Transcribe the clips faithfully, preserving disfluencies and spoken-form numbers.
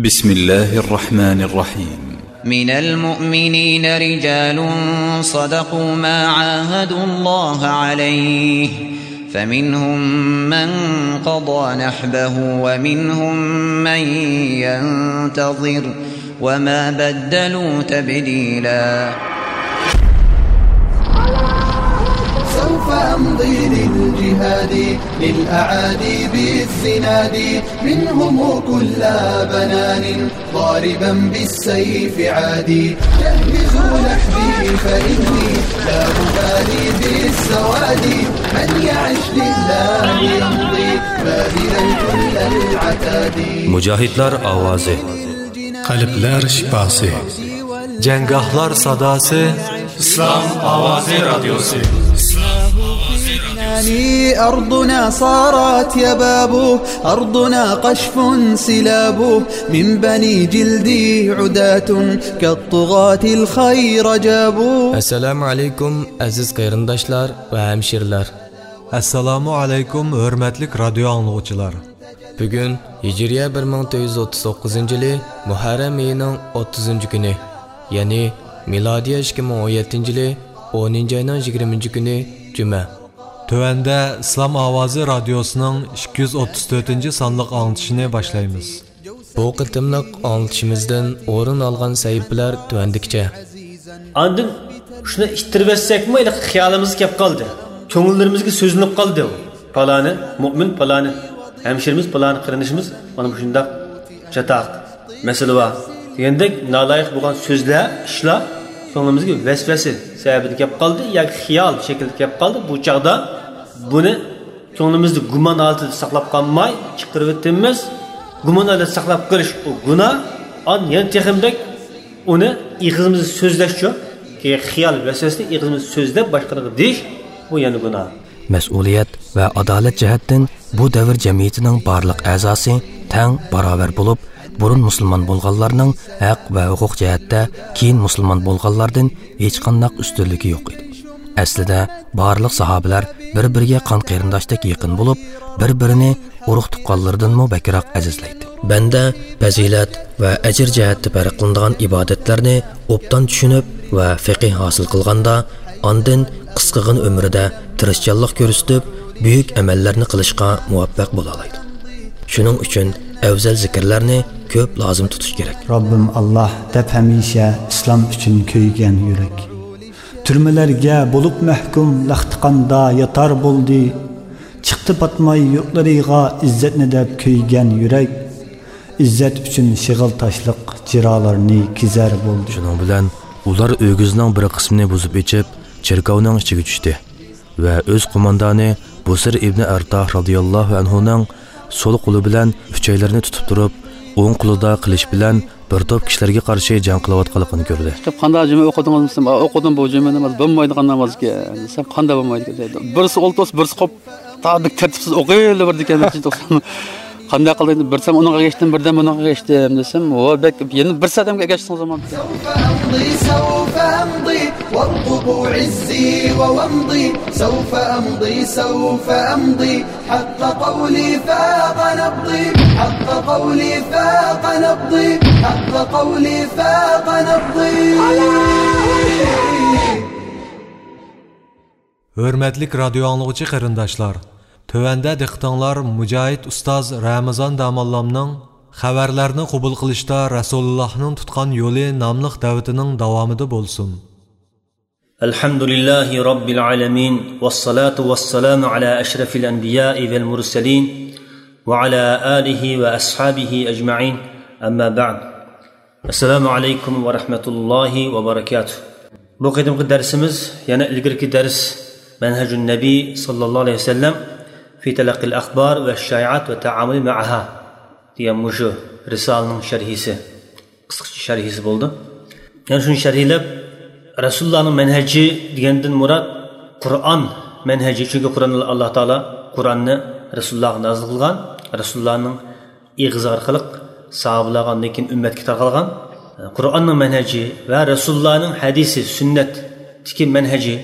بسم الله الرحمن الرحيم. من المؤمنين رجال صدقوا ما عاهدوا الله عليه، فمنهم من قضى نحبه ومنهم من ينتظر، وما بدلوا تبديلا. سوف أمضي للجهاد، للأعادي بالزناد، منهم كل بنان، ضاربا بالسيف عادي. جهزوا نحبي فإني لا أبالي بالسواد، من يعش لله يمضي، باذلا كل العتاد. مۇجاھىدلار ئاۋازى. قەلبلەر شىپاسى. جەڭگاھلار ساداسى. ئىسلام ئاۋازى رادىيوسى. أرضنا صارت يباب، أرضنا قشف سلاب، من بني جلدي عداة، كالطغاة الخير جابوا. ئەسسالامۇ ئەلەيكۇم، ئەزىز قېرىنداشلار ۋە ھەمشىرىلەر. ئەسسالامۇ ئەلەيكۇم، ھۆرمەتلىك رادىيو ئاڭلىغۇچىلار. بۈگۈن ھىجرىيە بىر مىڭ تۆت يۈز ئوتتۇز توققۇزىنچى يىلى مۇھەررەم ئېيىنىڭ ئوتتۇزىنچى كۈنى، يەنى مىلادىيە ئىككى مىڭ ئون يەتتىنچى يىلى ئونىنچى ئاينىڭ يىگىرمىنچى كۈنى جۈمە. تۆۋەندە ئىسلام ئاۋازى رادىيوسىنىڭ ئىككى يۈز ئوتتۇز تۆتىنچى سانلىق ئاڭلىتىشىنى باشلايمىز. بۇ قېتىملىق ئاڭلىتىشىمىزدىن ئورۇن ئالغان سەھىپىلەر تۆۋەندىكىچە. ئاندىن شۇنى ئىتتىرىۋەتسەكمۇ، ھېلىقى خىيالىمىزغا كەپ قالدى. كۆڭۈللىرىمىزگە سۆزلىنىپ قالدى. پالانى مۇئمىن، پالانى ھەمشىرىمىز، پالانى قېرىندىشىمىز مانا مۇشۇنداق چاتاق مەسىلە بار دېگەندەك نالايىق بولغان سۆزلەر، ئىشلار كۆڭلىمىزگە ۋەسۋەسە سەۋەبىدە كەپ قالدى ياكى خىيال شەكلىدە كەپ قالدى. بۇ چاغدا بۇنى كۆڭلىمىزدە گۇمان ھالىتىدە ساقلاپ قالماي چىقىرىۋېتىمىز. گۇمان ھالەتتە ساقلاپ قېلىش ئۇ گۇناھ. ئان يەنە تېخىمۇ بەك ئۇنى ئېغىزىمىزدا سۆزلەشچۇ، خىيال ۋەسۋەسىنى ئېغىزىمىزدا سۆزلەپ باشقىلارغا دېيىش، بۇ يەنە گۇناھ. مەسئۇلىيەت ۋە ئادالەت جەھەتتىن بۇ دەۋر جەمئىيىتىنىڭ بارلىق ئەزاسى تەڭ باراۋەر بولۇپ، بۇرۇن مۇسۇلمان بولغانلارنىڭ ھەق ۋە ھوقۇق جەھەتتە كېيىن مۇسۇلمان بولغانلاردىن ھېچقانداق ئۈستۈنلۈكى يوق ئىدى. ئەسلىدە بارلىق ساھابىلەر بىر-بىرىگە قان قېرىنداشتەك يېقىن بولۇپ، بىر-بىرىنى ئۇرۇق-تۇغقانلىرىدىنمۇ بەكرەك ئەزىزلەيتتى. بەندە پەزىلەت ۋە ئەجىر جەھەتتە پەرقلىنىدىغان ئىبادەتلەرنى ئوبدان چۈشىنىپ ۋە فىقىھ ھاسىل قىلغاندا، ئاندىن قىسقىغىنە ئۆمرىدە تىرىشچانلىق كۆرسىتىپ، بۈيۈك ئەمەللەرنى قىلىشقا مۇۋەپپەق بولالايدۇ. شۇنىڭ ئۈچۈن ئەۋزەل زىكىرلەرنى كۆپ لازىم تۇتۇش كېرەك. رەببىم ئاللاھ دەپ ھەمىشە ئىسلام ئۈچۈن كۆيگەن يۈرەك. تۈرمىلەرگە بولۇپ مەھكۇم لەختىقاندا ياتار بولدى. چىقتى پاتماي يۇرتلىرىغا ئىززەتنى دەپ كۆيگەن يۈرەك. ئىززەت ئۈچۈن شېغىل تاشلىق جىرالارنى كېزەر بولدى. شۇنىڭ بىلەن ئۇلار ئۆگزىنىڭ بىر قىسمىنى بۇزۇپ ئېچىپ، چېركاۋنىڭ ئىچىگە چۈشتى ۋە ئۆز قوماندانى بۇسىر ئىبنى ئەرتاھ رازىياللاھۇ ئەنھۇنىڭ سول قولى بىلەن ئۈچەيلىرىنى تۇتۇپ تۇرۇپ، ئوڭ قولىدا قىلىچ بىلەن بىر توپ كىشىلەرگە قارشى جەڭ قىلىۋاتقانلىقىنى كۆردى. كىتابخانىدا جۈمە ئوقۇدىڭىزمۇ دېسەم، «ئا، ئوقۇدۇم، بۇ جۈمە ناماز بولمايدىغان نامازكەن» دېسەم، «قانداق بولمايدىكەن؟» دەيدۇ. بىرسى ئولتۇرسا، بىرسى قوپ، تا بىر تەرتىپسىز ئوقۇۋېرىۋېرىدىكەن. توسۇپ، قانداق قىلدى؟ بىردەم ئۇنىڭغا ئەگەشتىم، بىردەم بۇنىڭغا ئەگەشتىم دېسەم، ۋە بەك يەنە بىر سەدەمگە ئەگەشتىڭىز ئامان. سوف ئەمضى، سوف ئەمضى، وارقبوا عزي وومضي. سوف ئەمضى، سوف ئەمضى، حق قولي فاق نبضي، حق قولي فاق نبضي، حق قولي فاق نبضي. ھۆرمەتلىك رادىيو ئاڭلىغۇچى قېرىنداشلار، تۆۋەندە دىققىتىڭلار مۇجاھىد ئۇستاز رەمىزان داموللامنىڭ خەۋەرلەرنى قوبۇل قىلىشتا رەسۇلۇللاھنىڭ تۇتقان يولى ناملىق دەۋىتىنىڭ داۋامىدا بولسۇن. الحمد لله رب العالمين، والصلاة والسلام على أشرف الأنبياء والمرسلين، وعلى آله وأصحابه أجمعين، أما بعد. السلام عليكم ورحمة الله وبركاته. بۇ قېتىمقى دەرسىمىز يەنە ئىلگىرىكى دەرس، مەنھەجۇن نەبىي ساللاللاھۇ ئەلەيھى ۋەسەللەم في تلقي الأخبار والشائعات والتعامل معها دېگەن مۇشۇ رىسالىنىڭ شەرھىسى، قىسقىچە شەرھىسى بولىدۇ. يەنى شۇنى شەرھلەپ، رەسۇلۇللانىڭ مەنھەجى دېگەندىن مۇراد قۇرئان مەنھەجى، چۈنكى قۇرئان، ئاللا تائالا قۇرئاننى رەسۇلۇللاغا نازىل قىلغان، رەسۇلۇللانىڭ ئېغىزى ئارقىلىق ساھابىلارغا، ئاندىن كېيىن ئۈممەتكە تارقالغان. قۇرئاننىڭ مەنھەجى ۋە رەسۇلۇللانىڭ ھەدىسى، سۈننەتتىكى مەنھەجى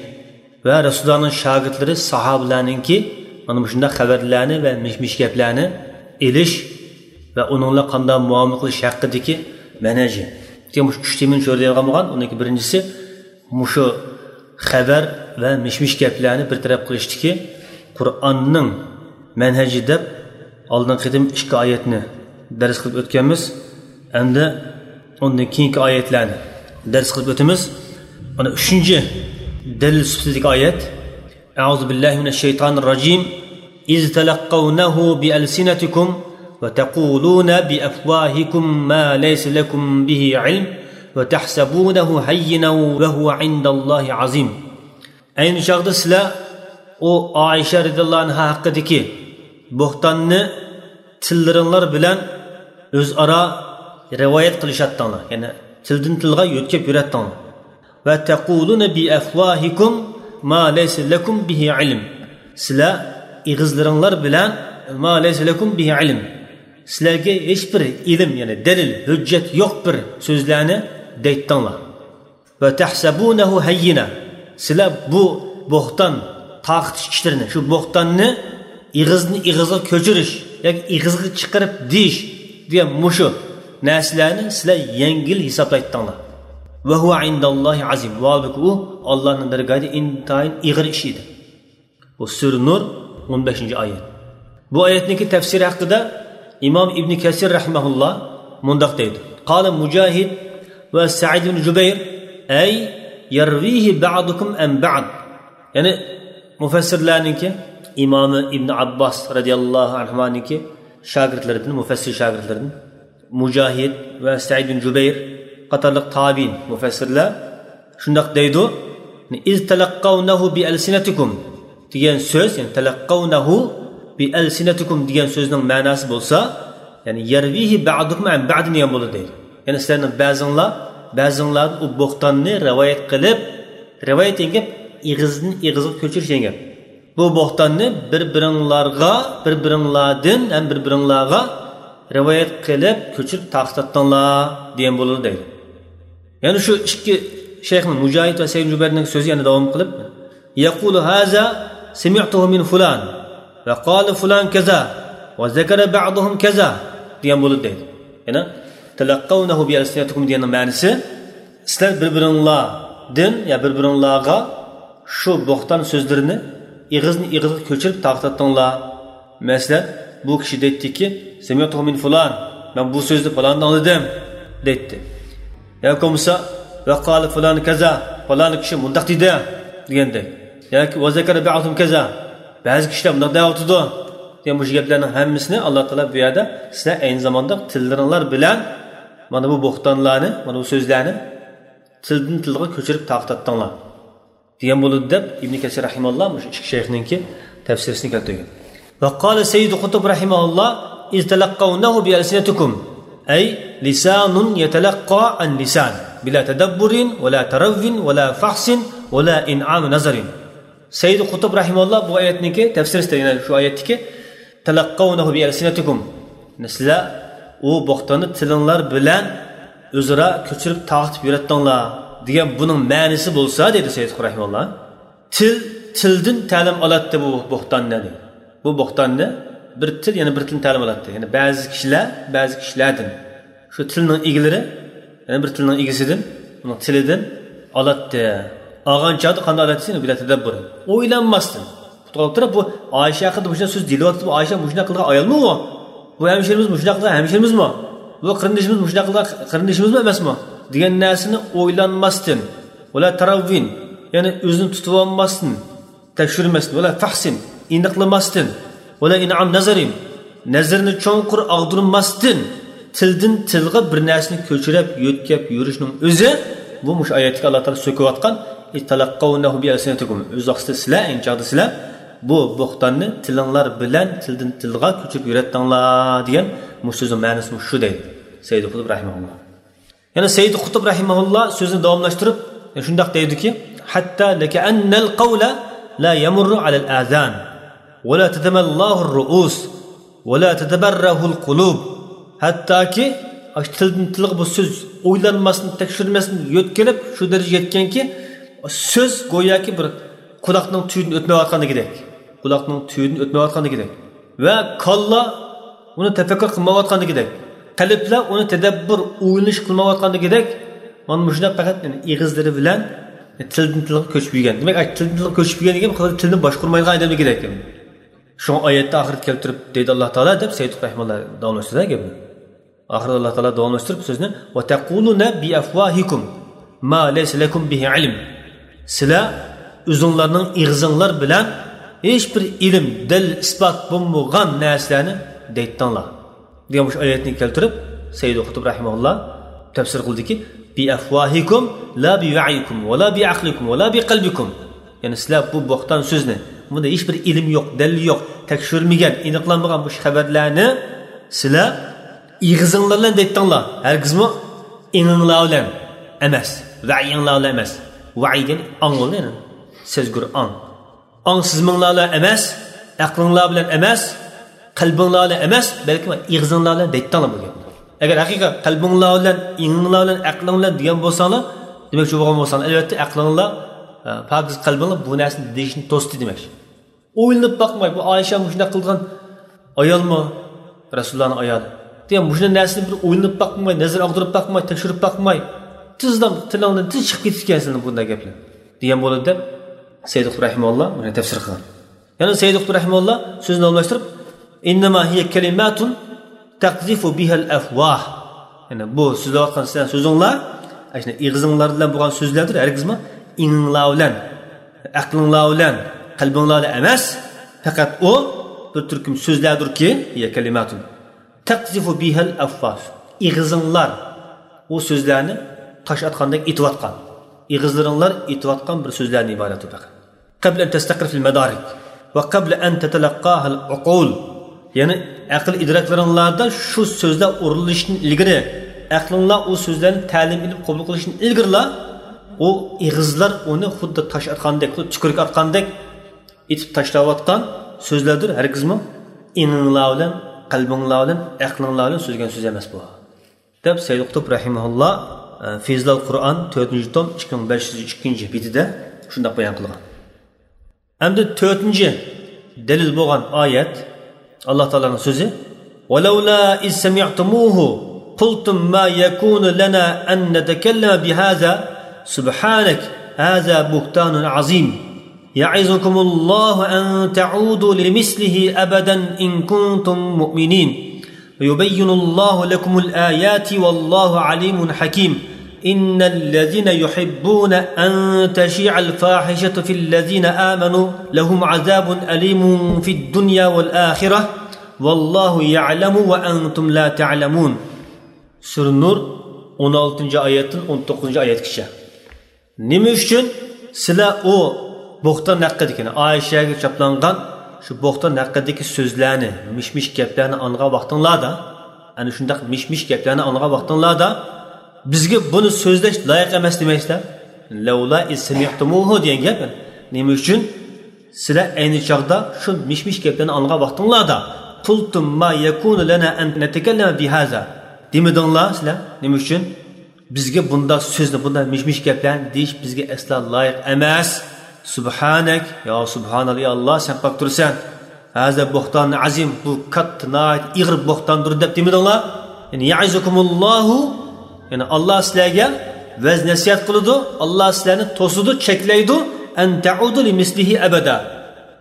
ۋە رەسۇلۇللانىڭ شاگىرتلىرى، ساھابىلەرنىڭكى مانا مۇشۇنداق خەۋەرلەرنى ۋە مىش-مىش گەپلەرنى ئېلىش، ۋە ئۇنىڭ بىلەن قانداق مۇئامىلە قىلىش ھەققىدىكى مەنھەجى. مۇشۇ ئۈچ تېمىنى چۆرىدەيدىغان بولغان. ئۇنىڭكى بىرىنچىسى، مۇشۇ خەۋەر ۋە مىش-مىش گەپلەرنى بىر تەرەپ قىلىشتىكى قۇرئاننىڭ مەنھەجى دەپ، ئالدىنقى قېتىم ئىككى ئايەتنى دەرس قىلىپ ئۆتكەنمىز. ئەمدى ئۇندىن كېيىنكى ئايەتلەرنى دەرس قىلىپ ئۆتىمىز. مانا ئۈچىنچى دەلىل سۈپىتىدىكى ئايەت. أعوذ بالله من الشيطان الرجيم. إذ تلقونه بألسنتكم وتقولون بأفواهكم ما ليس لكم به علم وتحسبونه هينا وهو عند الله عظيم. ئەينى چاغدا سىلەر ئۇ ئائىشە رەزىياللاھۇ ئەنھا ھەققىدىكى بوھتاننى تىللىرىڭلار بىلەن ئۆزئارا رىۋايەت قىلىشاتتىڭلار. يەنى تىلدىن تىلغا يۆتكەپ يۈرەتتىڭلار. وتقولون بأفواهكم ما ليس لكم به علم. سىلەر ئېغىزلىرىڭلار بىلەن ما ليس لكم به علم. سىلەرگە ھېچبىر ئىلىم، يەنى دەلىل، ھۆججەت يوق بىر سۆزلەرنى دەيتتىڭلار. وتحسبونه هينا. سىلەر بۇ بوھتان تارقىتىش ئىشلىرىنى، شۇ بوھتاننى ئېغىزدىن ئېغىزغا كۆچۈرۈش ياكى ئېغىزغا چىقىرىپ دېيىش دېگەن مۇشۇ نەرسىلەرنى سىلەر يەڭگىل ھېسابلايتتىڭلار. وهو عند الله عظيم. ۋاھالبۇكى ئۇ ئاللانىڭ دەرگاھىدا ئىنتايىن ئېغىر ئىش ئىدى. بۇ سۈرە نۇر، ئون بەشىنچى ئايەت. بۇ ئايەتنىڭكى تەپسىرى ھەققىدە ئىمام ئىبنى كەسىر رەھىمەھۇللا مۇنداق دەيدۇ: قال مجاهد وسعيد بن جبير، أي يرويه بعضكم عن بعض. يەنى مۇفەسسىرلەرنىڭكى، ئىمامى ئىبنى ئابباس رەزىياللاھۇ ئەنھۇمانىڭكى شاگىرتلىرىدىن، مۇفەسسىر شاگىرتلىرىدىن، مۇجاھىد ۋە سەئىد بىن جۇبەير قاتارلىق تابىئىن مۇفەسسىرلەر شۇنداق دەيدۇ: إذ تلقونه بألسنتكم دېگەن سۆز، يەنى تلقونه بألسنتكم دېگەن سۆزنىڭ مەناسى بولسا، يەنى يرويه بعضكم عن بعض دېگەن بولىدۇ دەيدۇ. يەنى سىلەرنىڭ بەزىڭلار بەزىڭلاردىن ئۇ بوھتاننى رىۋايەت قىلىپ، رىۋايەت دېگەن گەپ ئېغىزدىن ئېغىزغا كۆچۈرۈش دېگەن گەپ. بۇ بوھتاننى بىر-بىرىڭلارغا، بىر-بىرىڭلاردىن ھەم بىر-بىرىڭلارغا رىۋايەت قىلىپ كۆچۈرۈپ تارقىتاتتىڭلار دېگەن بولىدۇ دەيدۇ. يەنى شۇ ئىككى شەيخنىڭ، مۇجاھىد ۋە سەئىد جۇبەيرنىڭ سۆزى يەنە داۋام قىلىپ، يقول هذا سمعته من فلان وقال فلان كذا وذكر بعضهم كذا دېگەن بولىدۇ دەيدۇ. يەنى تلقونه بألسنتكم دېگەننىڭ مەنىسى، سىلەر بىر-بىرىڭلاردىن يا بىر-بىرىڭلارغا شۇ بوھتان سۆزلىرىنى ئېغىزدىن ئېغىزغا كۆچۈرۈپ تارقىتاتتىڭلار. مەسىلەن، بۇ كىشى دەيتتىكى، سمعته من فلان، مەن بۇ سۆزنى پالانىدىن ئاڭلىدىم، دەيتتى. ياكى بولمىسا، وقال فلان كذا، پالان كىشى مۇنداق دېدى، دېگەندەك. ياكى وذكر بعضهم كذا، بەزى كىشىلەر مۇنداق دەۋاتىدۇ، دېگەن مۇشۇ گەپلەرنىڭ ھەممىسىنى ئاللا تائالا بۇ يەردە سىلەر ئەينى زاماندا تىللىرىڭلار بىلەن مانا بۇ بوھتانلارنى، مانا بۇ سۆزلەرنى تىلدىن تىلغا كۆچۈرۈپ تارقىتاتتىڭلار دېگەن بولىدۇ دەپ، ئىبنى كەسىر رەھىمەھۇللا مۇشۇ ئىككى شەيخنىڭكى تەپسىرىسىنى كەلتۈرگەن. وقال سيد قطب رحمه الله: إذ تلقونه بألسنتكم، أي لسان يتلقى عن لسان، بلا تدبر ولا تروي ولا فحص ولا إنعام نظر. سەييىد قۇتۇب رەھىمەھۇللا بۇ ئايەتنىڭكى تەپسىرىدە، يەنە شۇ ئايەتتىكى، تەلەققەۋنەھۇ بىئەلسىنەتىكۇم، سىلەر ئۇ بوختاننى تىلىڭلار بىلەن ئۆزئارا كۆچۈرۈپ تارقىتىپ يۈرەتتىڭلار دېگەن بۇنىڭ مەنىسى بولسا، دېدى سەييىد قۇتۇب رەھىمەھۇللا، تىل تىلدىن تەلىم ئالاتتى بۇ بوختاننى، دېدى. بۇ بوختاننى بىر تىل يەنە بىر تىلدىن تەلىم ئالاتتى. يەنى بەزى كىشىلەر بەزى كىشىلەردىن، شۇ تىلنىڭ ئىگىلىرى يەنە بىر تىلنىڭ ئىگىسىدىن، ئۇنىڭ تىلىدىن ئالاتتى. ئالغان چاغدا قانداق ئالاتتى؟ بىلا تەدەببۇر، ئويلانماستىن. توختاپ تۇرۇپ، بۇ ئائىشە ھەققىدە مۇشۇنداق سۆز دېيىلىۋاتىدۇ، بۇ ئائىشە مۇشۇنداق قىلغان ئايالمۇ بۇ؟ بۇ ھەمشىرىمىز مۇشۇنداق قىلغان ھەمشىرىمىزمۇ؟ بۇ قېرىندىشىمىز مۇشۇنداق قىلغان قېرىندىشىمىزمۇ ئەمەسمۇ؟ دېگەن نەرسىنى ئويلانماستىن، ۋەلا تەرەۋۋىن، يەنى ئۆزىنى تۇتۇۋالماستىن، تەكشۈرمەستىن، ۋەلا فەھسىن، ئېنىقلىماستىن، ۋەلا ئىنئام نەزەرىن، نەزىرىنى چوڭقۇر ئاغدۇرماستىن، تىلدىن تىلغا بىر نەرسىنى كۆچۈرۈپ، يۆتكەپ يۈرۈشنىڭ ئۆزى، بۇ مۇشۇ ئايەتتىكى ئاللا تائالا سۆكۈۋاتقان، تەلەققەۋنەھۇ بىئەلسىنەتىكۇم، ئۆز ۋاقتىدا سىلەر، ئەينى چاغدا سىلەر بۇ بوختاننى تىلىڭلار بىلەن تىلدىن تىلغا كۆچۈرۈپ يۈرەتتىڭلار دېگەن مۇشۇ سۆزنىڭ مەنىسى مۇشۇ دەيدۇ سەييىد قۇتۇب رەھىمەھۇللا. يەنە سەييىد قۇتۇب رەھىمەھۇللا سۆزىنى داۋاملاشتۇرۇپ شۇنداق دەيدۇكى، ھەتتا لەكەئەننەل قەۋلە لا يەمۇررۇ ئەلەل ئازان، ۋەلا تەتەمەللاھۇر رۇئۇس، ۋەلا تەتەبەررەھۇل قۇلۇب. ھەتتاكى ئاشۇ تىلدىن تىلغا بۇ سۆز ئويلانماستىن، تەكشۈرمەستىن يۆتكىلىپ شۇ دەرىجىگە يەتكەنكى، سۆز گوياكى بىر قۇلاقنىڭ تۈۋىدىن ئۆتمەيۋاتقاندىكىدەك. قۇلاقنىڭ تۈۋىدىن ئۆتمەيۋاتقاندىكىدەك. ۋە كاللا ئۇنى تەپەككۇر قىلمايۋاتقاندىكىدەك، قەلبلەر ئۇنى تەدەببۇر، ئويلىنىش قىلمايۋاتقاندىكىدەك، مانا مۇشۇنداق پەقەت ئېغىزلىرى بىلەن تىلدىن تىلغا كۆچۈپ يۈرگەن. دېمەك، تىلدىن تىلغا كۆچۈپ يۈرگەن دېگەن تىلنى باشقۇرمايدىغان ئادەمدىكىدەك. شۇڭا ئايەتتە ئاخىرىدا كەلتۈرۈپ دەيدۇ ئاللا تائالا دەپ سەييىد رەھىمۇللا داۋاملاشتۇرىدۇ گەپنى. ئاخىرىدا ئاللا تائالا داۋاملاشتۇرۇپ سۆزنى، «وتقولون بأفواهكم ما ليس لكم به علم». سىلەر ئۆزۈڭلارنىڭ ئېغىزىڭلار بىلەن ھېچبىر ئىلىم، دەلىل، ئىسپات بولمىغان نەرسىلەرنى دەيتتىڭلار. دېگەن مۇشۇ ئايەتنى كەلتۈرۈپ، سەييىد قۇتۇب رەھىمەھۇللا تەپسىر قىلدىكى، «بأفواهكم لا بوعيكم ولا بعقلكم ولا بقلبكم». يەنى سىلەر بۇ بوختان سۆزنى، بۇندا ھېچبىر ئىلىم يوق، دەلىل يوق، تەكشۈرۈلمىگەن، ئېنىقلانمىغان مۇشۇ خەۋەرلەرنى سىلەر ئېغىزىڭلار بىلەن دەيتتىڭلار، ھەرگىزمۇ ئېڭىڭلار بىلەن ئەمەس، ۋەيىڭلار بىلەن ئەمەس. ۋەي دېگەن ئاڭ بولىدۇ، يەنى سەزگۈر ئاڭ. ئاڭ سېزىمىڭلار بىلەن ئەمەس، ئەقلىڭلار بىلەن ئەمەس، قەلبىڭلار بىلەن ئەمەس، بەلكى ئېغىزىڭلار بىلەن دەيتتىڭلار بۇ گەپنى. ئەگەر ھەقىقەت قەلبىڭلار بىلەن، ئېڭىڭلار بىلەن، ئەقلىڭ بىلەن دېگەن بولساڭلار، دېمەكچى بولغان بولساڭلار، ئەلۋەتتە ئەقلىڭلار، ئە، پاكىز قەلبىڭلار بۇ نەرسىنى دېيىشنى توستى دېمەكچى. ئويلىنىپ باقماي، بۇ ئائىشە مۇشۇنداق قىلغان ئايالمۇ؟ رەسۇلۇللانىڭ ئايالى. دېگەن مۇشۇنداق نەرسىنى بىر ئويلىنىپ باقماي، نەزەر ئاغدۇرۇپ باقماي، تەكشۈرۈپ باقماي، تېزلا تىلىڭدىن تېز چىقىپ كېتىدىكەن سېنىڭ بۇنداق گەپلەر. دېگەن بولىدۇ دەپ سەييىد قۇتۇب رەھىمەھۇللا مۇنى تەپسىر قىلغان. يەنە سەييىد قۇتۇب رەھىمەھۇللا سۆزىنى داۋاملاشتۇرۇپ، «إنما هي كلمات تقذف بها الأفواه». يەنى بۇ سۆزلەۋاتقان سىلەر سۆزۈڭلار، ئاشۇ ئېغىزىڭلار بىلەن بولغان سۆزلەردۇر، ھەرگىزمۇ ئېڭىڭلار بىلەن، ئەقلىڭلار بىلەن، قەلبىڭلار بىلەن ئەمەس، پەقەت ئۇ بىر تۈركۈم سۆزلەردۇركى، هي كلمات تقذف بها الأفواه. ئېغىزىڭلار ئۇ سۆزلەرنى تاش ئاتقاندەك ئېتىۋاتقان، ئېغىزلىرىڭلار ئېتىۋاتقان بىر سۆزلەردىن ئىبارەت ئۇ پەقەت. قبل أن تستقر في المدارك وقبل أن تتلقاها العقول. يەنى ئەقىل ئىدراكلىرىڭلاردا شۇ سۆزلەر ئورۇنلىشىشتىن ئىلگىرى، ئەقلىڭلار ئۇ سۆزلەرنى تەلىم ئېلىپ قوبۇل قىلىشتىن ئىلگىرىلا، ئۇ ئېغىزلار ئۇنى خۇددى تاش ئاتقاندەك، خۇددى چۈكۈرۈك ئاتقاندەك ئېتىپ تاشلاۋاتقان سۆزلەردۇر، ھەرگىزمۇ ئېڭىڭلار بىلەن، قەلبىڭلار بىلەن، ئەقلىڭلار بىلەن سۆزلىگەن سۆز ئەمەس بۇ. دەپ سەييىد قۇتۇب رەھىمەھۇللا، ئە، فىزلال قۇرئان، تۆتىنچى توم، ئىككى مىڭ بەش يۈز ئىككىنچى بېتىدە شۇنداق بايان قىلغان. ئەمدى تۆتىنچى دەلىل بولغان ئايەت، ئاللا تائالانىڭ سۆزى، «ولولا إذ سمعتموه قلتم ما يكون لنا أن نتكلم بهذا سبحانك هذا بهتان عظيم». يعظكم الله أن تعودوا لمثله أبدا إن كنتم مؤمنين. ويبين الله لكم الآيات والله عليم حكيم. إن الذين يحبون أن تشيع الفاحشة في الذين آمنوا لهم عذاب أليم في الدنيا والآخرة. والله يعلم وأنتم لا تعلمون. سۈرە نۇر، ئون ئالتىنچى ئايەتتىن ئون توققۇزىنچى ئايەتكىچە. نېمە ئۈچۈن سىلەر ئۇ بوختان ھەققىدىكى، يەنى ئائىشەگە چاپلانغان شۇ بوختان ھەققىدىكى سۆزلەرنى، مىش-مىش گەپلەرنى ئاڭلىغان ۋاقتىڭلاردا، ئەنە شۇنداق مىش-مىش گەپلەرنى ئاڭلىغان ۋاقتىڭلاردا، بىزگە بۇنى سۆزلەش لايىق ئەمەس دېمەيسىلەر؟ لەۋلا ئىز سەمىئتۇمۇھۇ دېگەن گەپ. نېمە ئۈچۈن سىلەر ئەينى چاغدا شۇ مىش-مىش گەپلەرنى ئاڭلىغان ۋاقتىڭلاردا، قۇلتۇم ما يەكۇنۇ لەنا ئەن نەتەكەللەمە بىھازا، دېمىدىڭلار سىلەر؟ نېمە ئۈچۈن؟ بىزگە بۇنداق سۆزنى، بۇنداق مىش-مىش گەپلەرنى دېيىش بىزگە ئەسلا لايىق ئەمەس. سۇبھانەك، يا سۇبھانەللا، يا ئاللا، سەن پاك تۇرىسەن. ھازا بۇھتان ئەزىم، بۇ كاتتا، ناھايىتى ئېغىر بۇھتاندۇر دەپ دېمىدىڭلار؟ يەنى يەئىزۇكۇمۇللاھۇ، يەنى ئاللا سىلەرگە ۋەز نەسىھەت قىلىدۇ، ئاللا سىلەرنى توسىدۇ، چەكلەيدۇ، ئەن تەئۇدۇ لىمىسلىھى ئەبەدا.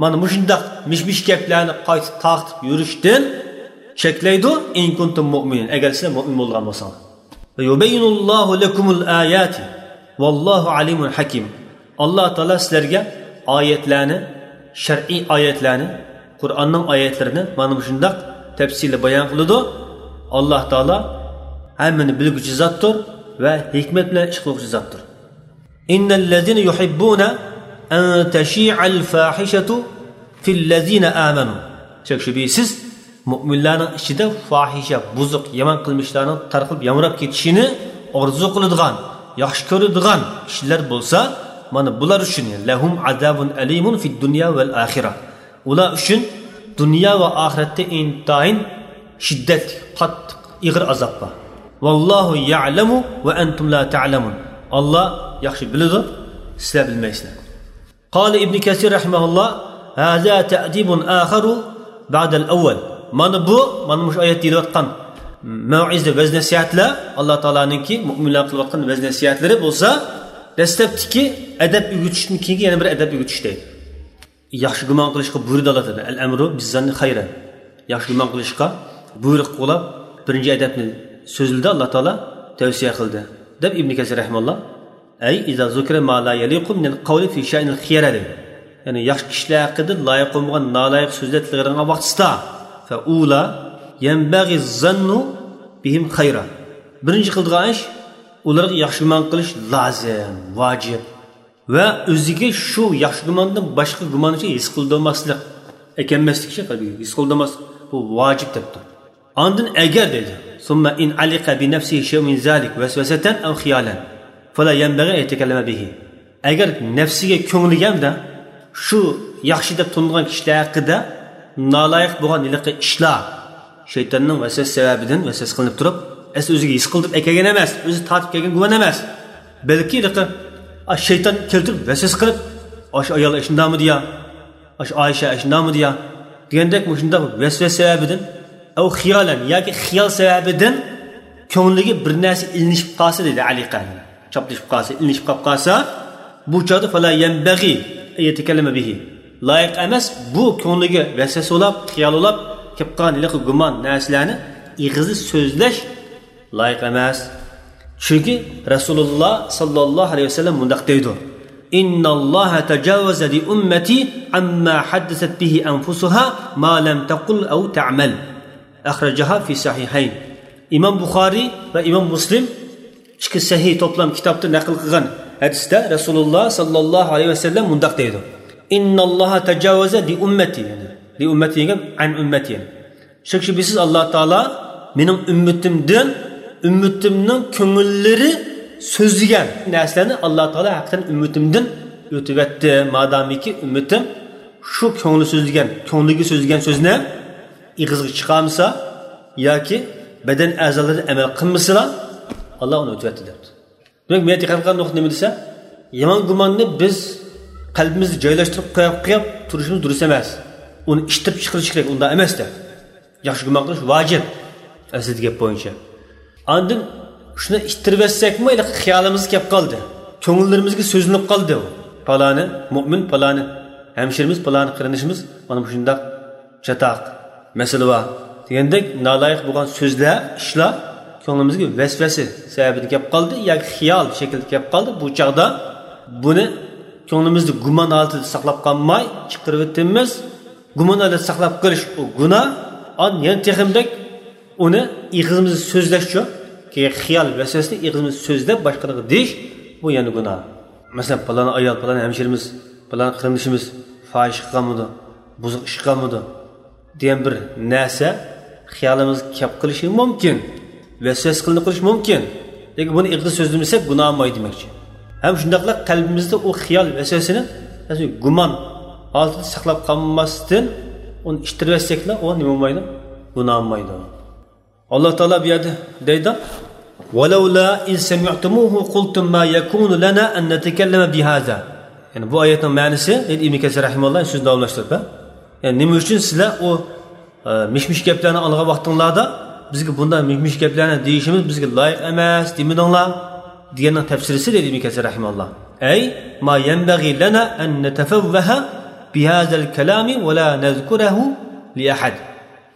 مانا مۇشۇنداق مىش-مىش گەپلەرنى قايتا تارقىتىپ يۈرۈشتىن چەكلەيدۇ، ئىن كۇنتۇم مۇئمىنىن، ئەگەر سىلەر مۇئمىن بولغان بولساڭلار. ۋە يۇبەييىنۇللاھۇ لەكۇمۇل ئاياتى ۋاللاھۇ ئالىمۇن ھەكىم. ئاللا تائالا سىلەرگە ئايەتلەرنى، شەرئىي ئايەتلەرنى، قۇرئاننىڭ ئايەتلىرىنى مانا مۇشۇنداق تەپسىلىي بايان قىلىدۇ. ئاللا تائالا ھەممىنى بىلگۈچى زاتتۇر ۋە ھېكمەت بىلەن ئىش قىلغۇچى زاتتۇر. إن الذين يحبون أن تشيع الفاحشة في الذين آمنوا. شەك-شۈبھىسىز، مۆمىنلەرنىڭ ئىچىدە فاھىشە، بۇزۇق، يامان قىلمىشلارنىڭ تارقىلىپ يامراپ كېتىشىنى ئارزۇ قىلىدىغان، ياخشى كۆرىدىغان كىشىلەر بولسا، مانا بۇلار ئۈچۈن لەھۇم ئازابۇن ئەلىمۇن فىد دۇنيا ۋەل ئاخىرە. ئۇلار ئۈچۈن دۇنيا ۋە ئاخىرەتتە ئىنتايىن شىددەتلىك، قاتتىق، ئېغىر ئازاب بار. ۋاللاھۇ يەئلەمۇ ۋە ئەنتۇم لا تەئلەمۇن. ئاللا ياخشى بىلىدۇ، سىلەر بىلمەيسىلەر. قال ابن كثير رحمه الله: هذا تأديب آخر بعد الأول. مانا بۇ، مانا مۇشۇ ئايەت دېيىلىۋاتقان مەۋئىزە، ۋەز-نەسىھەتلەر، ئاللا تائالانىڭكى مۆمىنلەرگە قىلىۋاتقان ۋەز-نەسىھەتلىرى بولسا، دەسلەپتىكى ئەدەپ ئۆگىتىشتىن كېيىنكى يەنە بىر ئەدەپ ئۆگىتىش دەيدۇ. ياخشى گۇمان قىلىشقا بۇيرۇدى ئاللا تائالا. «ئەل ئەمرۇ بىززاننى خەيرەن.» ياخشى گۇمان قىلىشقا بۇيرۇق قىلىپ، بىرىنچى ئەدەپنى سۆزلىدى ئاللا تائالا، تەۋسىيە قىلدى، دەپ ئىبنى كەسىر رەھىمەللا. «ئەي ئىزا زۇكىرە ما لا يەلىقۇ مىنەل قەۋلى فى شەئنىل خىيەرە» دەيدۇ. يەنى ياخشى كىشىلەر ھەققىدە لايىق بولمىغان نالايىق سۆزلەر تىلغا ئېلىنغان ۋاقتىسىدا، فەئۇلا يەنبەغى زەننۇ بىھىم خەيرا. بىرىنچى قىلىدىغان ئىش، ئۇلارغا ياخشى گۇمان قىلىش لازىم، ۋاجىپ. ۋە ئۆزىگە شۇ ياخشى گۇماندىن باشقا گۇمان ئۈچۈن ھېس قىلدۇرماسلىق، ئەكەنمەسلىك، شۇ قەلبىگە ھېس قىلدۇرماسلىق، بۇ ۋاجىپ دەپتۇ. ئاندىن ئەگەر دەيدۇ، ثم إن علق بنفسه شيء من ذلك وسوسة أو خيالا فلا ينبغي أن يتكلم به. ئەگەر نەپسىگە، كۆڭلىگە ھەمدە شۇ ياخشى دەپ تونۇلغان كىشىلەر ھەققىدە نالايىق بولغان ھېلىقى ئىشلار، شەيتاننىڭ ۋەسۋەسە سەۋەبىدىن ۋەسۋەسە قىلىنىپ تۇرۇپ، ئەسلى ئۆزىگە ھېس قىلدۇرۇپ ئەكەلگەن ئەمەس، ئۆزى تارتىپ كەلگەن گۇمان ئەمەس. بەلكى ھېلىقى، ئا، شەيتان كەلتۈرۈپ ۋەسۋەسە قىلىپ، «ئاشۇ ئايال ئاشۇنداقمىدى يا؟ ئاشۇ ئائىشە ئاشۇنداقمىدى يا؟» دېگەندەك مۇشۇنداق ۋەسۋەسە سەۋەبىدىن، ئەۋ خىيالەن، ياكى خىيال سەۋەبىدىن كۆڭلىگە بىر نەرسە ئىلىنىشىپ قالسا، دېدى ئەلى قەھرى. چاپلىشىپ قالسا، ئىلىنىشىپ قاپ قالسا، بۇ چاغدا فلا يەنبەغى ئەن يەتەكەللەمە بىھى. لايىق ئەمەس، بۇ كۆڭلىگە ۋەسۋەسە بولاپ، خىيال بولاپ كېلىپ قالغان ھېلىقى گۇمان نەرسىلەرنى ئېغىزدا سۆزلەش لايىق ئەمەس. چۈنكى رەسۇلۇللا ساللاللاھۇ ئەلەيھى ۋەسەللەم مۇنداق دەيدۇ: «إن الله تجاوز لأمتي عما حدثت به أنفسها ما لم تقل أو تعمل». أخرجها في الصحيحين. ئىمام بۇخارىي ۋە ئىمام مۇسلىم ئىككى سەھىھ توپلام كىتابتا نەقىل قىلغان ھەدىستە رەسۇلۇللا ساللاللاھۇ ئەلەيھى ۋەسەللەم مۇنداق دەيدۇ: «إن الله تجاوز لأمتي»، يەنى لأمتي دېگەن عن أمتي، يەنى شەك-شۈبھىسىز ئاللا تائالا مېنىڭ ئۈممىتىمدىن، ئۈممىتىمنىڭ كۆڭۈللىرى سۆزلىگەن نەرسىلەرنى ئاللا تائالا ھەقىقەتەن ئۈممىتىمدىن ئۆتۈۋەتتى. مادامىكى ئۈممىتىم شۇ كۆڭلى سۆزلىگەن، كۆڭلىگە سۆزلىگەن سۆزنى ئېغىزغا چىقارمىسا ياكى بەدەن ئەزالىرى ئەمەل قىلمىسىلا، ئاللا ئۇنى ئۆتۈۋەتتى دەپتۇ. دېمەك، مېنىڭ دىققەت قىلغان نۇقتا نېمە دېسە، يامان گۇماننى بىز قەلبىمىزدە جايلاشتۇرۇپ قويۇپ، قويۇپ تۇرۇشىمىز دۇرۇس ئەمەس. ئۇنى ئىتتىرىپ چىقىرىش كېرەك، ئۇنداق ئەمەس دەپ. ياخشى گۇمان قىلىش ۋاجىپ، ئەسلىدىكى گەپ بويىچە. ئاندىن شۇنى ئىتتىرىۋەتسەكمۇ، ھېلىقى خىيالىمىزغا كەپ قالدى. كۆڭۈللىرىمىزگە سۆزلىنىپ قالدى ئۇ. پالانى مۆمىن، پالانى ھەمشىرىمىز، پالانى قېرىندىشىمىز مانا مۇشۇنداق چاتاق، مەسىلە بار دېگەندەك نالايىق بولغان سۆزلەر، ئىشلار كۆڭلىمىزگە ۋەسۋەسە سەۋەبىدىن كەپ قالدى ياكى خىيال شەكلىدە كەپ قالدى. بۇ چاغدا بۇنى كۆڭلىمىزدە گۇمان ھالىتىدە ساقلاپ قالماي چىقىرىۋېتىمىز. گۇمان ھالەتتە ساقلاپ قېلىش ئۇ گۇناھ. ئاندىن يەنە تېخىمۇ بەك ئۇنى ئېغىزىمىزدا سۆزلەشچۇ، خىيال ۋەسۋەسىنى ئېغىزىمىزدا سۆزلەپ باشقىلارغا دېيىش، بۇ يەنە گۇناھ. مەسىلەن، پالان ئايال، پالان ھەمشىرىمىز، پالان قېرىندىشىمىز پاھىشە قىلغانمىدۇ، بۇزۇق ئىش قىلغانمىدۇ دېگەن بىر نەرسە خىيالىمىزغا كەپ قېلىشى مۇمكىن، ۋەسۋەسە قىلىنىپ قېلىشى مۇمكىن. لېكىن بۇنى ئېغىزدا سۆزلىمىسەك گۇناھ بولمايدۇ دېمەكچى. ھەم شۇنداقلا قەلبىمىزدە ئۇ خىيال ۋەسۋەسىنى، مەسىلەن، گۇمان ھالىتىدە ساقلاپ قالماستىن، ئۇنى ئىتتىرىۋەتسەكلا، ئۇ نېمە بولمايدۇ؟ گۇناھ بولمايدۇ. ئاللا تائالا بۇ يەردە دەيدۇ، ولولا إذ سمعتموه قلتم ما يكون لنا أن نتكلم بهذا. يەنى بۇ ئايەتنىڭ مەنىسى، دەيدۇ ئىبن كەسىر رەھىمەھۇللا سۆزىنى داۋاملاشتۇرۇپ، ھە؟ يەنى نېمە ئۈچۈن سىلەر ئۇ، ئە، مىش-مىش گەپلەرنى ئاڭلىغان ۋاقتىڭلاردا بىزگە بۇنداق مىش-مىش گەپلەرنى دېيىشىمىز بىزگە لايىق ئەمەس دېمىدىڭلار؟ دېگەننىڭ تەپسىرىسى، دەيدۇ ئىبن كەسىر رەھىمەھۇللا، أي ما ينبغي لنا أن نتفوه بهذا الكلام ولا نذكره لأحد.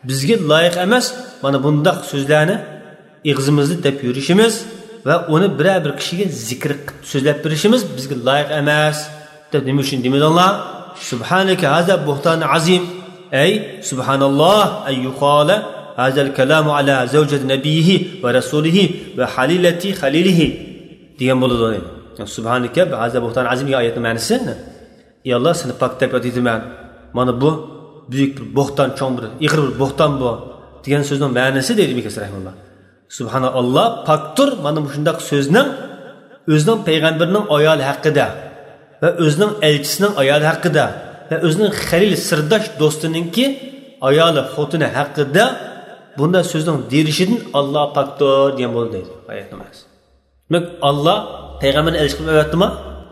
بىزگە لايىق ئەمەس مانا بۇنداق سۆزلەرنى ئېغىزىمىزدا دەپ يۈرۈشىمىز ۋە ئۇنى بىرەر بىر كىشىگە زىكىر قىلىپ سۆزلەپ بېرىشىمىز بىزگە لايىق ئەمەس دەپ. نېمە ئۈچۈن دېمىدىڭلار؟ سبحانك هذا بهتان عظيم. أي سبحان الله أن يقال هذا الكلام على زوجة نبيه ورسوله وحليلة خليله دېگەن بولىدۇ. سبحانك هذا بهتان عظيم دېگەن ئايەتنىڭ مەنىسى. ئى ئاللا، سېنى پاك دەپ ياد ئېتىمەن. مانا بۇ بۈيۈك بىر بوھتان، چوڭ بىر، ئېغىر بىر بوھتان بۇ، دېگەن سۆزنىڭ مەنىسى، دەيدۇ ئىبن كەسىر رەھىمەھۇللا. سۇبھاناللا، پاكتۇر مانا مۇشۇنداق سۆزنىڭ ئۆزىنىڭ پەيغەمبىرىنىڭ ئايالى ھەققىدە ۋە ئۆزىنىڭ ئەلچىسىنىڭ ئايالى ھەققىدە ۋە ئۆزىنىڭ خەلىل، سىرداش، دوستىنىڭكى ئايالى، خوتۇنى ھەققىدە بۇنداق سۆزنىڭ دېيىلىشىدىن ئاللا پاكتۇر دېگەن بولىدۇ، دەيدۇ ئايەتنىڭ مەنىسى. دېمەك، ئاللا پەيغەمبەرنى ئەلچى قىلىپ ئەۋەتتىما؟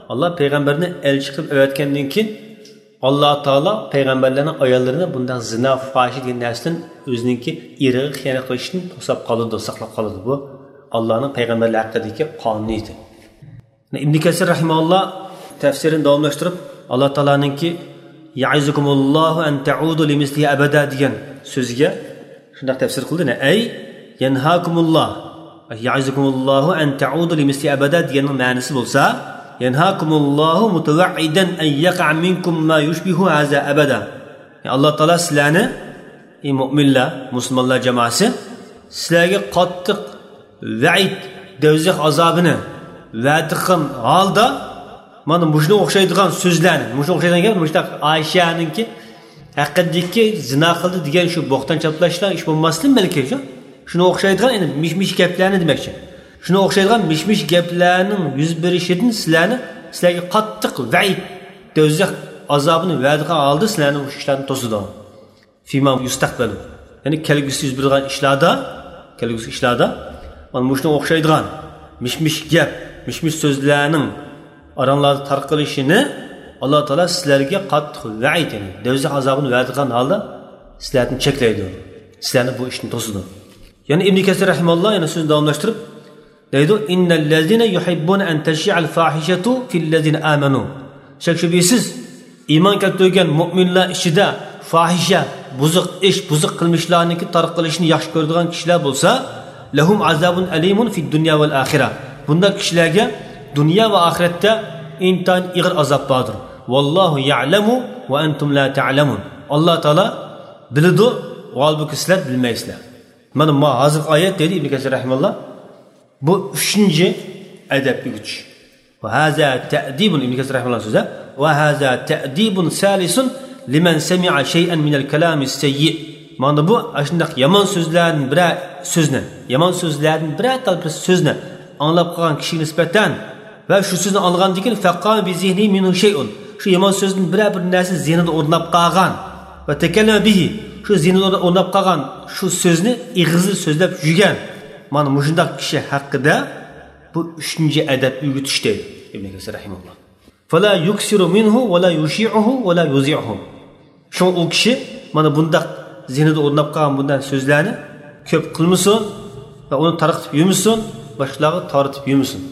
ئاللا پەيغەمبەرنى ئەلچى قىلىپ ئەۋەتكەندىن كېيىن، ئاللا تائالا پەيغەمبەرلەرنىڭ ئاياللىرىنى بۇنداق زىنا، فاھىشە دېگەن نەرسىدىن، ئۆزىنىڭكى ئېرىغا خىيانەت قىلىشتىن توساپ قالىدۇ، ساقلاپ قالىدۇ. بۇ ئاللانىڭ پەيغەمبەرلەر ھەققىدىكى قانۇنى ئىدى. ئىبن كەسىر رەھىمەھۇللا تەپسىرىنى داۋاملاشتۇرۇپ، ئاللا تائالانىڭكى «يەئىزۇكۇمۇللاھۇ ئەن تەئۇدۇ لىمىسلىھى ئەبەدە» دېگەن سۆزىگە شۇنداق تەپسىر قىلدى، ئەي يەنھاكۇمۇللا، يەئىزۇكۇمۇللاھۇ ئەن تەئۇدۇ لىمىسلىھى ئەبەدە دېگەننىڭ مەنىسى بولسا، يەنھاكۇمۇللاھۇ مۇتەۋەئىدەن ئەن يەقەئە مىنكۇم ما يۇشبىھۇ ھازا ئەبەدە. ئاللا تائالا سىلەرنى، ئى مۆمىنلەر، مۇسۇلمانلار جامائەسى، سىلەرگە قاتتىق ۋەئىد، دوزاخ ئازابىنى ۋەدە قىلغان ھالدا، مانا مۇشۇنىڭغا ئوخشايدىغان سۆزلەرنى، مۇشۇنىڭغا ئوخشايدىغان گەپ، مۇشۇنداق ئائىشەنىڭكى ھەققىدىكى زىنا قىلدى دېگەن شۇ بوھتان چاپلاشلار ئىش بولماستىن بەلكى شۇ، شۇنىڭغا ئوخشايدىغان، يەنى مىش-مىش گەپلەرنى دېمەكچى. شۇنىڭغا ئوخشايدىغان مىش-مىش گەپلەرنىڭ يۈز بېرىشىدىن سىلەرنى، سىلەرگە قاتتىق ۋەئىد، دوزاخ ئازابىنى ۋەدە قىلغان ھالدا سىلەرنى مۇشۇ ئىشلاردىن توسىدۇ. فيما يستقبل، يەنى كەلگۈسى يۈز بېرىدىغان ئىشلاردا، كەلگۈسى ئىشلاردا، مانا مۇشۇنىڭغا ئوخشايدىغان مىش-مىش گەپ، مىش-مىش سۆزلەرنىڭ ئاراڭلاردا تارقىلىشىنى ئاللا تائالا سىلەرگە قاتتىق ۋەئىد، يەنى دوزاخ ئازابىنى ۋەدە قىلغان ھالدا سىلەردىن چەكلەيدۇ. سىلەرنى بۇ ئىشتىن توسىدۇ. يەنە ئىبن كەسىر رەھىمەھۇللا يەنە سۆزىنى داۋاملاشتۇرۇپ، دەيدۇ، إن الذين يحبون أن تشيع الفاحشة في الذين آمنوا. شەك-شۈبھىسىز، ئىمان كەلتۈرگەن مۆمىنلەر ئىچىدە فاھىشە، بۇزۇق ئىش، بۇزۇق قىلمىشلارنىڭكى تارقىلىشىنى ياخشى كۆرىدىغان كىشىلەر بولسا، لهم عذاب أليم في الدنيا والآخرة. بۇنداق كىشىلەرگە دۇنيا ۋە ئاخىرەتتە ئىنتايىن ئېغىر ئازاب باردۇر. والله يعلم وأنتم لا تعلمون. ئاللا تائالا بىلىدۇ، ھالبۇكى سىلەر بىلمەيسىلەر. مانا ما ھازىرقى ئايەت دەيدۇ ئىبن كەسىر رەھىمەھۇللا. بۇ ئۈچىنچى ئەدەپ ئۆگىتىش. وهذا تأديب، ئىبن كەسىر رەھىمەھۇللا سۆزى. وهذا تأديب ثالث لمن سمع شيئا من الكلام السيء. مانا بۇ ئاشۇنداق يامان سۆزلەردىن بىرەر سۆزنى، يامان سۆزلەردىن بىرەر تال بىر سۆزنى ئاڭلاپ قالغان كىشىگە نىسبەتەن ۋە شۇ سۆزنى ئاڭلىغاندىن كېيىن فقام بذهنه منه شيء، شۇ يامان سۆزدىن بىرەر بىر نەرسە زېھنىدا ئورناپ قالغان، وتكلم به، شۇ زېھنىدا ئورناپ قالغان شۇ سۆزنى ئېغىزىدا سۆزلەپ يۈرگەن، مانا مۇشۇنداق كىشى ھەققىدە بۇ ئۈچىنچى ئەدەپ ئۆگىتىش دەيدۇ ئىبن كەسىر رەھىمەھۇللا. فلا يكثر منه ولا يشيعه ولا يذيعه. شۇڭا ئۇ كىشى مانا بۇنداق زېھنىدا ئورناپ قالغان بۇنداق سۆزلەرنى كۆپ قىلمىسۇن ۋە ئۇنى تارقىتىپ يۈرمىسۇن، باشقىلارغا تارتىپ يۈرمىسۇن.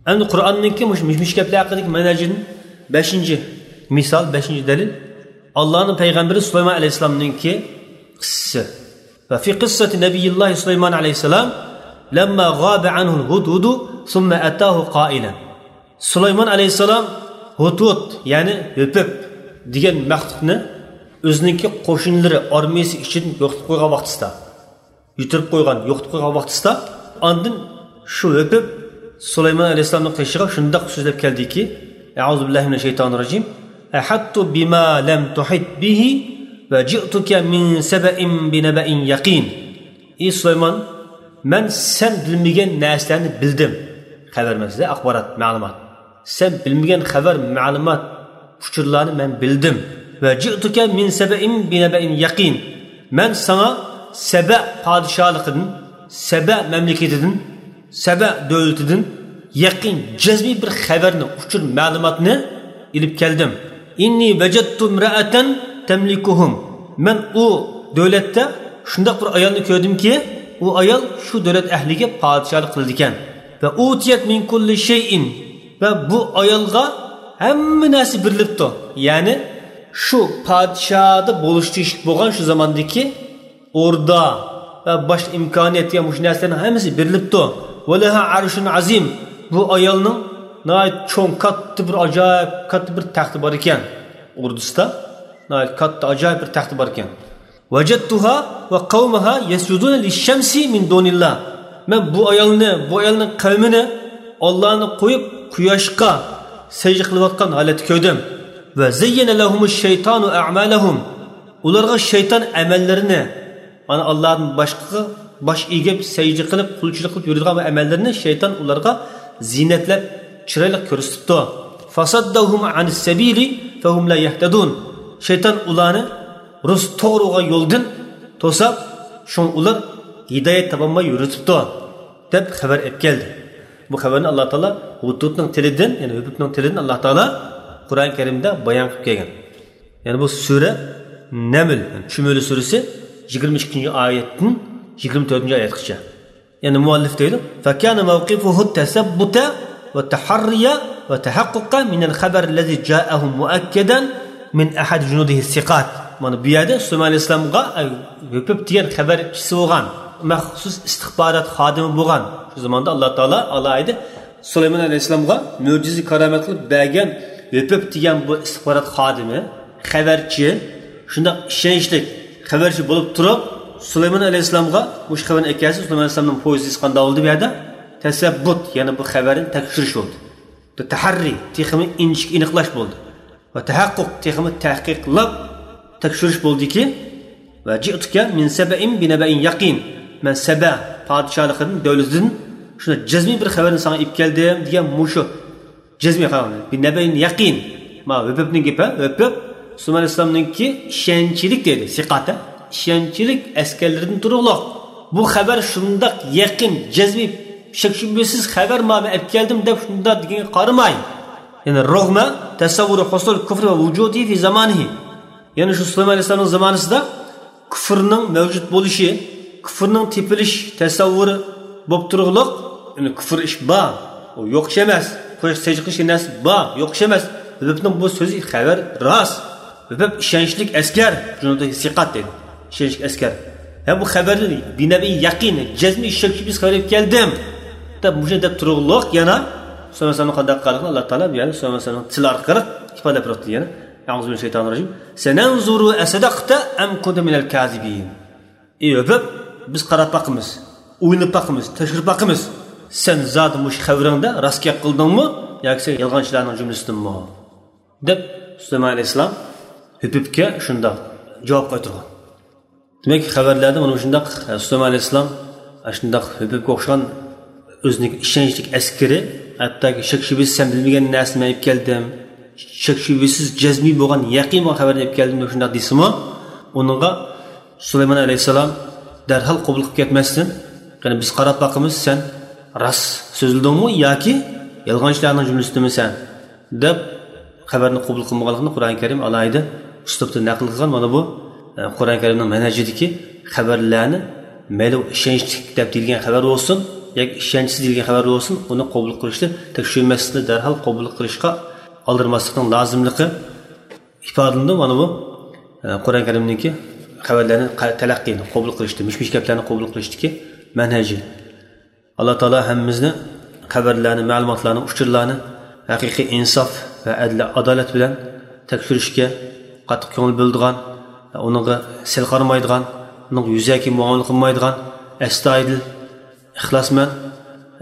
ئەمدى قۇرئاننىڭكى مۇشۇ مىش-مىش گەپلەر ھەققىدىكى مەنھەجىدىن بەشىنچى مىسال، بەشىنچى دەلىل، ئاللانىڭ پەيغەمبىرى سۇلايمان ئەلەيھىسسالامنىڭكى قىسسىسى. وفي قصة نبي الله سليمان عليه السلام لما غاب عنه الهدهد ثم أتاه قائلا. سۇلايمان ئەلەيھىسسالام ھۇدھۇد، يەنى ھۆپۈپ دېگەن مەخلۇقنى ئۆزىنىڭكى قوشۇنلىرى، ئارمىيىسى ئىچىدىن يوقىتىپ قويغان ۋاقتىسىدا، يىتىرىپ قويغان، يوقىتىپ قويغان ۋاقتىسىدا، ئاندىن شۇ ھۆپۈپ سۇلايمان ئەلەيھىسسالامنىڭ قېشىغا شۇنداق سۆزلەپ كەلدىكى، أعوذ بالله من الشيطان الرجيم، أحطت بما لم تحط به وجئتك من سبأ بنبأ يقين. ئى سۇلايمان، مەن سەن بىلمىگەن نەرسىلەرنى بىلدىم. خەۋەر ئەمەس، ئاخبارات، مەلۇمات. سەن بىلمىگەن خەۋەر، مەلۇمات، ئۇچۇرلارنى مەن بىلدىم. وجئتك من سبأ بنبأ يقين. مەن ساڭا سەبە پادىشاھلىقىدىن، سەبە مەملىكىتىدىن، سەبە دۆلىتىدىن يەقىن، جەزمىي بىر خەۋەرنى، ئۇچۇر، مەلۇماتنى ئېلىپ كەلدىم. إني وجدت امرأة تملكهم. مەن ئۇ دۆلەتتە شۇنداق بىر ئايالنى كۆردۈمكى، ئۇ ئايال شۇ دۆلەت ئەھلىگە پادىشاھلىق قىلىدىكەن. وأوتيت من كل شيء. ۋە بۇ ئايالغا ھەممە نەرسە بېرىلىپتۇ. يەنى شۇ پادىشاھدا بولۇشقا تېگىشلىك بولغان شۇ زاماندىكى ئوردا ۋە باشقا ئىمكانىيەت دېگەن مۇشۇ نەرسىلەرنىڭ ھەممىسى بېرىلىپتۇ. ولها عرش عظيم. بۇ ئايالنىڭ ناھايىتى چوڭ، كاتتا بىر، ئاجايىپ كاتتا بىر تەختى بار ئىكەن. ئوردىسىدا ناھايىتى كاتتا، ئاجايىپ بىر تەختى بار ئىكەن. وجدتها وقومها يسجدون للشمس من دون الله. مەن بۇ ئايالنى، بۇ ئايالنىڭ قەۋمىنى ئاللانى قويۇپ، قۇياشقا سەجدە قىلىۋاتقان ھالەتتە كۆردۈم. وزين لهم الشيطان أعمالهم. ئۇلارغا شەيتان ئەمەللىرىنى، مانا، ئاللادىن باشقىغا باش ئېگىپ، سەجدە قىلىپ، قۇلچىلىق قىلىپ يۈرىدىغان بۇ ئەمەللىرىنى شەيتان ئۇلارغا زىينەتلەپ، چىرايلىق كۆرسىتىپتۇ. فصدهم عن السبيل فهم لا يهتدون. شەيتان ئۇلارنى رۇس توغرا بولغان يولدىن توساپ، شۇڭا ئۇلار ھىدايەت تاپالماي يۈرۈۋېتىپتۇ، دەپ خەۋەر ئېلىپ كەلدى. بۇ خەۋەرنى ئاللا تائالا ھۇدھۇدنىڭ تىلىدىن، يەنى ھۆپۈپنىڭ تىلىدىن ئاللا تائالا قۇرئان كەرىمدە بايان قىلىپ كەلگەن. يەنى بۇ سۈرە نەمل، يەنى چۈمۈلە سۈرىسى يىگىرمە ئىككىنچى ئايەتتىن يىگىرمە تۆتىنچى ئايەتكىچە. يەنى مۇئەللىف دەيدۇ، فكان موقفه التثبت والتحري والتحقق من الخبر الذي جاءه مؤكدا من أحد جنوده الثقات. مانا بۇ يەردە سۇلەيمان ئەلەيھىسسالامغا، ئەي، ھۆپۈپ دېگەن خەۋەرچىسى بولغان، مەخسۇس ئىستىخبارات خادىمى بولغان، شۇ زاماندا ئاللا تائالا ئالاھىدە سۇلەيمان ئەلەيھىسسالامغا مۆجىزە كارامەت قىلىپ بەرگەن ھۆپۈپ دېگەن بۇ ئىستىخبارات خادىمى، خەۋەرچى، شۇنداق ئىشەنچلىك خەۋەرچى بولۇپ تۇرۇپ، سۇلەيمان ئەلەيھىسسالامغا مۇشۇ خەۋەرنى ئەكەلسە، سۇلەيمان ئەلەيھىسسالامنىڭ پوزىتسىيىسى قانداق بولدى بۇ يەردە؟ تەسەببۇت، يەنى بۇ خەۋەرنى تەكشۈرۈش بولدى. تەھەررىي، تېخىمۇ ئىنچىكە ئېنىقلاش بولدى. ۋە تەھەققۇق، تېخىمۇ تەھقىقلاپ تەكشۈرۈش بولدىكى، ۋە جىئتۇكە مىن سەبەئىن بىنەبەئىن يەقىن، مەن سەبە پادىشاھلىقىدىن، دۆلىتىدىن شۇنداق جەزمىي بىر خەۋەرنى ساڭا ئېلىپ كەلدىم دېگەن مۇشۇ جەزمىي خەۋەر. بىنەبەئىن يەقىن. ما ھۆپۈپنىڭ گېپى، ھۆپۈپ سۇلەيمان ئەلەيھىسسالامنىڭكى ئىشەنچلىك دېدى، سىقات، ئىشەنچلىك ئەسكەرلىرىدىن تۇرۇقلۇق. بۇ خەۋەر شۇنداق يەقىن، جەزمىي، شەك-شۈبھىسىز خەۋەر، ما مەن ئەپ كەلدىم دەپ شۇنداق دېگەنگە قارىماي، يەنى رغم تصور حصول الكفر ووجوده في زمانه. يەنى شۇ سۇلەيمان ئەلەيھىسسالامنىڭ زامانىسىدا كۇفرنىڭ مەۋجۇت بولۇشى، كۇفرنىڭ تېپىلىش تەسەۋۋۇرى بولۇپ تۇرۇقلۇق، يەنى كۇفر ئىش بار، ئۇ يوق ئىش ئەمەس. قوشاق سەجدە قىلىش نەرسە بار، يوق ئىش ئەمەس. ھۆپۈپنىڭ بۇ سۆزى خەۋەر راست. ھۆپۈپ ئىشەنچلىك ئەسكەر، جۇنۇدۇ سىقات دەيدۇ. ئىشەنچلىك ئەسكەر. ھە، بۇ خەۋەرنى بىنەبىن يەقىن، جەزمىي شەك-شۈبھىسىز خەۋەر ئېلىپ كەلدىم دەپ مۇشۇ دەپ تۇرۇقلۇق يەنە سۇلەيمان ئەلەيھىسسالامنىڭ قانداق قىلغانلىقىنى ئاللا تائالا بۇ يەردە سۇلەيمان ئەلەيھىسسالامنىڭ تىلى ئارقىلىق ئىپادىلەپ بېرىپتۇ يەنە. أعوذ بالله من الشيطان الرجيم. سننظر أصدقت أم كنت من الكاذبين. ئى ھۆپۈپ، بىز قاراپ باقىمىز، ئويلىنىپ باقىمىز، تەكشۈرۈپ باقىمىز. سەن زادى مۇشۇ خەۋىرىڭدە راست گەپ قىلدىڭمۇ ياكى سەن يالغانچىلاردىن جۈملىسىدىنمۇ؟ دەپ سۇلەيمان ئەلەيھىسسالام ھۆپۈپكە شۇنداق جاۋاب قايتۇرغان. دېمەك، خەۋەرلەردە مانا مۇشۇنداق، سۇلەيمان ئەلەيھىسسالام شۇنداق ھۆپۈپكە ئوخشىغان ئۆزىنىڭ ئىشەنچلىك ئەسكىرى، ھەتتاكى شەك-شۈبھىسىز سەن بىلمىگەن نەرسىنى مەن ئېلىپ كەلدىم، شەك-شۈبھىسىز جەزمىي بولغان، يەقىن بولغان خەۋەرنى ئېلىپ كەلدىم دەپ شۇنداق دېسىمۇ، ئۇنىڭغا سۇلەيمان ئەلەيھىسسالام دەرھال قوبۇل قىلىپ كەتمەستىن، قېنى بىز قاراپ باقىمىز، سەن راست سۆزلىدىڭمۇ ياكى يالغانچىلارنىڭ جۈملىسىدىنمۇ سەن؟ دەپ خەۋەرنى قوبۇل قىلمىغانلىقىنى قۇرئان كەرىم ئالاھىدە ئۇسلۇبتا نەقىل قىلغان. مانا بۇ، ئە، قۇرئان كەرىمنىڭ مەنھەجىدىكى خەۋەرلەرنى مەيلى ئۇ ئىشەنچلىك دەپ دېيىلگەن خەۋەر بولسۇن ياكى ئىشەنچسىز دېيىلگەن خەۋەر بولسۇن، ئۇنى قوبۇل قىلىشتا تەكشۈرمەسلىكنى، دەرھال قوبۇل قىلىشقا ئالدىرىماسلىقنىڭ لازىملىقى ئىپادىلىنىدۇ. مانا بۇ، ئە، قۇرئان كەرىمنىڭكى خەۋەرلەرنى قا-، تەلەققىينى قوبۇل قىلىشتا، مىش-مىش گەپلەرنى قوبۇل قىلىشتىكى مەنھەجى. ئاللا تائالا ھەممىمىزنى خەۋەرلەرنى، مەلۇماتلارنى، ئۇچۇرلارنى ھەقىقىي ئىنساپ ۋە ئەدل، ئادالەت بىلەن تەكشۈرۈشكە قاتتىق كۆڭۈل بۆلىدىغان، ئۇنىڭغا سەل قارىمايدىغان، ئۇنىڭغا يۈزەكى مۇئامىلە قىلمايدىغان، ئەستايىدىل، ئىخلاسمەن،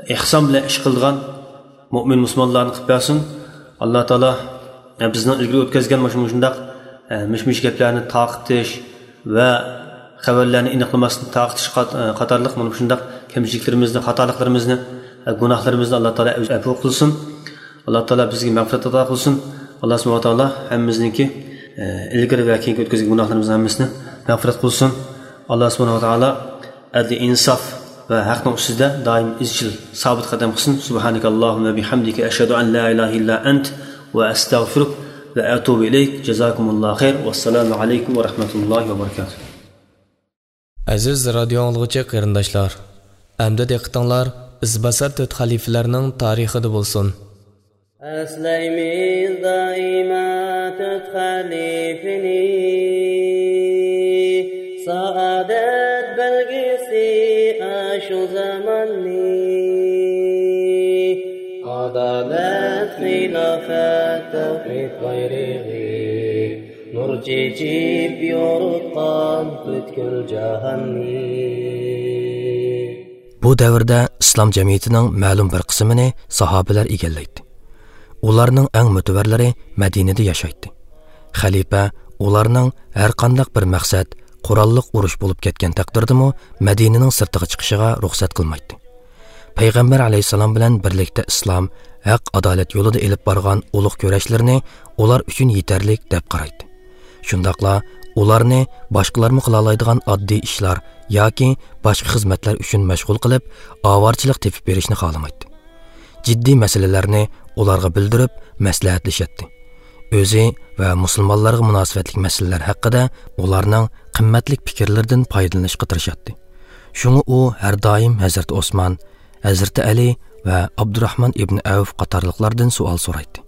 ئېھسان بىلەن ئىش قىلىدىغان مۆمىن مۇسۇلمانلارنى قىلىپ بەرسۇن. ئاللا تائالا، ئە، بىزنىڭ ئىلگىرى ئۆتكۈزگەن مۇشۇ، مۇشۇنداق، ئە، مىش-مىش گەپلەرنى تارقىتىش ۋە خەۋەرلەرنى ئېنىقلىماستىن تارقىتىش قات-، ئە، قاتارلىق مانا مۇشۇنداق كەمچىلىكلىرىمىزنى، خاتالىقلىرىمىزنى، ئە، گۇناھلىرىمىزنى ئاللا تائالا ئەۋ-، ئەپۇ قىلسۇن. ئاللا تائالا بىزگە مەغپىرەت ئاتا قىلسۇن. ئاللا سۇبھانەھۇ ۋە تائالا ھەممىمىزنىڭكى، ئە، ئىلگىرى ۋە كېيىنكى ئۆتكۈزگەن گۇناھلىرىمىزنى ھەممىسىنى مەغپىرەت قىلسۇن. ئاللا سۇبھانەھۇ ۋە تائالا ئەدلى ئىنساف ۋە ھەقنىڭ ئۈستىدە دائىم ئىزچىل سابىت قەدەم قىلسۇن. سۇبھانەكەللاھۇممە بىھەمدىكە، ئەشھەدۇ ئەن لا ئىلاھە ئىللا ئەنت ۋە ئەستەغفىرۇك ۋە ئەتۇبۇ ئىلەيك. جازاكۇمۇللاھۇ خەير. ۋەسسالامۇ ئەلەيكۇم ۋە رەھمەتۇللاھى ۋە بەرىكاتۇھ. ئەزىز رادىيو ئاڭلىغۇچى قېرىنداشلار، ئەمدى دىققىتىڭلار ئىزباسار تۆت خەلىپىلەرنىڭ تارىخىدا بولسۇن. ئەسلەيمىز دائىما تۆت خەلىپىنى، سائادەت بەلگىسى ئاشۇ زاماننى. ئادالەت، خىلاپەت، تەۋھىد بايرىقى، نۇر چېچىپ يورۇتقان پۈتكۈل جاھاننى. بۇ دەۋردە ئىسلام جەمئىيىتىنىڭ مەلۇم بىر قىسمىنى ساھابىلەر ئىگىلەيتتى. ئۇلارنىڭ ئەڭ مۆتىۋەرلىرى مەدىنىدە ياشايتتى. خەلىپە ئۇلارنىڭ ھەرقانداق بىر مەقسەت، قوراللىق ئۇرۇش بولۇپ كەتكەن تەقدىردىمۇ مەدىنىنىڭ سىرتىغا چىقىشىغا رۇخسەت قىلمايتتى. پەيغەمبەر ئەلەيھىسسالام بىلەن بىرلىكتە ئىسلام، ھەق، ئادالەت يولىدا ئېلىپ بارغان ئۇلۇغ كۈرەشلىرىنى ئۇلار ئۈچۈن يېتەرلىك دەپ قارايتتى. شۇنداقلا ئۇلارنى باشقىلارمۇ قىلالايدىغان ئاددىي ئىشلار ياكى باشقا خىزمەتلەر ئۈچۈن مەشغۇل قىلىپ، ئاۋارىچىلىق تېپىپ بېرىشنى خالىمايتتى. جىددىي مەسىلىلەرنى ئۇلارغا بىلدۈرۈپ، مەسلىھەتلىشەتتى. ئۆزى ۋە مۇسۇلمانلارغا مۇناسىۋەتلىك مەسىلىلەر ھەققىدە ئۇلارنىڭ قىممەتلىك پىكىرلىرىدىن پايدىلىنىشقا تىرىشاتتى. شۇڭا ئۇ ھەر دائىم ھەزرىتى ئوسمان، ھەزرىتى ئەلى ۋە ئابدۇراخمان ئىبن ئەۋف قاتارلىقلاردىن سوئال سورايتتى.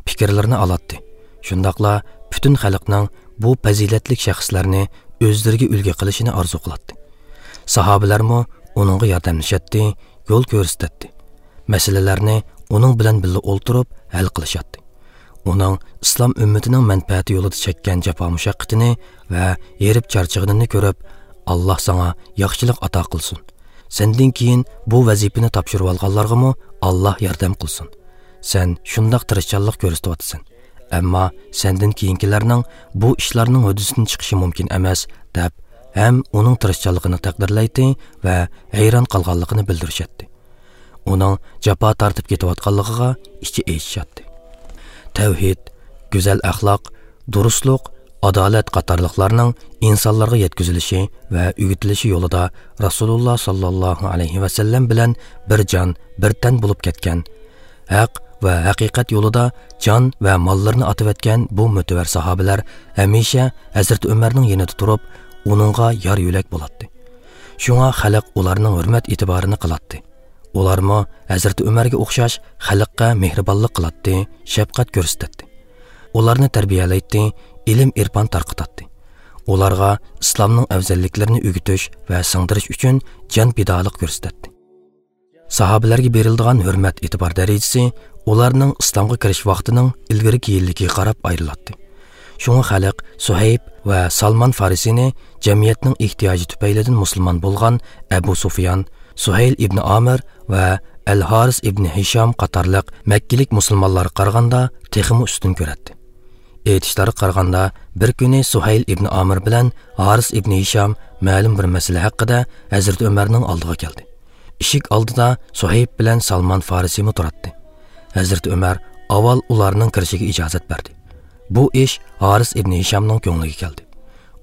پىكىرلىرىنى ئالاتتى. شۇنداقلا پۈتۈن خەلقنىڭ بۇ پەزىلەتلىك شەخسلەرنى ئۆزلىرىگە ئۈلگە قىلىشىنى ئارزۇ قىلاتتى. ساھابىلەرمۇ ئۇنىڭغا ياردەملىشەتتى، يول كۆرسىتەتتى. مەسىلىلەرنى ئۇنىڭ بىلەن بىللە ئولتۇرۇپ ھەل قىلىشاتتى. ئۇنىڭ ئىسلام ئۈممىتىنىڭ مەنپەئەتى يولىدا چەككەن جاپا-مۇشەققىتىنى ۋە ھېرىپ-چارچىغىنىنى كۆرۈپ، «ئاللاھ ساڭا ياخشىلىق ئاتا قىلسۇن. سەندىن كېيىن بۇ ۋەزىپىنى تاپشۇرۇۋالغانلارغىمۇ ئاللاھ ياردەم قىلسۇن. سەن شۇنداق تىرىشچانلىق كۆرسىتىۋاتىسەن. ئەمما سەندىن كېيىنكىلەرنىڭ بۇ ئىشلارنىڭ ھۆددىسىدىن چىقىشى مۇمكىن ئەمەس» دەپ، ھەم ئۇنىڭ تىرىشچانلىقىنى تەقدىرلەيتتى ۋە ھەيران قالغانلىقىنى بىلدۈرۈشەتتى. ئۇنىڭ جاپا تارتىپ كېتىۋاتقانلىقىغا ئىچى ئېچىشاتتى. تەۋھىد، گۈزەل ئەخلاق، دۇرۇسلۇق، ئادالەت قاتارلىقلارنىڭ ئىنسانلارغا يەتكۈزۈلۈشى ۋە ئۆگىتىلىشى يولىدا رەسۇلۇللاھ ساللاللاھۇ ئەلەيھى ۋەسەللەم بىلەن بىر جان، بىر تەن بولۇپ كەتكەن، ھەق ۋە ھەقىقەت يولىدا جان ۋە ماللىرىنى ئاتىۋەتكەن بۇ مۆتىۋەر ساھابىلەر ھەمىشە ھەزرىتى ئۆمەرنىڭ يېنىدا تۇرۇپ، ئۇنىڭغا يار-يۆلەك بولاتتى. شۇڭا خەلق ئۇلارنىڭ ھۆرمەت-ئېتىبارىنى قىلاتتى. ئۇلارمۇ ھەزرىتى ئۆمەرگە ئوخشاش خەلققە مېھرىبانلىق قىلاتتى، شەپقەت كۆرسىتەتتى. ئۇلارنى تەربىيەلەيتتى، ئىلىم-ئېرپان تارقىتاتتى. ئۇلارغا ئىسلامنىڭ ئەۋزەللىكلىرىنى ئۆگىتىش ۋە سىڭدۈرۈش ئۈچۈن جان پىدالىق كۆرسىتەتتى. ساھابىلەرگە بېرىلىدىغان ھۆرمەت-ئېتىبار دەرىجىسى ئۇلارنىڭ ئىسلامغا كىرىش ۋاقتىنىڭ ئىلگىرى-كېيىنلىكىگە قاراپ ئايرىلاتتى. شۇڭا خەلق سۇھەيب ۋە سالمان فارىسىنى جەمئىيەتنىڭ ئېھتىياجى تۈپەيلىدىن مۇسۇلمان بولغان ئەبۇ سۇفيان، سۇھەيل ئىبنى ئامىر ۋە ئەل ھارىس ئىبنى ھىشام قاتارلىق مەككىلىك مۇسۇلمانلارغا قارىغاندا تېخىمۇ ئۈستۈن كۆرەتتى. ئېيتىشلارغا قارىغاندا، بىر كۈنى سۇھەيل ئىبنى ئامىر بىلەن ھارىس ئىبنى ھىشام مەلۇم بىر مەسىلە ھەققىدە ھەزرىتى ئۆمەرنىڭ ئالدىغا كەلدى. ئىشىك ئالدىدا سۇھەيب بىلەن سالمان فارىسىمۇ تۇراتتى. ھەزرىتى ئۆمەر ئاۋۋال ئۇلارنىڭ كىرىشىگە ئىجازەت بەردى. بۇ ئىش ھارىس ئىبنى ھىشامنىڭ كۆڭلىگە كەلدى.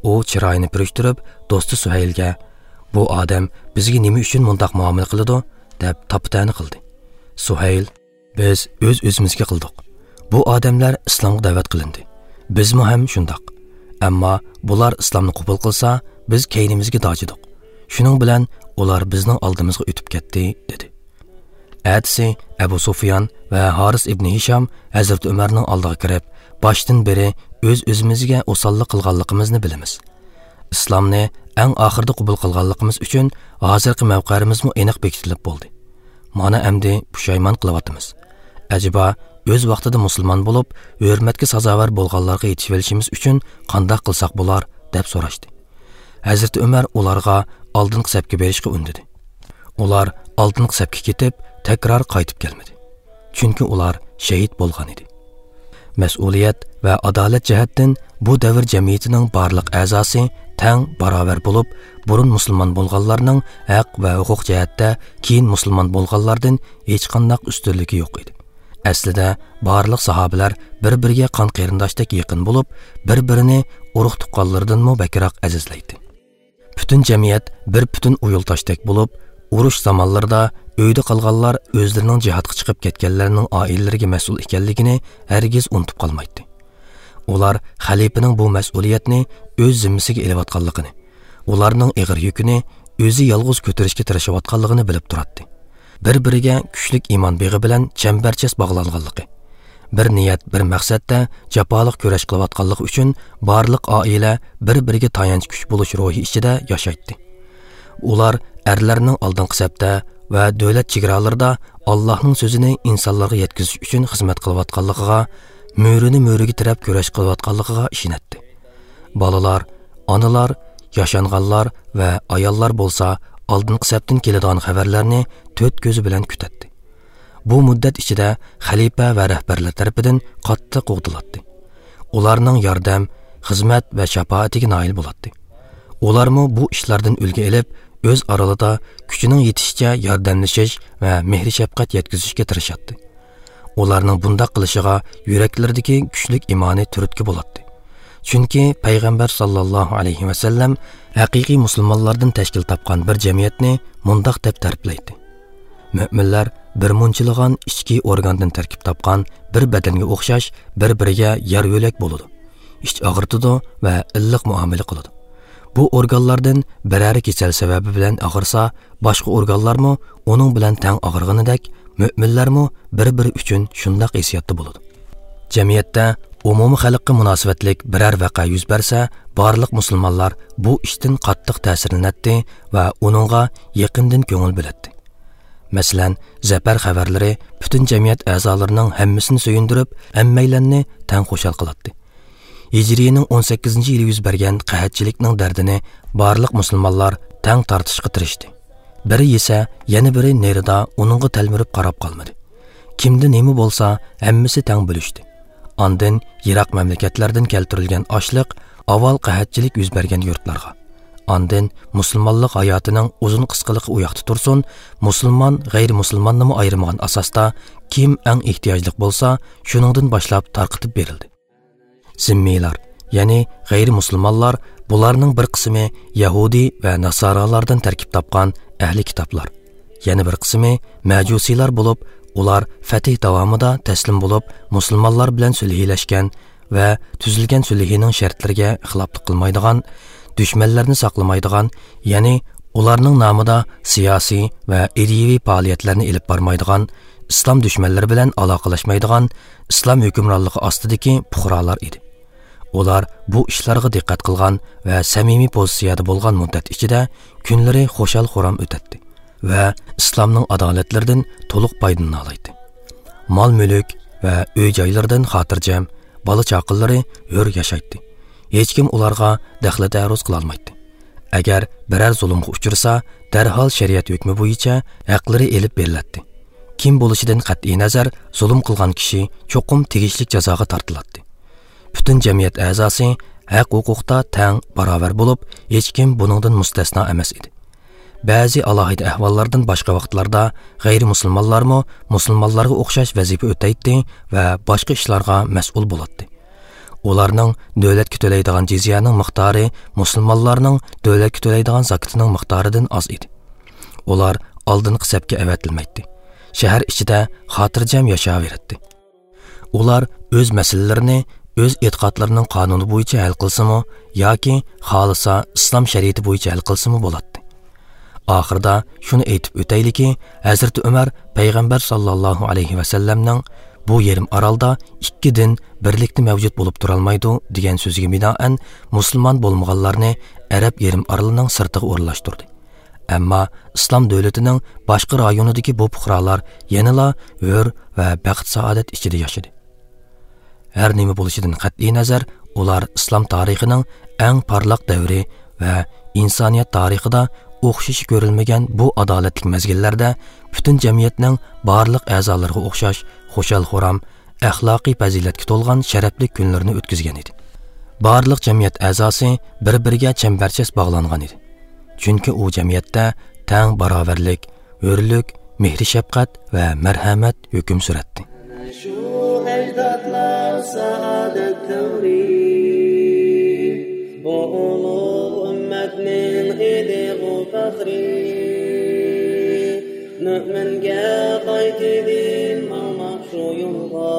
ئۇ چىرايىنى پۈرۈشتۈرۈپ، دوستى سۇھەيلگە، «بۇ ئادەم بىزگە نېمە ئۈچۈن مۇنداق مۇئامىلە قىلىدۇ؟» دەپ تاپا-تەنە قىلدى. سۇھەيل، «بىز ئۆز-ئۆزىمىزگە قىلدۇق. بۇ ئادەملەر ئىسلامغا دەۋەت قىلىندى. بىزمۇ ھەم شۇنداق. ئەمما بۇلار ئىسلامنى قوبۇل قىلسا، بىز كەينىمىزگە داجىدۇق. شۇنىڭ بىلەن ئۇلار بىزنىڭ ئالدىمىزغا ئۆتۈپ كەتتى» دېدى. ئەتىسى ئەبۇ سۇفيان ۋە ھارىس ئىبنى ھىشام ھەزرىتى ئۆمەرنىڭ ئالدىغا كىرىپ، باشتىن بېرى ئۆز-ئۆزىمىزگە ئوساللىق قىلغانلىقىمىزنى بىلىمىز. ئىسلامنى ئەڭ ئاخىرىدا قوبۇل قىلغانلىقىمىز ئۈچۈن ھازىرقى مەۋقەمىزمۇ ئېنىق بېكىتىلىپ بولدى. مانا ئەمدى پۇشايمان قىلىۋاتىمىز. ئەجەبا، ئۆز ۋاقتىدا مۇسۇلمان بولۇپ، ھۆرمەتكە سازاۋەر بولغانلارغا يېتىشىۋېلىشىمىز ئۈچۈن قانداق قىلساق بولار؟ دەپ سوراشتى. ھەزرىتى ئۆمەر ئۇلارغا ئالدىنقى سەپكە بېرىشقا ئۈندىدى. ئۇلار ئالدىنقى سەپكە كېتىپ، تەكرار قايتىپ كەلمىدى. چۈنكى ئۇلار شېھىت بولغان ئىدى. مەسئۇلىيەت ۋە ئادالەت جەھەتتىن بۇ دەۋر جەمئىيىتىنىڭ بارلىق ئەزاسى تەڭ باراۋەر بولۇپ، بۇرۇن مۇسۇلمان بولغانلارنىڭ ھەق ۋە ھوقۇق جەھەتتە كېيىن مۇسۇلمان بولغانلاردىن ھېچقانداق ئۈستۈنلۈكى يوق ئىدى. ئەسلىدە، بارلىق ساھابىلەر بىر-بىرىگە قان قېرىنداشتەك يېقىن بولۇپ، بىر-بىرىنى ئۇرۇق-تۇغقانلىرىدىنمۇ بەكرەك ئەزىزلەيتتى. پۈتۈن جەمئىيەت بىر پۈتۈن ئۇيۇلتاشتەك بولۇپ، ئۇرۇش زامانلىرىدا ئۆيدە قالغانلار ئۆزلىرىنىڭ جىھادقا چىقىپ كەتكەنلەرنىڭ ئائىلىلىرىگە مەسئۇل ئىكەنلىكىنى ھەرگىز ئۇنتۇپ قالمايتتى. ئۇلار خەلىپىنىڭ بۇ مەسئۇلىيەتنى ئۆز زىممىسىگە ئېلىۋاتقانلىقىنى، ئۇلارنىڭ ئېغىر يۈكىنى ئۆزى يالغۇز كۆتۈرۈشكە تىرىشىۋاتقانلىقىنى بىلىپ تۇراتتى. بىر-بىرىگە كۈچلۈك ئىمان بېغى بىلەن چەمبەرچاس باغلانغانلىقى، بىر نىيەت، بىر مەقسەتتە جاپالىق كۈرەش قىلىۋاتقانلىقى ئۈچۈن بارلىق ئائىلە بىر-بىرىگە تايانچ كۈچ بولۇش روھى ئىچىدە ياشايتتى. ئۇلار ئەرلەرنىڭ ئالدىنقى سەپتە ۋە دۆلەت چېگرالىرىدا ئاللاھنىڭ سۆزىنى ئىنسانلارغا يەتكۈزۈش ئۈچۈن خىزمەت قىلىۋاتقانلىقىغا، مۈرىنى مۈرىگە تىرەپ كۈرەش قىلىۋاتقانلىقىغا ئىشىنەتتى. بالىلار، ئانىلار، ياشانغانلار ۋە ئاياللار بولسا ئالدىنقى سەپتىن كېلىدىغان خەۋەرلەرنى تۆت كۆزى بىلەن كۈتەتتى. بۇ مۇددەت ئىچىدە خەلىپە ۋە رەھبەرلەر تەرىپىدىن قاتتىق قوغدىلاتتى. ئۇلارنىڭ ياردەم، خىزمەت ۋە شاپائىتىگە نائىل بولاتتى. ئۇلارمۇ بۇ ئىشلاردىن ئۈلگە ئېلىپ، ئۆز ئارىلىدا كۈچىنىڭ يېتىشىچە ياردەملىشىش ۋە مېھرى-شەپقەت يەتكۈزۈشكە تىرىشاتتى. ئۇلارنىڭ بۇنداق قىلىشىغا يۈرەكلىرىدىكى كۈچلۈك ئىمانى تۈرتكە بولاتتى. چۈنكى پەيغەمبەر ساللاللاھۇ ئەلەيھى ۋەسەللەم ھەقىقىي مۇسۇلمانلاردىن تەشكىل تاپقان بىر جەمئىيەتنى مۇنداق دەپ تەرىپلەيتتى: مۆمىنلەر بىر مۇنچىلىغان ئىچكى ئورگاندىن تەركىب تاپقان بىر بەدەنگە ئوخشاش بىر-بىرىگە يار يۆلەك بولىدۇ. ئىچ ئاغرىتىدۇ ۋە ئىللىق مۇئامىلە قىلىدۇ. بۇ ئورگانلاردىن بىرەرى كېسەل سەۋەبى بىلەن ئاغرىسا، باشقا ئورگانلارمۇ ئۇنىڭ بىلەن تەڭ ئاغرىغىنىدەك، مۆمىنلەرمۇ بىر-بىرى ئۈچۈن شۇنداق ھېسسىياتتا بولىدۇ. جەمئىيەتتە ئومۇمىي خەلققە مۇناسىۋەتلىك بىرەر ۋەقە يۈز بەرسە، بارلىق مۇسۇلمانلار بۇ ئىشتىن قاتتىق تەسىرلىنەتتى ۋە ئۇنىڭغا يېقىندىن كۆڭۈل بۆلەتتى. مەسىلەن، زەپەر خەۋەرلىرى پۈتۈن جەمئىيەت ئەزالىرىنىڭ ھەممىسىنى سۆيۈندۈرۈپ، ھەممەيلەننى تەڭ خۇشال قىلاتتى. ھىجرىينىڭ ئون سەككىزىنچى يىلى يۈز بەرگەن قەھەتچىلىكنىڭ دەردىنى بارلىق مۇسۇلمانلار تەڭ تارتىشقا تىرىشتى. بىرى يېسە، يەنە بىرى نېرىدا ئۇنىڭغا تەلمۈرۈپ قاراپ قالمىدى. كىمدە نېمە بولسا، ھەممىسى تەڭ بۆلۈشتى. ئاندىن يىراق مەملىكەتلەردىن كەلتۈرۈلگەن ئاشلىق ئاۋۋال قەھەتچىلىك يۈز بەرگەن يۇرتلارغا، ئاندىن مۇسۇلمانلىق ھاياتىنىڭ ئۇزۇن قىسقىلىقى ئۇياقتا تۇرسۇن، مۇسۇلمان، غەيرىمۇسۇلماننىمۇ ئايرىمىغان ئاساستا، كىم ئەڭ ئېھتىياجلىق بولسا، شۇنىڭدىن باشلاپ تارقىتىپ بېرىلدى. زىممىيلار، يەنى غەيرىمۇسۇلمانلار، بۇلارنىڭ بىر قىسمى يەھۇدىي ۋە ناسارالاردىن تەركىب تاپقان ئەھلى كىتابلار، يەنە بىر قىسمى مەجۇسىيلار بولۇپ، ئۇلار فەتھ داۋامىدا تەسلىم بولۇپ، مۇسۇلمانلار بىلەن سۈلھىلەشكەن ۋە تۈزۈلگەن سۈلھىنىڭ شەرتلىرىگە خىلاپلىق قىلمايدىغان، دۈشمەنلەرنى ساقلىمايدىغان، يەنى ئۇلارنىڭ نامىدا سىياسىي ۋە ئىدىيىۋى پائالىيەتلەرنى ئېلىپ بارمايدىغان، ئىسلام دۈشمەنلىرى بىلەن ئالاقىلەشمەيدىغان، ئىسلام ھۆكۈمرانلىقى ئاستىدىكى پۇقرالار ئىدى. ئۇلار بۇ ئىشلارغا دىققەت قىلغان ۋە سەمىمىي پوزىتسىيەدە بولغان مۇددەت ئىچىدە كۈنلىرى خۇشال-خۇرام ئۆتەتتى ۋە ئىسلامنىڭ ئادالەتلىرىدىن تولۇق پايدىلىنالايتتى. مال-مۈلۈك ۋە ئۆي-جايلىرىدىن خاتىرجەم، بالا-چاقىلىرى ھۆر ياشايتتى. ھېچكىم ئۇلارغا دەخلى-تەرۇز قىلالمايتتى. ئەگەر بىرەر زۇلۇمغا ئۇچرىسا، دەرھال شەرىئەت ھۆكمى بويىچە ھەقلىرى ئېلىپ بېرىلەتتى. كىم بولۇشىدىن قەتئىينەزەر، زۇلۇم قىلغان كىشى چوقۇم تېگىشلىك جازاغا تارتىلاتتى. پۈتۈن جەمئىيەت ئەزاسى ھەق-ھوقۇقتا تەڭ، باراۋەر بولۇپ، ھېچكىم بۇنىڭدىن مۇستەسنا ئەمەس ئىدى. بەزى ئالاھىدە ئەھۋاللاردىن باشقا ۋاقىتلاردا غەيرىمۇسۇلمانلارمۇ مۇسۇلمانلارغا ئوخشاش ۋەزىپە ئۆتەيتتى ۋە باشقا ئىشلارغا مەسئۇل بولاتتى. ئۇلارنىڭ دۆلەتكە تۆلەيدىغان جىزيەنىڭ مىقدارى مۇسۇلمانلارنىڭ دۆلەتكە تۆلەيدىغان زاكىتىنىڭ مىقدارىدىن ئاز ئىدى. ئۇلار ئالدىنقى سەپكە ئەۋەتىلمەيتتى. شەھەر ئىچىدە خاتىرجەم ياشاۋېرەتتى. ئۇلار ئۆز مەسىلىلىرىنى ئۆز ئېتىقادلىرىنىڭ قانۇنى بويىچە ھەل قىلسىمۇ ياكى خالىسا ئىسلام شەرىئىتى بويىچە ھەل قىلسىمۇ بولاتتى. ئاخىرىدا شۇنى ئېيتىپ ئۆتەيلىكى، ھەزرىتى ئۆمەر پەيغەمبەر ساللاللاھۇ ئەلەيھى ۋەسەللەمنىڭ بۇ يېرىم ئارالدا ئىككى دىن بىرلىكتە مەۋجۇت بولۇپ تۇرالمايدۇ دېگەن سۆزىگە بىنائەن مۇسۇلمان بولمىغانلارنى ئەرەب يېرىم ئارىلىنىڭ سىرتىغا ئورۇنلاشتۇردى. ئەمما ئىسلام دۆلىتىنىڭ باشقا رايونىدىكى بۇ پۇقرالار يەنىلا ھۆر ۋە بەخت-سائادەت ئىچىدە ياشىدى. ھەر نېمە بولۇشىدىن قەتئىينەزەر، ئۇلار ئىسلام تارىخىنىڭ ئەڭ پارلاق دەۋرى ۋە ئىنسانىيەت تارىخىدا ئوخشىشى كۆرۈلمىگەن بۇ ئادالەتلىك مەزگىللەردە پۈتۈن جەمئىيەتنىڭ بارلىق ئەزالىرىغا ئوخشاش خۇشال-خۇرام، ئەخلاقىي پەزىلەتكە تولغان شەرەپلىك كۈنلىرىنى ئۆتكۈزگەن ئىدى. بارلىق جەمئىيەت ئەزاسى بىر-بىرىگە چەمبەرچاس باغلانغان ئىدى. چۈنكى ئۇ جەمئىيەتتە تەڭ باراۋەرلىك، ھۆرلۈك، مېھرى-شەپقەت ۋە مەرھەمەت ھۆكۈم سۈرەتتى. شۇ ئەجدادلار سائادەت تەۋرى، بۇ ئۇلۇغ ئۈممەتنىڭ ئىدىغۇ پەخرى. مۆمىنگە قايتىدىن ماڭماق شۇ يولغا،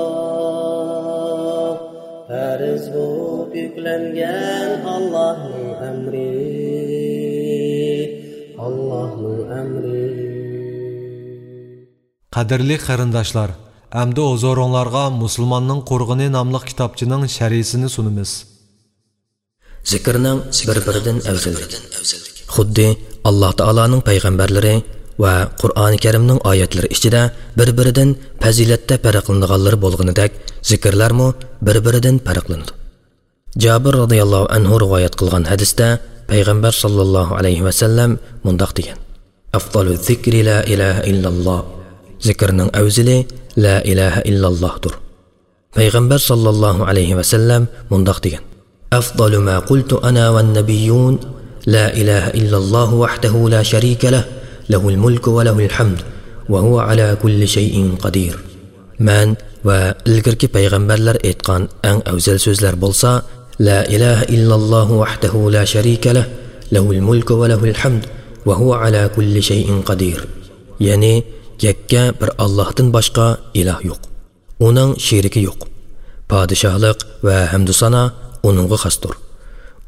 پەرز بولۇپ يۈكلەنگەن ئاللاھنىڭ ئەمرى، ئاللاھنىڭ ئەمرى. قەدىرلىك قېرىنداشلار، ئەمدى ھۇزۇرۇڭلارغا مۇسۇلماننىڭ قۇرغىنى ناملىق كىتابچىنىڭ شەرھىسىنى سۇنىمىز. زىكىرنىڭ بىر-بىرىدىن ئەۋزەللىكى. خۇددى ئاللاھ تائالانىڭ پەيغەمبەرلىرى ۋە قۇرئانى كەرىمنىڭ ئايەتلىرى ئىچىدە بىر-بىرىدىن پەزىلەتتە پەرقلىنىدىغانلىرى بولغىنىدەك، زىكىرلەرمۇ بىر-بىرىدىن پەرقلىنىدۇ. جابىر رازىياللاھۇ ئەنھۇ رىۋايەت قىلغان ھەدىستە پەيغەمبەر ساللاللاھۇ ئەلەيھى ۋەسەللەم مۇنداق دېگەن: ئەفزالۇ زىكرى لا ئىلاھە ئىللاللاھ. زىكىرنىڭ ئەۋزىلى لا ئىلاھە ئىللاللاھدۇر. پەيغەمبەر ساللاللاھۇ ئەلەيھى ۋەسەللەم مۇنداق دېگەن: أفضل ما قلت أنا والنبيون لا إله إلا الله وحده لا شريك له، له الملك وله الحمد، وهو على كل شيء قدير. مەن ۋە ئىلگىرىكى پەيغەمبەرلەر ئېيتقان ئەڭ ئەۋزەل سۆزلەر بولسا، لا إله إلا الله وحده لا شريك له، له الملك وله الحمد، وهو على كل شيء قدير. يەنى، يەككە بىر ئاللاھتىن باشقا ئىلاھ يوق. ئۇنىڭ شېرىكى يوق. پادىشاھلىق ۋە ھەمدۇسانا ئۇنىڭغا خاستۇر.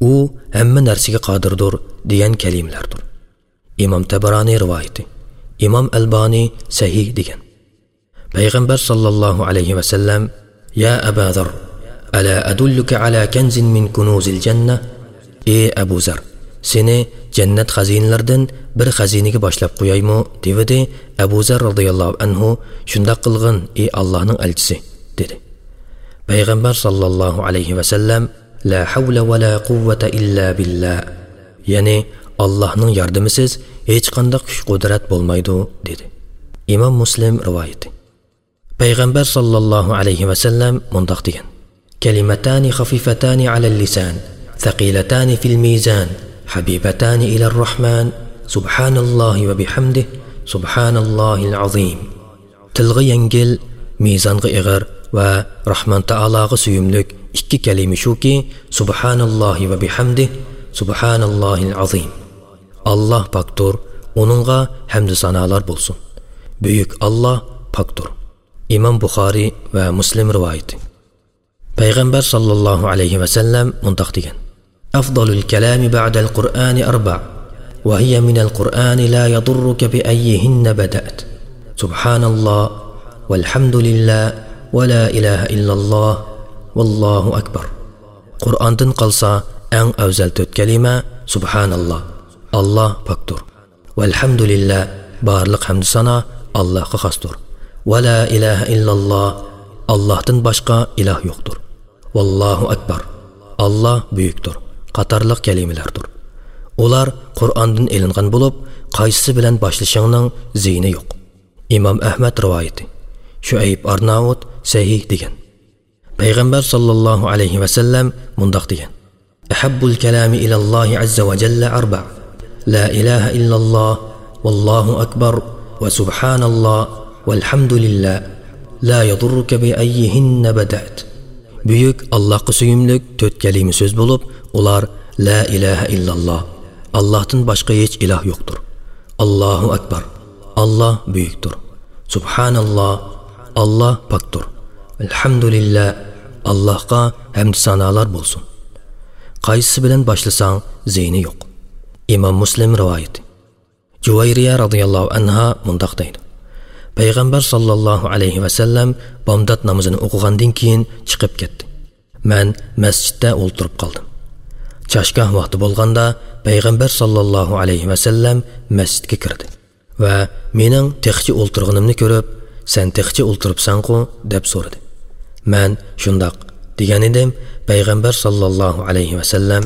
ئۇ ھەممە نەرسىگە قادىردۇر دېگەن كەلىمىلەردۇر. ئىمام تەبرانى رىۋايىتى. ئىمام ئەلبانى سەھىھ دېگەن. پەيغەمبەر ساللاللاھۇ ئەلەيھى ۋەسەللەم: يا أبا ذر، ألا أدلك على كنز من كنوز الجنة؟ ئى ئەبۇ زەر، سېنى جەننەت خەزىنىلىرىدىن بىر خەزىنىگە باشلاپ قويايمۇ؟ دېۋىدى ئەبۇ زەر رازىياللاھۇ ئەنھۇ. شۇنداق قىلغىن، ئى ئاللاھنىڭ ئەلچىسى، دېدى. پەيغەمبەر ساللاللاھۇ ئەلەيھى ۋەسەللەم: لا حول ولا قوة إلا بالله، يەنى ئاللاھنىڭ ياردىمىسىز ھېچقانداق كۈچ-قۇدرەت بولمايدۇ، دېدى. ئىمام مۇسلىم رىۋايىتى. پەيغەمبەر ساللاللاھۇ ئەلەيھى ۋەسەللەم مۇنداق دېگەن: كلمتان خفيفتان على اللسان ثقيلتان في الميزان حبيبتان إلى الرحمن سبحان الله وبحمده سبحان الله العظيم. تىلغا يەڭگىل، مىزانغا ئېغىر ۋە راھمان تائالاغا سۆيۈملۈك ئىككى كەلىمە شۇكى، سۇبھاناللاھى ۋە بىھەمدىھ، سۇبھاناللاھىل ئازىم. ئاللاھ پاكتۇر، ئۇنىڭغا ھەمدۇ سانالار بولسۇن. بۈيۈك ئاللاھ پاكتۇر. ئىمام بۇخارىي ۋە مۇسلىم رىۋايىتى. پەيغەمبەر ساللاللاھۇ ئەلەيھى ۋەسەللەم مۇنداق دېگەن: أفضل الكلام بعد القرآن أربع، وهي من القرآن لا يضرك بأيهن بدأت. سبحان الله، والحمد لله، ولا إله إلا الله، والله أكبر. قۇرئاندىن قالسا ئەڭ ئەۋزەل تۆت كەلىمە: سۇبھاناللاھ، ئاللاھ پاكتۇر. ۋەلھەمدۇلىللاھ، بارلىق ھەمدۇ سانا ئاللاھقا خاستۇر. ۋەلا ئىلاھە ئىللاللاھ، ئاللاھتىن باشقا ئىلاھ يوقتۇر. ۋاللاھۇ ئەكبەر، ئاللاھ بۈيۈكتۇر قاتارلىق كەلىمىلەردۇر. ئۇلار قۇرئاندىن ئېلىنغان بولۇپ، قايسىسى بىلەن باشلىشىڭنىڭ زىيىنى يوق. ئىمام ئەھمەد رىۋايىتى. شۇئەيب ئارناۋۇت سەھىھ دېگەن. پەيغەمبەر ساللاللاھۇ ئەلەيھى ۋەسەللەم مۇنداق دېگەن: أحب الكلام إلى الله عز وجل أربع، لا إله إلا الله، والله أكبر، وسبحان الله، والحمد لله، لا يضرك بأيهن بدأت. بۈيۈك ئاللاھقا سۆيۈملۈك تۆت كەلىمە سۆز بولۇپ، ئۇلار: لا ئىلاھە ئىللاللاھ، ئاللاھتىن باشقا ھېچ ئىلاھ يوقتۇر. ئاللاھۇ ئەكبەر، ئاللاھ بۈيۈكتۇر. سۇبھاناللاھ، ئاللاھ پاكتۇر. ئەلھەمدۇلىللاھ، ئاللاھقا ھەمدۇ سانالار بولسۇن. قايسىسى بىلەن باشلىساڭ زىيىنى يوق. ئىمام مۇسلىم رىۋايىتى. جۇۋەيرىيە رازىياللاھۇ ئەنھا مۇنداق دەيدۇ: پەيغەمبەر ساللاللاھۇ ئەلەيھى ۋەسەللەم بامدات نامىزىنى ئوقۇغاندىن كېيىن چىقىپ كەتتى. مەن مەسچىتتە ئولتۇرۇپ قالدىم. چاشگاھ ۋاقتى بولغاندا، پەيغەمبەر ساللاللاھۇ ئەلەيھى ۋەسەللەم مەسچىتكە كىردى ۋە مېنىڭ تېخىچە ئولتۇرغىنىمنى كۆرۈپ، سەن تېخىچە ئولتۇرۇپسەنغۇ؟ دەپ سورىدى. مەن شۇنداق دېگەن ئىدىم، پەيغەمبەر ساللاللاھۇ ئەلەيھى ۋەسەللەم: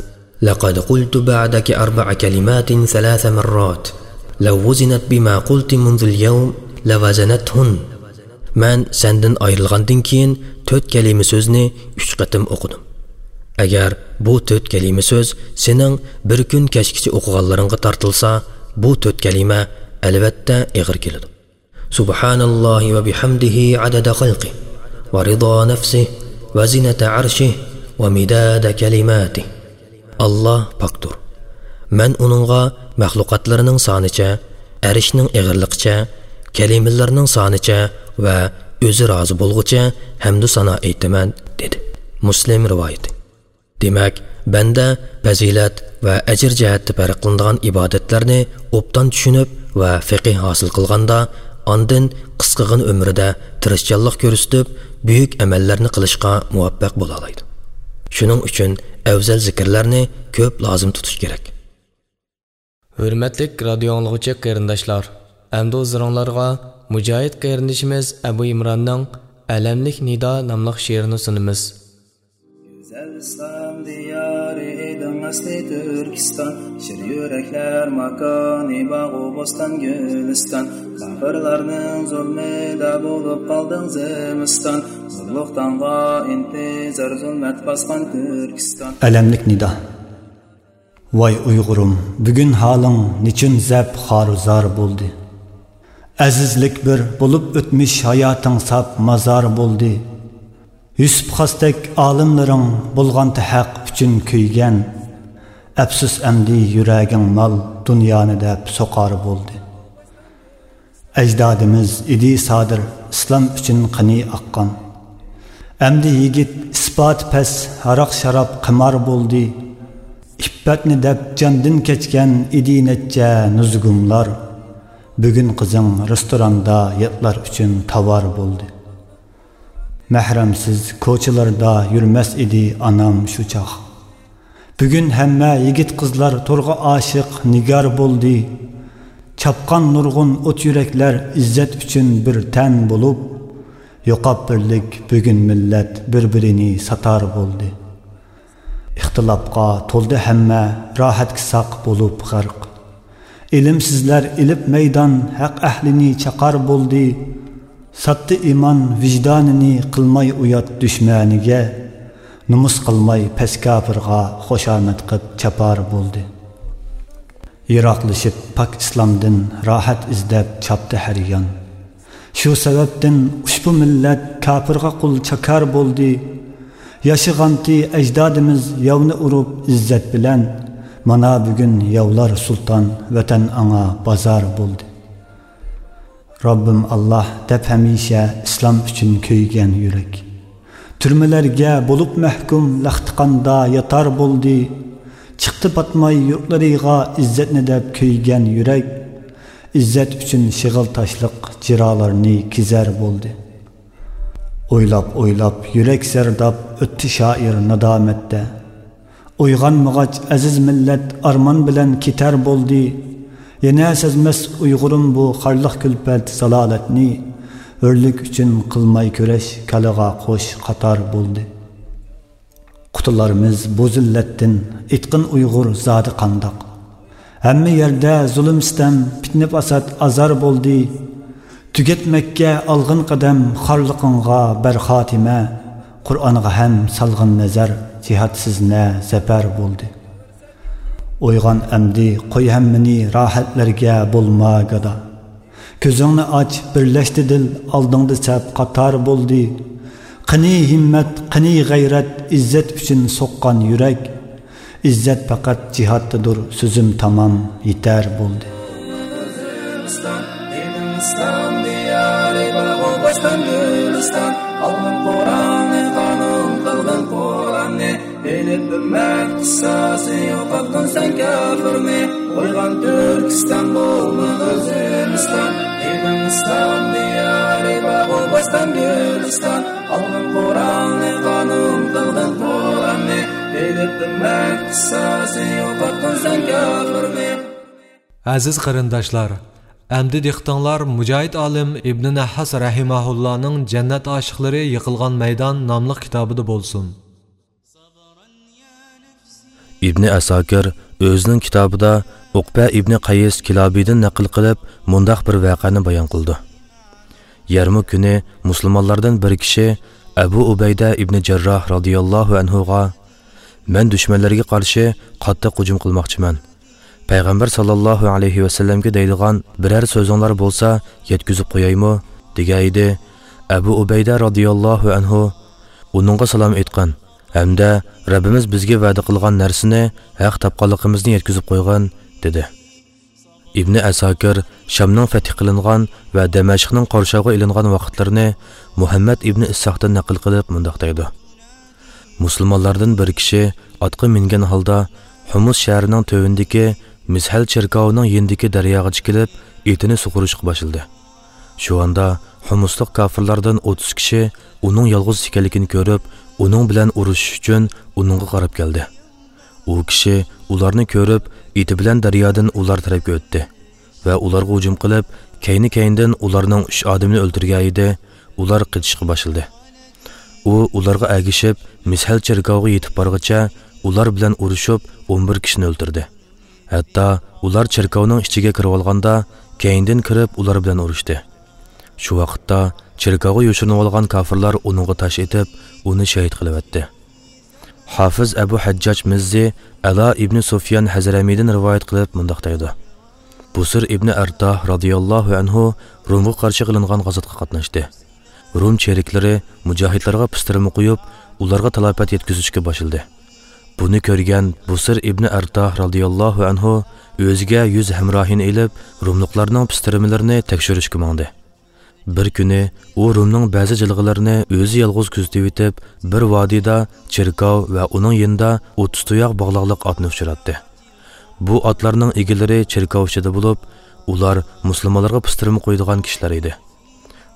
لقد قلت بعدك أربع كلمات ثلاث مرات، لو وزنت بما قلت منذ اليوم لوزنتهن. مەن سەندىن ئايرىلغاندىن كېيىن تۆت كەلىمە سۆزنى ئۈچ قېتىم ئوقۇدۇم. ئەگەر بۇ تۆت كەلىمە سۆز سېنىڭ بىر كۈن كەچكىچە ئوقۇغانلىرىڭغا تارتىلسا، بۇ تۆت كەلىمە ئەلۋەتتە ئېغىر كېلىدۇ. سبحان الله وبحمده عدد خلقه ورضا نفسه وزنة عرشه ومداد كلماته. ئاللاھ پاكتۇر. مەن ئۇنىڭغا مەخلۇقاتلىرىنىڭ سانىچە، ئەرشنىڭ ئېغىرلىقىچە، كەلىمىلىرىنىڭ سانىچە ۋە ئۆزى رازى بولغۇچە ھەمدۇ سانا ئېيتىمەن، دېدى. مۇسلىم رىۋايىتى. دېمەك، بەندە پەزىلەت ۋە ئەجىر جەھەتتە پەرقلىنىدىغان ئىبادەتلەرنى ئوبدان چۈشىنىپ ۋە فىقىھ ھاسىل قىلغاندا، ئاندىن قىسقىغىنە ئۆمرىدە تىرىشچانلىق كۆرسىتىپ، بۈيۈك ئەمەللەرنى قىلىشقا مۇۋەپپەق بولالايدۇ. شۇنىڭ ئۈچۈن ئەۋزەل زىكىرلەرنى كۆپ لازىم تۇتۇش كېرەك. ھۆرمەتلىك رادىيو ئاڭلىغۇچى قېرىنداشلار، ئەمدى ھۇزۇرۇڭلارغا مۇجاھىد قېرىندىشىمىز ئەبۇ ئىمراننىڭ ئەلەملىك نىدا ناملىق شېئىرىنى سۇنىمىز. گۈزەل ئىسلام دىيارى ئىدىڭ ئەسلى تۈركىستان، شىر يۈرەكلەر ماكانى باغۇ بوستان گۈلىستان، كاپىرلارنىڭ زۇلمىدا بولۇپ قالدىڭ زىمىستان، زۇلۇقتانغا ئىنتىزار زۇلمەت باسقان تۈركىستان. ئەلەملىك نىدا. ۋاي ئۇيغۇرۇم، بۈگۈن ھالىڭ نېچۈن زەپ خارۇ زار بولدى؟ ئەزىزلىك بىر بولۇپ ئۆتمۈش ھاياتىڭ ساپ مازار بولدى. يۈسۈپ خاستەك ئالىملىرىڭ بولغانتى ھەق ئۈچۈن كۆيگەن. ئەپسۇس ئەمدى يۈرەگىڭ مال دۇنيانى دەپ سوقار بولدى. ئەجدادىمىز ئىدى سادىر، ئىسلام ئۈچۈن قېنى ئاققان. ئەمدى يىگىت ئىسپاتى پەس، ھاراق-شاراب قىمار بولدى. ئىپپەتنى دەپ جاندىن كەچكەن ئىدى نەچچە نۇزۇگۇملار. بۈگۈن قىزىڭ رېستوراندا ياتلار ئۈچۈن تاۋار بولدى. مەھرەمسىز كوچىلاردا يۈرمەس ئىدى ئانام شۇ چاغ. بۈگۈن ھەممە يىگىت-قىزلار تورغا ئاشىق نىگار بولدى. چاپقان نۇرغۇن ئوت يۈرەكلەر ئىززەت ئۈچۈن بىر تەن بولۇپ، يوقاپ بىرلىك بۈگۈن مىللەت بىر-بىرىنى ساتار بولدى. ئىختىلاپقا تولدى ھەممە، راھەتكە ساق بولۇپ غەرق. ئىلىمسىزلەر ئېلىپ مەيدان، ھەق ئەھلىنى چاقار بولدى. ساتتى ئىمان ۋىجدانىنى، قىلماي ئۇيات دۈشمەنىگە. نومۇس قىلماي پەس كاپىرغا، خۇشامەت قىپ چاپار بولدى. يىراقلىشىپ پاك ئىسلامدىن، راھەت ئىزدەپ چاپتى ھەر يان. شۇ سەۋەبتىن ئۇشبۇ مىللەت كاپىرغا قۇل چاكار بولدى. ياشىغانتى ئەجدادىمىز ياۋنى ئۇرۇپ ئىززەت بىلەن، مانا بۈگۈن ياۋلار سۇلتان، ۋەتەن ئاڭا بازار بولدى. رەببىم ئاللاھ دەپ ھەمىشە ئىسلام ئۈچۈن كۆيگەن يۈرەك. تۈرمىلەرگە بولۇپ مەھكۇم، لەختىخاندا ياتار بولدى. چىقتى پاتماي يۇرتلىرىغا ئىززەتنى دەپ كۆيگەن يۈرەك. ئىززەت ئۈچۈن شېغىل تاشلىق جىرالارنى كېزەر بولدى. ئويلاپ-ئويلاپ يۈرەك زەرداب، ئۆتتى شائىر نادامەتتە. ئويغانمىغاچ ئەزىز مىللەت ئارمان بىلەن كېتەر بولدى. يەنە سەزمەس ئۇيغۇرۇم بۇ خارلىق كۈلپەت زالالەتنى. ھۆرلۈك ئۈچۈن قىلماي كۈرەش كالىغا قوش قاتار بولدى. قۇتۇلارمىز بۇ زىللەتتىن، ئېيتقىن ئۇيغۇر زادى قانداق؟ ھەممە يەردە زۇلۇم-سىتەم، پىتنە-پاسات، ئازار بولدى. تۈگەتمەككە ئالغىن قەدەم، خارلىقىڭغا بەر خاتىمە. قۇرئانغا ھەم سالغىن نەزەر، جىھادسىز نە زەپەر بولدى. ئويغان ئەمدى، قوي ھەممىنى راھەتلەرگە، بولما گادا. كۆزۈڭنى ئاچ، بىرلەشتى دىل، ئالدىڭدا سەپ قاتار بولدى. قېنى ھىممەت، قېنى غەيرەت، ئىززەت ئۈچۈن سوققان يۈرەك. ئىززەت پەقەت جىھادتىدۇر، سۆزۈم تامام، يېتەر بولدى. ئىسلام دىيارى بار بۇ بوستان گۈلىستان، ئالغىن قۇرئاننى، قانۇن قىلغىن قۇرئاننى. ئېلىپ ئۈممەت قىسساسى، يوقاتقىن سەن كاپىرنى. ئويغان تۈركىستان، بولمىغىن زىمىستان. ئېلىڭ ئىسلام دىيارى، باغۇ بوستان گۈلىستان. ئالغىن قۇرئاننى، قانۇن قىلغىن قۇرئاننى. ئېلىپ ئۈممەت قىسساسى، يوقاتقىن سەن كاپىرنى. ئەزىز قېرىنداشلار، ئەمدى دىققىتىڭلار مۇجاھىد ئالىم ئىبنى نەھھاس رەھىمەھۇللانىڭ جەننەت ئاشىقلىرى يىقىلغان مەيدان ناملىق كىتابىدا بولسۇن. ئىبنى ئەساكىر ئۆزىنىڭ كىتابىدا ئۇقبە ئىبنى قەيس كىلابىدىن نەقىل قىلىپ، مۇنداق بىر ۋەقەنى بايان قىلىدۇ. يەرمۇك كۈنى مۇسۇلمانلاردىن بىر كىشى ئەبۇ ئۇبەيدە ئىبنى جەرراھ رازىياللاھۇ ئەنھۇغا، مەن دۈشمەنلەرگە قارشى قاتتىق ھۇجۇم قىلماقچىمەن. پەيغەمبەر ساللاللاھۇ ئەلەيھى ۋەسەللەمگە دەيدىغان بىرەر سۆزۈڭلار بولسا يەتكۈزۈپ قويايمۇ؟ دېگەن ئىدى. ئەبۇ ئۇبەيدە رازىياللاھۇ ئەنھۇ ئۇنىڭغا سالام ئېيتقان ھەمدە رەببىمىز بىزگە ۋەدە قىلغان نەرسىنى ھەق تاپقانلىقىمىزنى يەتكۈزۈپ قويغىن، دېدى. ئىبنى ئەساكىر شامنىڭ فەتھى قىلىنغان ۋە دەمەشقنىڭ قورشاۋغا ئېلىنغان ۋاقىتلىرىنى مۇھەممەد ئىبنى ئىسھاقتىن نەقىل قىلىپ مۇنداق دەيدۇ: مۇسۇلمانلاردىن بىر كىشى ئاتقا مىنگەن ھالدا ھۇمۇس شەھىرىنىڭ تۆۋىنىدىكى مىسھەل چېركاۋىنىڭ يېنىدىكى دەرياغا چىقىپ، ئېتىنى سۇغۇرۇشقا باشلىدى. شۇ ئاندا ھۇمۇسلۇق كاپىرلاردىن ئوتتۇز كىشى ئۇنىڭ يالغۇز ئىكەنلىكىنى كۆرۈپ، ئۇنىڭ بىلەن ئۇرۇشۇش ئۈچۈن ئۇنىڭغا قاراپ كەلدى. ئۇ كىشى ئۇلارنى كۆرۈپ، ئېتى بىلەن دەريادىن ئۇلار تەرەپكە ئۆتتى ۋە ئۇلارغا ھۇجۇم قىلىپ، كەينى-كەينىدىن ئۇلارنىڭ ئۈچ ئادىمىنى ئۆلتۈرگەن ئىدى، ئۇلار قېچىشقا باشلىدى. ئۇ ئۇلارغا ئەگىشىپ، مىسھەل چېركاۋغا يېتىپ بارغىچە ئۇلار بىلەن ئۇرۇشۇپ، ئون بىر كىشىنى ئۆلتۈردى. ھەتتا ئۇلار چېركاۋنىڭ ئىچىگە كىرىۋالغاندا، كەينىدىن كىرىپ ئۇلار بىلەن ئۇرۇشتى. شۇ ۋاقىتتا چېركاۋغا يوشۇرۇنۇۋالغان كاپىرلار ئۇنىڭغا تاش ئېتىپ، ئۇنى شېھىت قىلىۋەتتى. ھافىز ئەبۇ ھەججاج مىززى ئەلا ئىبنى سۇفيان ھەزرەمىدىن رىۋايەت قىلىپ مۇنداق دەيدۇ: بۇسىر ئىبنى ئەرتاھ رازىياللاھۇ ئەنھۇ رومغا قارشى قىلىنغان غازاتقا قاتناشتى. روم چېرىكلىرى مۇجاھىدلارغا پىستىرما قويۇپ، ئۇلارغا تالاپەت يەتكۈزۈشكە باشلىدى. بۇنى كۆرگەن بۇسىر ئىبنى ئەرتاھ رازىياللاھۇ ئەنھۇ ئۆزىگە يۈز ھەمراھىنى ئېلىپ، روملۇقلارنىڭ پىستىرمىلىرىنى تەكشۈرۈشكە ماڭدى. بىر كۈنى ئۇ رومنىڭ بەزى جىلغىلىرىنى ئۆزى يالغۇز كۆزىتىۋېتىپ، بىر ۋادىدا چېركاۋ ۋە ئۇنىڭ يېنىدا ئوتتۇز تۇياق باغلاقلىق ئاتنى ئۇچراتتى. بۇ ئاتلارنىڭ ئىگىلىرى چېركاۋ ئىچىدە بولۇپ، ئۇلار مۇسۇلمانلارغا پىستىرما قويىدىغان كىشىلەر ئىدى.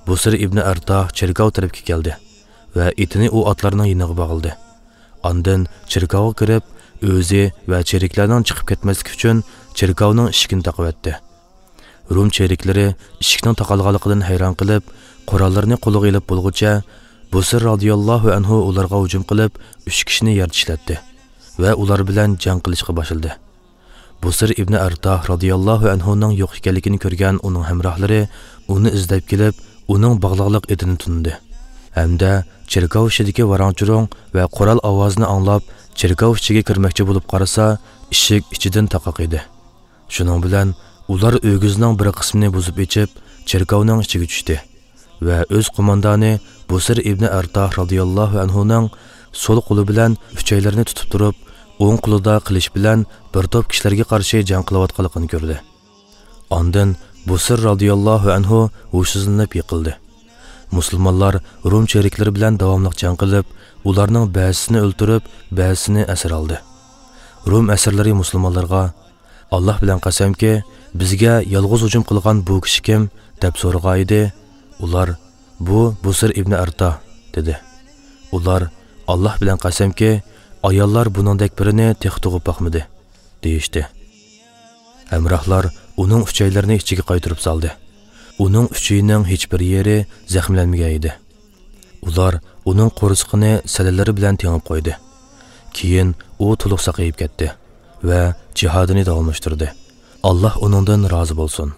بۇسىر ئىبنى ئەرتاھ چېركاۋ تەرەپكە كەلدى ۋە ئېتىنى ئۇ ئاتلارنىڭ يېنىغا باغلىدى. ئاندىن چېركاۋغا كىرىپ، ئۆزى ۋە چېرىكلەرنىڭ چىقىپ كەتمەسلىكى ئۈچۈن چېركاۋنىڭ ئىشىكىنى تاقىۋەتتى. روم چېرىكلىرى ئىشىكنىڭ تاقالغانلىقىدىن ھەيران قېلىپ، قوراللىرىنى قولىغا ئېلىپ بولغۇچە، بۇسىر رازىياللاھۇ ئەنھۇ ئۇلارغا ھۇجۇم قىلىپ، ئۈچ كىشىنى يەر چىشلەتتى ۋە ئۇلار بىلەن جەڭ قىلىشقا باشلىدى. بۇسىر ئىبنى ئەرتاھ رازىياللاھۇ ئەنھۇنىڭ يوق ئىكەنلىكىنى كۆرگەن ئۇنىڭ ھەمراھلىرى ئۇنى ئىزدەپ كېلىپ، ئۇنىڭ باغلاقلىق ئېتىنى تونۇدى ھەمدە چېركاۋ ئىچىدىكى ۋاراڭ-چۇرۇڭ ۋە قورال ئاۋازىنى ئاڭلاپ، چېركاۋ ئىچىگە كىرمەكچى بولۇپ قارىسا، ئىشىك ئىچىدىن تاقاق ئىدى. شۇنىڭ بىلەن ئۇلار ئۆگزىنىڭ بىر قىسمىنى بۇزۇپ ئېچىپ، چېركاۋنىڭ ئىچىگە چۈشتى ۋە ئۆز قوماندانى بۇسىر ئىبنى ئەرتاھ رازىياللاھۇ ئەنھۇنىڭ سول قولى بىلەن ئۈچەيلىرىنى تۇتۇپ تۇرۇپ، ئوڭ قولىدا قىلىچ بىلەن بىر توپ كىشىلەرگە قارشى جەڭ قىلىۋاتقانلىقىنى كۆردى. ئاندىن بۇسىر رازىياللاھۇ ئەنھۇ ھوشسىزلىنىپ يىقىلدى. مۇسۇلمانلار روم چېرىكلىرى بىلەن داۋاملىق جەڭ قىلىپ، ئۇلارنىڭ بەزىسىنى ئۆلتۈرۈپ، بەزىسىنى ئەسىر ئالدى. روم ئەسىرلىرى مۇسۇلمانلارغا، «ئاللاھ بىلەن قەسەمكى، بىزگە يالغۇز ھۇجۇم قىلغان بۇ كىشى كىم؟» دەپ سورىغانىدى، ئۇلار، «بۇ بۇسىر ئىبنى ئەرتا» دېدى. ئۇلار، «ئاللاھ بىلەن قەسەمكى، ئاياللار بۇنىڭدەك بىرىنى تېخى تۇغۇپ باقمىدى» دېيىشتى. ھەمراھلار ئۇنىڭ ئۈچەيلىرىنى ئىچىگە قايتۇرۇپ سالدى. ئۇنىڭ ئۈچىيىنىڭ ھېچبىر يېرى زەخىملەنمىگەن ئىدى. ئۇلار ئۇنىڭ قورسىقىنى سەللىلىرى بىلەن تېڭىپ قويدى. كېيىن ئۇ تولۇق ساقىيىپ كەتتى ۋە جىھادىنى داۋاملاشتۇردى. ئاللاھ ئۇنىڭدىن رازى بولسۇن.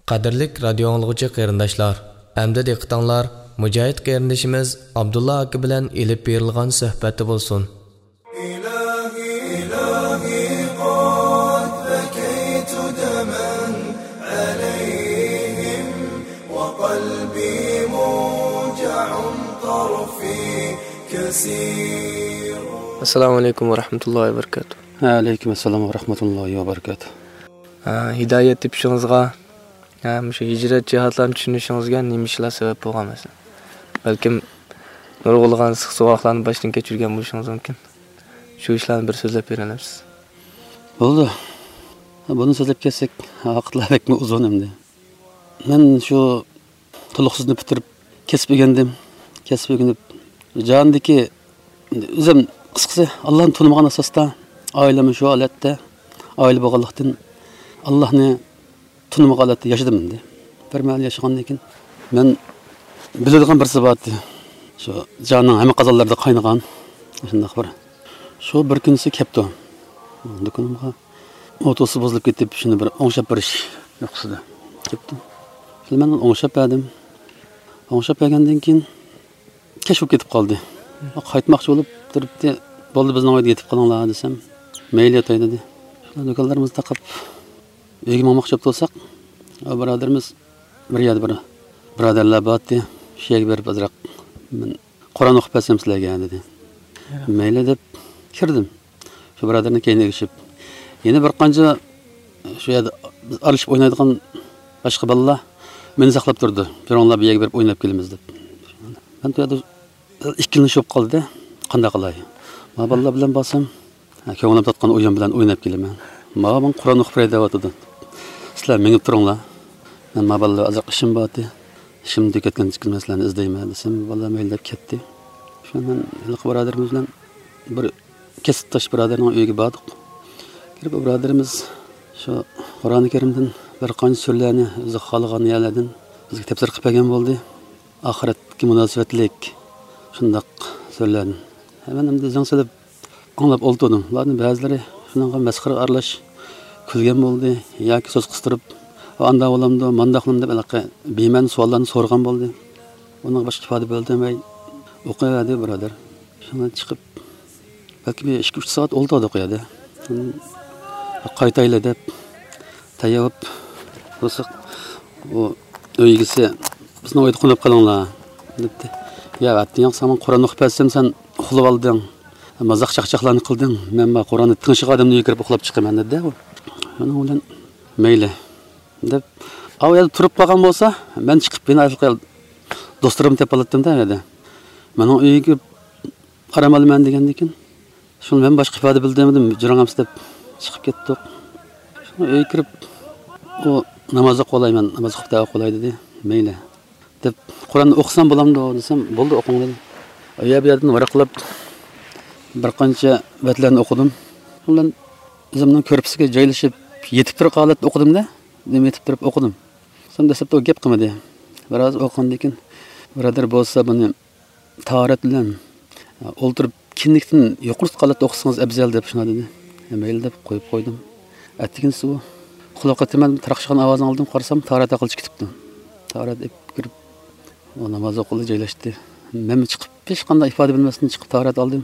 قەدىرلىك رادىيو ئاڭلىغۇچى قېرىنداشلار، ئەمدى دىققىتىڭلار مۇجاھىد قېرىندىشىمىز ئابدۇللا ئاكا بىلەن ئېلىپ بېرىلغان سۆھبەتتە بولسۇن. إلهي، إلهي، قد بكيت دما عليهم، وقلبي موجع طرفي كسير. السلام عليكم ورحمة الله وبركاته. ۋەئەلەيكۇم ئەسسالام ۋەرەھمەتۇللاھى ۋەبەرىكاتۇھ. ھە، ھىدايەت تېپىشىڭىزغا، ھە، مۇشۇ ھىجرەت جىھادلارنى چۈشىنىشىڭىزگە نېمە ئىشلار سەۋەب بولغان مەسىلەن؟ بەلكىم نۇرغۇنلىغان سىق-سوغۇقلارنى باشتىن كەچۈرگەن بولۇشىڭىز مۇمكىن. شۇ ئىشلارنى بىر سۆزلەپ بېرەلەمسىز؟ بولىدۇ. بۇنى سۆزلەپ كەتسەك، ۋاقىتلار بەكمۇ ئۇزۇن ئەمدى. مەن شۇ تولۇقسىزنى پۈتتۈرۈپ، كەسىپ ئۆگەندىم. كەسىپ ئۆگىنىپ، جاھاندىكى، ئۆزۈم، قىسقىسى، ئاللانى تونۇمىغان ئاساستا، ئائىلەممۇ شۇ ھالەتتە، ئائىلە بولغانلىقتىن، ئاللانى تونۇمىغان ھالەتتە ياشىدىم ئەمدى. بىر مەھەل ياشىغاندىن كېيىن، مەن بىلىدىغان بىرسى بار ئىدى. شۇ جاھاننىڭ ھەممە قازانلىرىدا قاينىغان شۇنداق بىر. شۇ بىر كۈنسى كەپتۇ دۇكىنىمغا. ئوتوسى بۇزۇلۇپ كېتىپ، شۇنى بىر ئوڭشاپ بېرىش يوقسىدى. كەپتۇ. شۇنى مەن ئوڭشاپ بەردىم. ئوڭشاپ بەرگەندىن كېيىن، كەچ بولۇپ كېتىپ قالدى. قايتماقچى بولۇپ تۇرۇپتى، «بولدى، بىزنىڭ ئۆيدە يېتىپ قېلىڭلار» دېسەم، «مەيلى، ياتاي» دېدى. شۇنداق دۇكانلىرىمىزنى تاقاپ، ئۆيگە ماڭماقچى بولۇپ تۇرساق، ئۇ بۇرادىرىمىز بىر يەردە بىر بۇرادەرلەر بارتتى، شۇ يەرگە بېرىپ ئازراق، «مەن قۇرئان ئوقۇپ بەرسەم سىلەرگە» دېدى. «مەيلى» دەپ كىردىم. شۇ بۇرادەرنىڭ كەينىگە ئېگىشىپ، يەنە بىر قانچە شۇ يەردە بىز ئارىلىشىپ ئوينايدىغان باشقا بالىلار مېنى ساقلاپ تۇردى. «بېرىڭلار، بۇ يەرگە بېرىپ ئويناپ كېلىمىز» دەپ. مەن بۇ يەردە ئىككىلىنىش بولۇپ قالدى. قانداق قىلاي؟ ما بالىلار بىلەن بارسام، ھە، كۆڭلۈم تارتقان ئويۇن بىلەن ئويناپ كېلىمەن. «ماۋۇ ماڭا قۇرئان ئوقۇپ بېرەي دەۋاتىدۇ. سىلەر مېڭىپ تۇرۇڭلار. مەن ما بالىلار ئازراق ئىشىم بارتى. ئىشىمنى تۈگەتكەندىن كېيىن سىلەرنى ئىزدەيمەن» دېسەم، بالىلار مەيلى دەپ كەتتى. شۇ مەن ھېلىقى بۇرادىرىمىز بىلەن بىر كەسىپداش بۇرادەرنىڭ ئۆيىگە باردۇق. كىرىپ، ئۇ بۇرادىرىمىز شۇ قۇرئانى كەرىمدىن بىر قانچە سۈرىلەرنى ئۆزى خالىغان يەرلەردىن بىزگە تەپسىر قىلىپ بەرگەن بولدى. ئاخىرەتكە مۇناسىۋەتلىك شۇنداق سۈرىلەرنى. ھە، مەن ئەمدى زەڭ سېلىپ ئاڭلاپ ئولتۇردۇم. ئۇلارنىڭ بەزىلىرى شۇنىڭغا مەسخىرە ئارىلاش كۈلگەن بولدى ياكى سۆز قىستۇرۇپ، «ئاندا بولامدۇ، ماندا بولامدۇ؟» دەپ ھېلىقى بىمەنە سوئاللارنى سورىغان بولدى. ئۇنىڭغا باشقا ئىپادە بىلدۈرمەي ئوقۇۋەردى بۇرادەر. شۇڭا چىقىپ، بەلكى بىر ئىككى-ئۈچ سائەت ئولتۇردۇق ئۇ يەردە. قايتايلى دەپ تەييار بولۇپ تۇرساق، ئۇ ئۆي ئىگىسى، «بىزنىڭ ئۆيدە قونۇپ قېلىڭلار» دەپتۇ. «يا، ئەتىگەن ساڭا قۇرئان ئوقۇپ بەرسەم، سەن ئۇخلىۋالدىڭ. مازاق چاقچاقلارنى قىلدىڭ. مەن ما قۇرئاننى تىڭشىغان ئادەمنىڭ ئۆيىگە كىرىپ ئۇخلاپ چىقىمەن» دېدى ئۇ. شۇنىڭ بىلەن مەيلى دەپ، ئاۋۇ يەردە تۇرۇپ قالغان بولسا، مەن چىقىپ يەنە ھېلىقى دوستلىرىمنى تېپىپ ئالاتتىم-دە يەنە. مېنىڭ ئۆيگە كىرىپ ئارام ئالىمەن دېگەندىكىن، شۇڭا مەن باشقا ئىپادە بىلدۈرمىدىم، جۈرەڭ ئەمسە دەپ چىقىپ كەتتۇق. شۇڭا ئۆيگە كىرىپ، ئۇ ناماز ئوقۇۋالاي، مەن ناماز ئوقۇپ دەۋا قىلاي دېدى. مەيلى دەپ، قۇرئان ئوقۇسام بولامدۇ دېسەم، بولدى، ئوقۇڭ دېدى. ئۇ يەر بۇ يەردىن ۋاراقلاپ بىر قانچە بەتلەرنى ئوقۇدۇم. شۇ بىلەن ئۆزۈمنىڭ كۆرپىسىگە جايلىشىپ يېتىپ تۇرۇپ ھالەتتە ئوقۇدۇم-دە، دېمەم يېتىپ تۇرۇپ ئوقۇدۇم. سەن دەسلەپتە ئۇ گەپ قىلمىدى. بىراز ئوقۇغاندىن كېيىن، بۇرادەر بولسا بۇنى تاھارەت بىلەن، ئولتۇرۇپ كىندىكتىن يۇقىرى تۇتقان ھالەتتە ئوقۇسىڭىز ئەۋزەل دەپ شۇنداق دېدى. مەيلى دەپ قويۇپ قويدۇم. ئەتىگىنىسى ئۇ قۇلاق قېتىمەن تاراقشىغان ئاۋازىنى ئاڭلىدىم، قارىسام تاھارەت ھەققىچە كېتىپتۇ. تاھارەت ئېلىپ كىرىپ، ئۇ ناماز ئوقۇلدى، جايلاشتى. مەنمۇ چىقىپ، ھېچقانداق ئىپادە بىلمەستىن چىقىپ تاھارەت ئالدىم.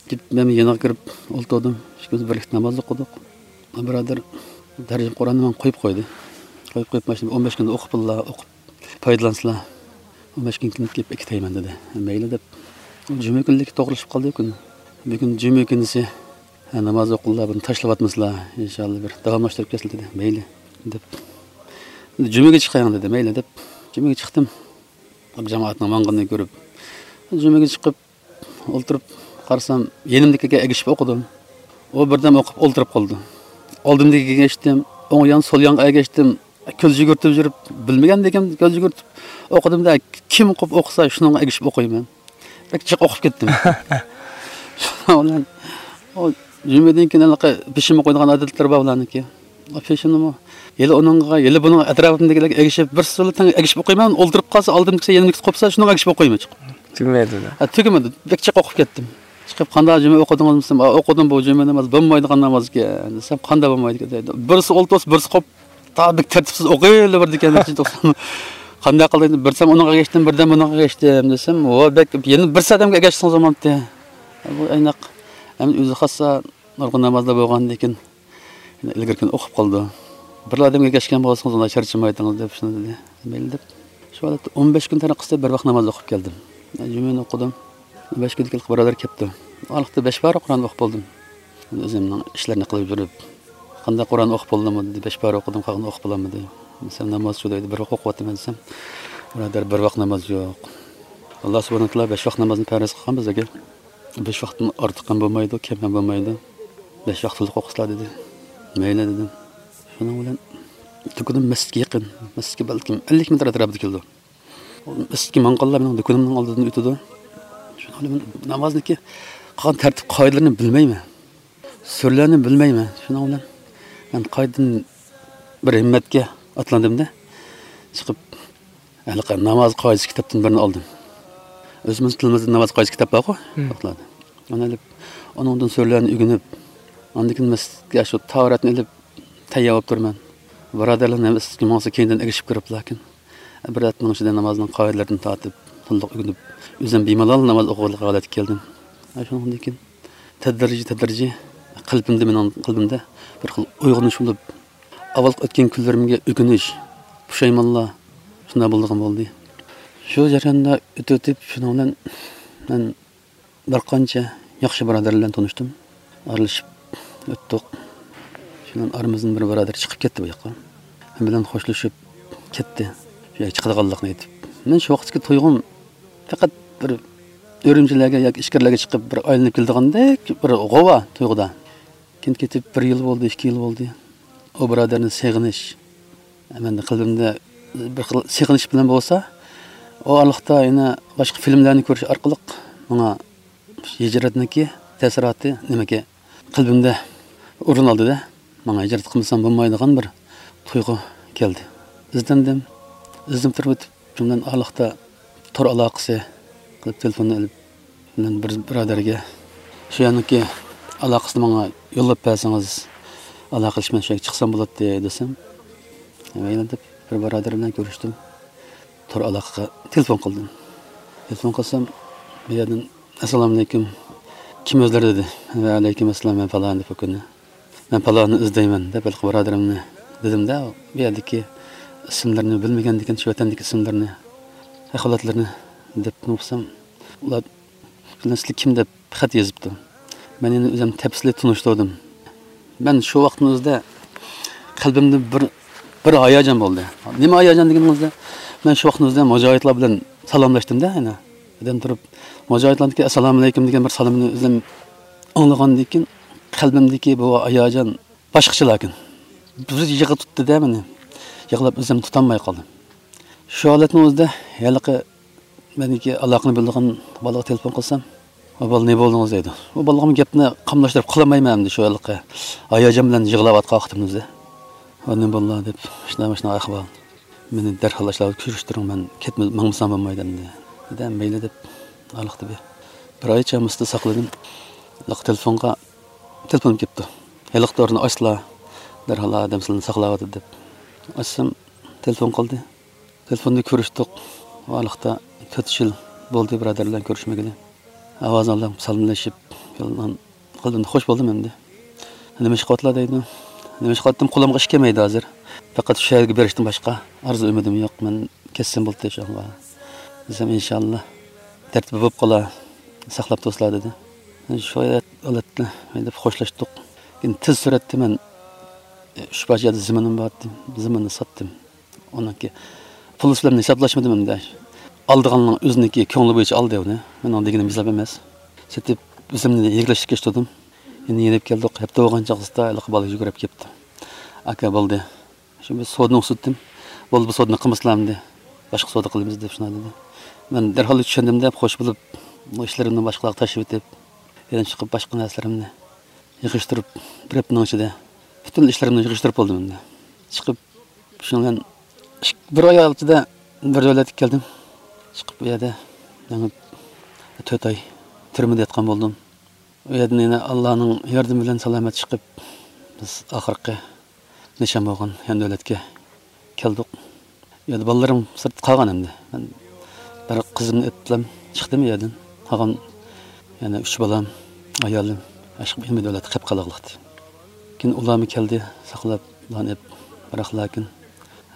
كېلىپ مەنمۇ يېنىغا كىرىپ ئولتۇردۇم. ئىككىمىز بىرلىكتە ناماز ئوقۇدۇق. بۇرادەر تەرجىمە قۇرئاننى ماڭا قويۇپ قويدى. قويۇپ قويۇپ، مانا شۇ ئون بەش كۈندە ئوقۇپ بىللا ئوقۇپ پايدىلانسىلا، ئون بەش كۈن كېيىن كېلىپ ئەكېتەيمەن دېدى. مەيلى دەپ، جۈمە كۈنلۈككە توغرىلىشىپ قالدى كۈن. بۈگۈن جۈمە كۈنىسى، ھە، ناماز ئوقۇڭلار، بۇنى تاشلىۋاتمىسىلا، ئىنشاللا بىر داۋاملاشتۇرۇپ كەتسىلە دېدى. مەيلى دەپ، جۈمىگە چىقايىڭ دېدى. مەيلى دەپ، جۈمىگە چىقتىم. جامائەتنىڭ ماڭغىنىنى كۆرۈپ، جۈمىگە چىقىپ، ئولتۇرۇپ قارىسام، يېنىمدىكىگە ئەگىشىپ ئوقۇدۇم. ئۇ بىردەم ئوقۇپ ئولتۇرۇپ قالدى. ئالدىمدىكىگە ئەگەشتىم، ئوڭ يان، سول يانغا ئەگەشتىم. كۆز يۈگۈرتۈپ يۈرۈپ، بىلمىگەندىكىن كۆز يۈگۈرتۈپ ئوقۇدۇم-دە، كىم قوپ ئوقۇسا، شۇنىڭغا ئەگىشىپ ئوقۇيمەن. بەك جىق ئوقۇپ كەتتىم. شۇنىڭ بىلەن ئۇ جۈمىدىن كېيىن ھېلىقى پېشىنمە قويىدىغان ئادەتلىرى بار بۇلارنىڭكى. پېشىنمۇ ھېلى ئۇنىڭغا، ھېلى بۇنىڭغا، ئەتراپىمدىكىلەرگە ئەگىشىپ، بىرسى بىلەن تەڭ ئەگىشىپ ئوقۇيمەن، ئولتۇرۇپ قالسا، ئالدىمدىكىسى يېنىمدىكىسى قوپسا، شۇنىڭغا ئەگىشىپ ئوقۇيمەن چىقىپ. تۈگىمەيدۇ. ھە، تۈگىمىدى. بەك جىق ئوقۇپ كەتتىم. چىقىپ، «قانداق جۈمە ئوقۇدىڭىزمۇ؟» دېسەم، «ئا، ئوقۇدۇم، بۇ جۈمە ناماز بولمايدىغان ناماز ئىكەن» دېسەم، «قانداق بولمايدىكەن؟» دەيدۇ. بىرسى ئولتۇرسا، بىرسى قوپ، تا بەك تەرتىپسىز ئوقۇيۋېرىدىكەن. قانداق قىلدى؟ بىرسى ئۇنىڭغا ئەگەشتىم، بىردەم بۇنىڭغا ئەگەشتىم دېسەم، «ۋو، بەك، يەنە بىرسى ئادەمگە ئەگەشسىڭىز بولمامتى؟» بۇ ئايناق ئەمدى ئۆزى خاسسا نۇرغۇن نامازلار بولغاندىن كېيىن، يەنە ئىلگىرىكىنى ئوقۇپ قالىدۇ. بىر ئادەمگە ئەگەشكەن بولسىڭىز، ئۇنداق چارچىمايتىڭىز دەپ شۇنداق دېدى. مەيلى دەپ، شۇ ھالەتتە ئون بەش كۈن تارىقىسىدا بىر ۋاق ناماز ئوقۇپ كەلدىم. جۈمىنى ئوقۇدۇم. ئون بەش كۈندىن كېيىن بۇرادەر كەپتۇ. ئارىلىقتا بەش پارە قۇرئان ئوقۇپ بولدۇم. ئۆزۈمنىڭ ئىشلىرىنى قىلىپ يۈرۈپ، «قانداق، قۇرئان ئوقۇپ بولدىڭمۇ؟» دېدى. «بەش پارە ئوقۇدۇم، قالغىنىنى ئوقۇپ بولالمىدىم.» دېسەم، «ناماز شۇ» دەيدۇ. «بىر ۋاق ئوقۇۋاتىمەن» دېسەم، «بۇرادەر، بىر ۋاق ناماز يوق. ئاللا سۇبھانەھۇ ۋە تائالا بەش ۋاق نامازنى پەرز قىلغان بىزگە. بەش ۋاقتىن ئارتۇق ھەم بولمايدۇ، كەم ھەم بولمايدۇ. بەش ۋاق تولۇق ئوقۇسىلا» دېدى. «مەيلى» دېدىم. شۇنىڭ بىلەن دۇكىنىم مەسچىتكە يېقىن. مەسچىتكە بەلكىم ئەللىك مېتىر ئەتراپىدا كېلىدۇ. مەسچىتكە ماڭغانلار مېنىڭ دۇكىنىمنىڭ ئالدىدىن ئۆتىدۇ. شۇنىڭ بىلەن نامازنىڭكى قىلغان تەرتىپ قائىدىلىرىنى بىلمەيمەن. سۈرىلەرنى بىلمەيمەن. شۇنىڭ بىلەن مەن قايتىدىن بىر ھىممەتكە ئاتلاندىم-دە، چىقىپ، ھېلىقى ناماز قائىدىسى كىتابتىن بىرنى ئالدىم. ئۆزىمىز تىلىمىزدا ناماز قائىدىسى كىتاب بارغۇ، مم. ساقلاردا. ئۇنى ئېلىپ، ئۇنىڭدىن سۈرىلەرنى ئۆگىنىپ، ئاندىن كېيىن مەسچىتكە شۇ تاھارەتنى ئېلىپ، تەييار بولۇپ تۇرىمەن. بۇرادەرلەرنى ھەممىسى ماڭسا كەينىدىن ئەگىشىپ كىرىپلا، لېكىن بىر ھەپتىنىڭ ئىچىدە نامازنىڭ قائىدىلىرىدىن تارتىپ، تولۇق ئۆگىنىپ، ئۆزۈم بىمالال ناماز ئوقۇغانلىق ھالەتكە كەلدىم. شۇنىڭدىن كېيىن تەدرىجىي، تەدرىجىي قەلبىمدە، مېنىڭ قەلبىمدە بىر خىل ئويغىنىش بولۇپ، ئاۋۋالقى ئۆتكەن كۈنلىرىمگە ئۆكۈنۈش، پۇشايمانلار شۇنداق بولىدىغان بولدى. شۇ جەرياندا ئۆتۈۋېتىپ، شۇنىڭ بىلەن مەن بىر قانچە ياخشى بۇرادەر بىلەن تونۇشتۇم. ئارىلىشىپ ئۆتتۇق. شۇنىڭ ئارىمىزدىن بىر بۇرادەر چىقىپ كەتتى بۇ ياققا. مەن بىلەن خوشلىشىپ كەتتى. شۇ يەرگە چىقىدىغانلىقىنى ئېيتىپ. مەن شۇ ۋاقىتتىكى تۇيغۇم پەقەت بىر ئۈرۈمچىلەرگە ياكى ئىچكىرىلەرگە چىقىپ بىر ئايلىنىپ كېلىدىغاندەك بىر غۇۋا تۇيغۇدا. كېيىن كېتىپ بىر يىل بولدى، ئىككى يىل بولدى. ئۇ بۇرادەرنى سېغىنىش، مەندە قەلبىمدە بىر خىل سېغىنىش بىلەن بولسا، ئۇ ئارىلىقتا يەنە باشقا فىلىملەرنى كۆرۈش ئارقىلىق ماڭا ھىجرەتنىڭكى تەسىراتى نېمىكى قەلبىمدە ئورۇن ئالدى-دە، ماڭا ھىجرەت قىلمىسام بولمايدىغان بىر تۇيغۇ كەلدى. ئىزدەندىم، ئىزدىنىپ تۇرۇپ ئۆتۈپ، شۇ بىلەن ئارىلىقتا تور ئالاقىسى قىلىپ تېلېفوننى ئېلىپ، مەن بىر بۇرادەرگە، «شۇ يەرنىڭكى ئالاقىسىنى ماڭا يوللاپ بەرسىڭىز، ئالاقىلىشىپ مەن شۇ يەرگە چىقسام بولاتتى» دېسەم، مەيلى دەپ بىر بۇرادەر بىلەن كۆرۈشتۈم. تور ئالاقىغا تېلېفون قىلدىم. تېلېفون قىلسام، بۇ يەردىن، «ئەسسالامۇئەلەيكۇم، كىم ئۆزلىرى؟» دېدى. «ۋەئەلەيكۇم ئەسسالام، مەن پالان» دەپ ئۆكۈندى. «مەن پالاننى ئىزدەيمەن» دەپ ھېلىقى بۇرادىرىمنى دېدىمدە، بۇ يەردىكى ئىسىملىرىنى بىلمىگەندىكىن، شۇ ۋەتەندىكى ئىسىملىرىنى، ئەھۋالاتلىرىنى دەپ نوقۇسام، ئۇلار «سىلەر كىم؟» دەپ خەت يېزىپتۇ. مەن يەنە ئۆزۈم تەپسىلىي تونۇشتۇردۇم. مەن شۇ ۋاقىتنىڭ ئۆزىدە قەلبىمدە بىر، بىر ھاياجان بولدى. نېمە ھاياجان دېگىنىڭىزدە، مەن شۇ ۋاقىتنىڭ ئۆزىدە مۇجاھىدلار بىلەن سالاملاشتىم-دە، يەنە. بىردەم تۇرۇپ، مۇجاھىدلاردىكى «ئەسسالامۇئەلەيكۇم» دېگەن بىر سالامنى ئۆزۈم ئاڭلىغاندىن كېيىن، قەلبىمدىكى بۇ ھاياجان باشقىچە لېكىن. بىر يىغا تۇتتى-دە مېنى. يىغلاپ ئۆزۈمنى تۇتالماي قالدىم. شۇ ھالەتنىڭ ئۆزىدە ھېلىقى مېنىڭكى ئالاقىنى بۆلىدىغان بالىغا تېلېفون قىلسام، «ئۇ بالا، نېمە بولدىڭىز؟» دەيدۇ. ئۇ بالىغىمۇ گەپنى قاملاشتۇرۇپ قالالمايمەن ئەمدى شۇ ھېلىقى ھاياجان بىلەن يىغلاۋاتقان ۋاقتىمىزدا. «ئۇ نېمە بولدى؟» دەپ، «شۇنداق، شۇنداق ئەھۋال. مېنى دەرھال ئاشۇلار كۆرۈشتۈرۈڭ، مەن كەتمە-، ماڭمىسام بولمايدۇ ئەمدى.» دېدى. «مەيلى» دەپ، ئارىلىقتا بىر، بىر ئايچە مۇشۇ ساقلىدىم. ھېلىقى تېلېفونغا تېلېفون كېلىپتۇ. ھېلىقى تورنى ئاچسىلا، دەرھال ئادەم سىلىنى ساقلاۋاتىدۇ دەپ. ئاچسام، تېلېفون قىلدى. تېلېفوندا كۆرۈشتۇق. ئارىلىقتا تۆت يىل بولدى بۇرادەر بىلەن كۆرۈشمىگىلى. ئاۋازىنى ئاڭلاپ سالاملىشىپ، قەلبىمدە خوش بولدۇم ئەمدى. «نېمە ئىش قىلىۋاتىلا؟» دەيدۇ. نېمە ئىش قىلاتتىم، قولۇمغا ئىش كەلمەيدۇ ھازىر. پەقەت شۇ يەرگە بېرىشتىن باشقا ئارزۇ ئۈمىدىم يوق. مەن كەتسەم بولدى شۇڭا. دېسەم، «ئىنشاللا، تەرتىپى بولۇپ قالا، ساقلاپ تۇرسىلا» دېدى. شۇ ھالەتتە مەن دەپ خوشلاشتۇق. كېيىن تېز سۈرئەتتە مەن، ئۈچ پارچە يەردە زېمىنىم بار ئىدى. زېمىننى ساتتىم. ئۇنىڭكى پۇل بىلەن ھېسابلاشمىدىم ئەمدى. ئالىدىغاننىڭ ئۆزىنىڭكى كۆڭلى بويىچە ئالدى ئۇنى. مېنىڭ دېگىنىم ھېساب ئەمەس. سېتىپ، ئۆزۈمنى يېگىلەشتۈرگەچ تۇردۇم. يەنە يېنىپ كەلدۇق. ھەپتە بولغان چاغدا ھېلىقى بالا يۈگۈرۈپ كەپتۇ. «ئاكا، بولدى. شۇ بىر سودىنى ئۇسسىتتىم. بولدى، بۇ سودىنى قىلمىسىلا ئەمدى. باشقا سودا قىلىمىز» دەپ شۇنداق دېدى. مەن دەرھال چۈشەندىم دەپ خوش بولۇپ، بۇ ئىشلىرىمنى باشقىلارغا تاشلىۋېتىپ، يەنە چىقىپ باشقا نەرسىلىرىمنى يىغىشتۇرۇپ، بىر ھەپتىنىڭ ئىچىدە پۈتۈن ئىشلىرىمنى يىغىشتۇرۇپ بولدۇم ئەمدى. چىقىپ، شۇنىڭ بىلەن ئىك-، بىر ئاي ئىچىدە بىر دۆلەتكە كەلدىم. چىقىپ، ئۇ يەردە يەنە تۆت ئاي تۈرمىدە ياتقان بولدۇم. ئۇ يەردىن يەنە ئاللانىڭ ياردىمى بىلەن سالامەت چىقىپ، بىز ئاخىرقى نىشان بولغان يان دۆلەتكە كەلدۇق. ئۇ يەردە بالىلىرىم سىرتتا قالغان ئەمدى. مەن بىر قىزىمنى ئېلىپلا چىقتىم ئۇ يەردىن. قالغان يەنە ئۈچ بالام، ئايالىم، ئاشۇ يېڭى دۆلەتتە قېلىپ قالغانلىقتى. كېيىن ئۇلارمۇ كەلدى، ساقلاپ، ئۇلارنى ئېلىپ، بىراق لېكىن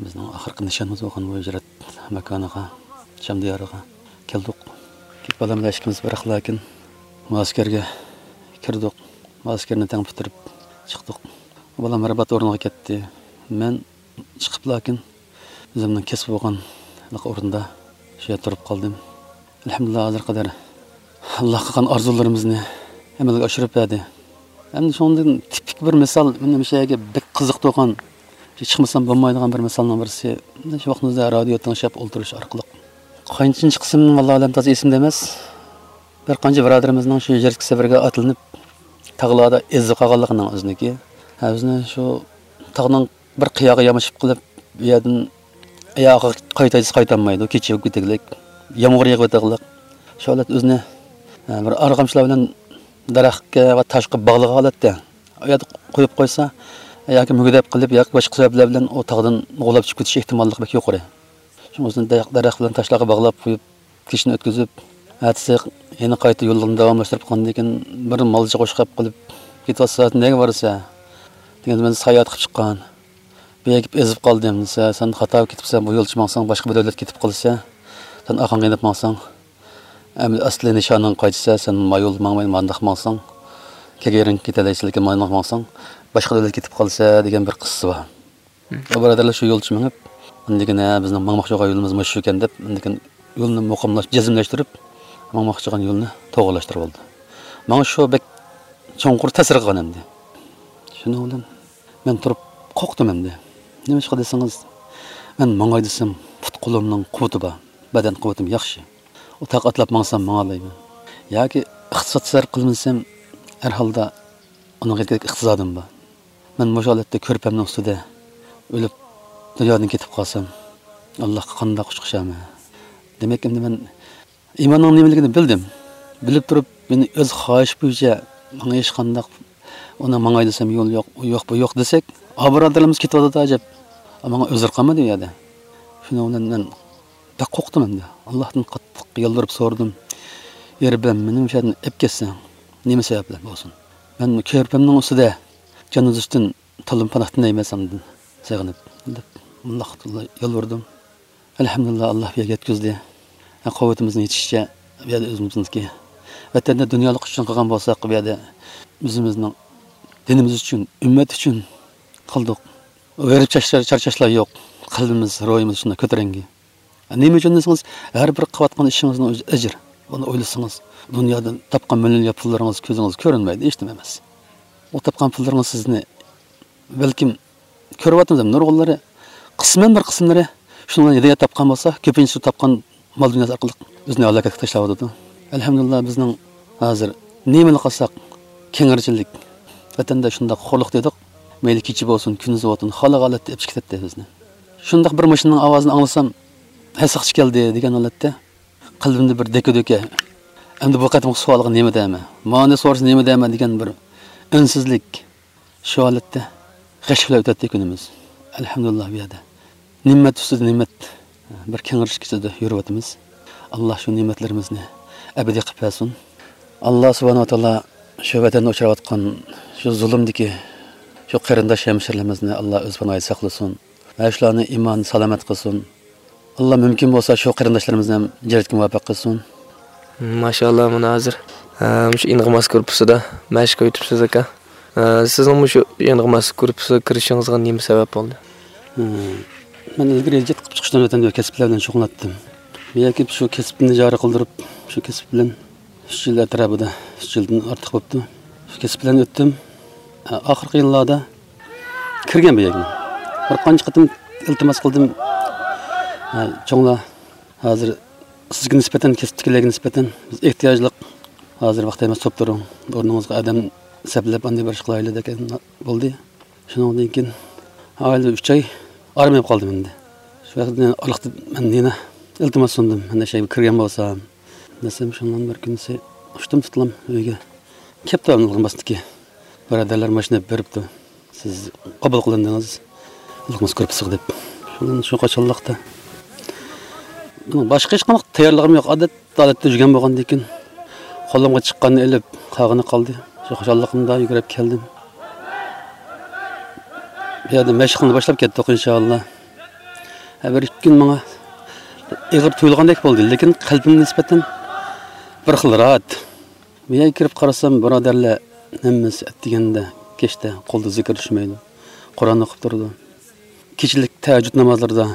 بىزنىڭ ئاخىرقى نىشانىمىز بولغان بۇ ھىجرەت ماكانىغا، شام دىيارىغا كەلدۇق. كېيىن بالام بىلەن ئىككىمىز بىراق لېكىن مۇئەسكەرگە كىردۇق. مۇئەسكەرنى تەڭ پۈتتۈرۈپ چىقتۇق. بالام رىبات ئورنىغا كەتتى. مەن چىقىپ لېكىن ئۆزۈمنىڭ كەسپى بولغان ئورۇندا شۇ يەردە تۇرۇپ قالدىم. ئەلھەمدۇلىللا، ھازىرغا قەدەر ئاللا قىلغان ئارزۇلىرىمىزنى ئەمەلگە ئاشۇرۇپ بەردى. ئەمدى شۇنىڭدىن تىپىك بىر مىسال، مېنىڭ مۇشۇ يەرگە بەك قىزىقىدىغان، چىقمىسام بولمايدىغان بىر مىسالنىڭ بىرسى، شۇ ۋاقتىمىزدا رادىيو تىڭشاپ ئولتۇرۇش ئارقىلىق قانچىنچى قىسىم، ۋاللاھۇ ئەلەم، تازا ئېسىمدە ئەمەس. بىر قانچە بۇرادىرىمىزنىڭ شۇ ھىجرەتكە سەپەرگە ئاتلىنىپ، تاغلاردا ئېزىپ قالغانلىقىنىڭ ئۆزىنىكى. ھە، ئۆزىنى شۇ تاغنىڭ بىر قىياغا يامىشىپ قېلىپ، ئۇ يەردىن ئاياغىغا قايتايسا قايتالمايدۇ، كېچە بولۇپ كېتىدىغانلىق، يامغۇر يېغىۋېتىدىغانلىق. شۇ ھالەت ئۆزىنى، ھە، بىر ئارغامچىلار بىلەن دەرەخكە ۋە تاشقا باغلىغان ھالەتتە ئۇ يەردە قويۇپ قويسا، ياكى مۈگدەپ قېلىپ، ياكى باشقا سەۋەبلەر بىلەن ئۇ تاغدىن غۇلاپ چۈشۈپ كېتىش ئېھتىماللىقى بەك يۇقىرى. شۇڭا ئۆزىنى دەرەخ، دەرەخ بىلەن تاشلارغا باغلاپ قويۇپ، كېچىنى ئۆتكۈزۈپ، ئەتىسى يەنە قايتا يولىنى داۋاملاشتۇرۇپ قالغاندىن كېيىن، بىر مالچى قوشقاپ قىلىپ، «كېتىۋاتىسەن، نەگە بارىسەن؟» دېگەندە، «مەن ساياھەت قىلىپ چىققان. بۇ يەرگە كېلىپ ئېزىپ قالدىم» دېسە، «سەن خاتا كېتىپسەن، بۇ يولچە ماڭساڭ، باشقا بىر دۆلەتكە كېتىپ قالىسەن. سەن ئارقاڭغا يېنىپ ماڭساڭ، ئەمدى ئەسلى نىشانىڭغا قايتىسەن، سەن ما يولدا ماڭماي، مانداق ماڭساڭ، كەلگەن يېرىڭگە كېتەلەيسەن، لېكىن مانداق ماڭساڭ، باشقا دۆلەتكە كېتىپ قالىسەن» دېگەن بىر قىسسىسى بار. ئۇ بۇرادەرلەر شۇ يولچە مېڭىپ، ئاندىن كېيىن، «ھە، بىزنىڭ ماڭماقچى بولغان يولىمىز مۇشۇ ئىكەن» دەپ، ئاندىن كېيىن يولنى مۇقىملاش-، جەزملەشتۈرۈپ، ماڭماقچى بولغان يولنى توغرىلاشتۇرۇپ ئالدى. ماڭا شۇ بەك چوڭقۇر تەسىر قىلغان ئەمدى. شۇنىڭ بىلەن مەن تۇرۇپ قورقتۇم ئەمدى. نېمىشقا دېسىڭىز، مەن ماڭاي دېسەم، پۇت-قولۇمنىڭ قۇۋۋىتى بار، بەدەن قۇۋۋىتىم ياخشى. ئۇ تاغ ئاتلاپ ماڭسام ماڭالايمەن. ياكى ئىقتىساد سەرپ قىلمىسام، ھەر ھالدا ئۇنىڭغا يەتكۈدەك ئىقتىسادىم بار. مەن مۇشۇ ھالەتتە كۆرپەمنىڭ ئۈستىدە ئۆلۈپ، دۇنيادىن كېتىپ قالسام، ئاللاھقا قانداق ئۇچ قوشارمەن؟ دېمەك، ئەمدى مەن ئىماننىڭ نېمىلىكىنى بىلدىم. بىلىپ تۇرۇپ، مېنى ئۆز خاھىشى بويىچە ماڭا ھېچقانداق، ئۇنى ماڭاي دېسەم يول يوق، ئۇ يوق، بۇ يوق دېسەك، ئا، بۇرادەرلىرىمىز كېتىۋاتىدۇ ئەجەب. ماڭا ئۆزۈر قالمىدى ئۇ يەردە. شۇنىڭ بىلەن مەن بەك قورقتۇم ئەمدى. ئاللاھتىن قاتتىق يالۋۇرۇپ سورىدىم. يا رەببىم، مېنى مۇشۇ يەردىن ئەپ كەتسەڭ، نېمە سەۋەب بىلەن بولسۇن، مەن كۆرپەمنىڭ ئۈستىدە جان ئۈزۈشتىن تولىمۇ پاناھ تىلەيمەن سەندىن سېغىنىپ، دەپ مۇنداق يالۋۇردۇم. ئەلھەمدۇلىللا، ئاللا بۇ يەرگە يەتكۈزدى. قۇۋۋىتىمىزنىڭ يېتىشىچە بۇ يەردە ئۆزىمىزنىڭكى ۋەتەندە دۇنيالىق ئۈچۈن قىلغان بولساق، بۇ يەردە ئۆزىمىزنىڭ دىنىمىز ئۈچۈن، ئۈممەت ئۈچۈن قىلدۇق. ھېرىپ چارچاش، چارچاشلار يوق. قەلبىمىز، روھىمىز شۇنداق كۆتۈرەڭگۈ. نېمە ئۈچۈن دېسىڭىز، ھەر بىر قىلىۋاتقان ئىشىڭىزنىڭ ئۆزى ئەجىر. بۇنى ئويلىسىڭىز، دۇنيادىن تاپقان مىليونلىغان پۇللىرىڭىز كۆزىڭىز كۆرۈنمەيدۇ، ھېچنېمە ئەمەس. ئۇ تاپقان پۇللىرىڭىز سىزنى بەلكىم كۆرۈۋاتىمىز، نۇرغۇنلىرى، قىسمەن بىر قىسىملىرى شۇنىڭ بىلەن ھىدايەت تاپقان بولسا، كۆپىنچىسى تاپقان مال دۇنياسى ئارقىلىق ئۆزىنى ھالاكەتكە تاشلاۋاتىدۇ. ئەلھەمدۇلىللا، بىزنىڭ ھازىر نېمىنى قىلساق، كەڭرىچىلىك، ۋەتەندە شۇنداق خورلۇق دېدۇق. مەيلى كېچە بولسۇن، كۈندۈز بولسۇن، خالىغان ھالەتتە ئېلىپ چىقىپ كېتەتتى بىزنى. شۇنداق بىر ماشىنىنىڭ ئاۋازىنى ئاڭلىسام، ھە، ساقچى كەلدى دېگەن ھالەتتە قەلبىمدە بىر دەكە-دۈكە. ئەمدى بۇ قېتىمقى سوئالغا نېمە دەيمەن؟ مانى سورىسا نېمە دەيمەن دېگەن بىر ئۈنسىزلىك. شۇ ھالەتتە غەش بىلەن ئۆتەتتى كۈنىمىز. ئەلھەمدۇلىللا، بۇ يەردە نېمەت ئۈستىدە نېمەت، بىر كەڭرىش ئىچىدە يۈرۈۋاتىمىز. ئاللا شۇ نېمەتلىرىمىزنى ئەبەدىي قىلىپ بەرسۇن. ئاللا سۇبھانەھۇ ۋە تائالا شۇ ۋەتەندە ئۇچراۋاتقان شۇ زۇلۇمدىكى شۇ قېرىنداش ھەمشىرىلىرىمىزنى ئاللا ئۆز پاناھىدا ساقلىسۇن. ۋە شۇلارنى ئىمان سالامەت قىلسۇن. ئاللا مۇمكىن بولسا شۇ قېرىنداشلىرىمىزنى ھەم جەننەتكە مۇۋەپپەق قىلسۇن. ماشائاللا، مانا ھازىر، ئە، مۇشۇ ئىنغىماس گۇرۇپپىسىدا مەشىق ئۆتۈپسىز ئاكا. ئە، سىزنىڭ مۇشۇ ئىنغىماس گۇرۇپپىسىغا كىرىشىڭىزغا نېمە سەۋەب بولدى؟ مەن ئىلگىرى ھىجرەت قىلىپ چىقىشتىن ئۆتەمدە كەسىپلەر بىلەن شۇغۇللاناتتىم. بۇ يەرگە كېلىپ شۇ كەسىپنى جارى قىلدۇرۇپ، شۇ كەسىپ بىلەن ئۈچ يىل ئەتراپىدا، ئۈچ يىلدىن ئارتۇق بوپتۇ. شۇ كەسىپ بىلەن ئۆتتۈم. ئە، ئاخىرقى يىللاردا كىرگەن بۇ يەرگە. بىر قانچە قېتىم ئىلتىماس قىلدىم. ھە، چوڭلار، ھازىر سىزگە نىسبەتەن، كەسىپتىكىلەرگە نىسبەتەن بىز ئېھتىياجلىق. ھازىر ۋاقتى ئەمەس، توپ تۇرۇڭ. ئورنىڭىزغا ئادەم سەپلەپ، ئاندىن بىر ئىش قىلايلى دېگەن بولدى. شۇنىڭدىن كېيىن ئائىلىدە ئۈچ ئاي ئارام ئېلىپ قالدىم ئەمدى. شۇ ۋاقىتتا ئارىلىقتا مەن يەنە ئىلتىماس سۇندۇم، مەن شەيگە كىرگەن بولسام دېسەم، شۇنىڭ بىر كۈنىسى ئۇچتۇم تۇتلام ئۆيگە. كەپتۇ ئىلغىماستىكى بۇرادەرلەر ماشىنا بېرىپتۇ. سىز قوبۇل قىلىندىڭىز، ئىلغىماس گۇرۇپپىسىغا دەپ. شۇندىن شۇ قاچانلىقتا باشقا ھېچقانداق تەييارلىقىم يوق. ئادەتتە، ئادەتتە يۈرگەن بولغاندىن كېيىن قولۇمغا چىققاننى ئېلىپ، قالغىنى قالدى. شۇ خۇشاللىقىمدا يۈگۈرۈپ كەلدىم. بۇ يەردە مەشىقنى باشلاپ كەتتۇق، ئىنشائاللا. ھە، بىر ئىككى كۈن ماڭا ئېغىر تۇيۇلغاندەك بولدى، لېكىن قەلبىمگە نىسبەتەن بىر خىل راھەت. بۇ يەرگە كىرىپ قارىسام، بۇرادەرلەر ھەممىسى ئەتىگەندە، كەچتە قولدا زىكىر چۈشمەيدۇ، قۇرئان ئوقۇپ تۇرىدۇ. كېچىلىك تەھەججۇد نامازلىرىدا،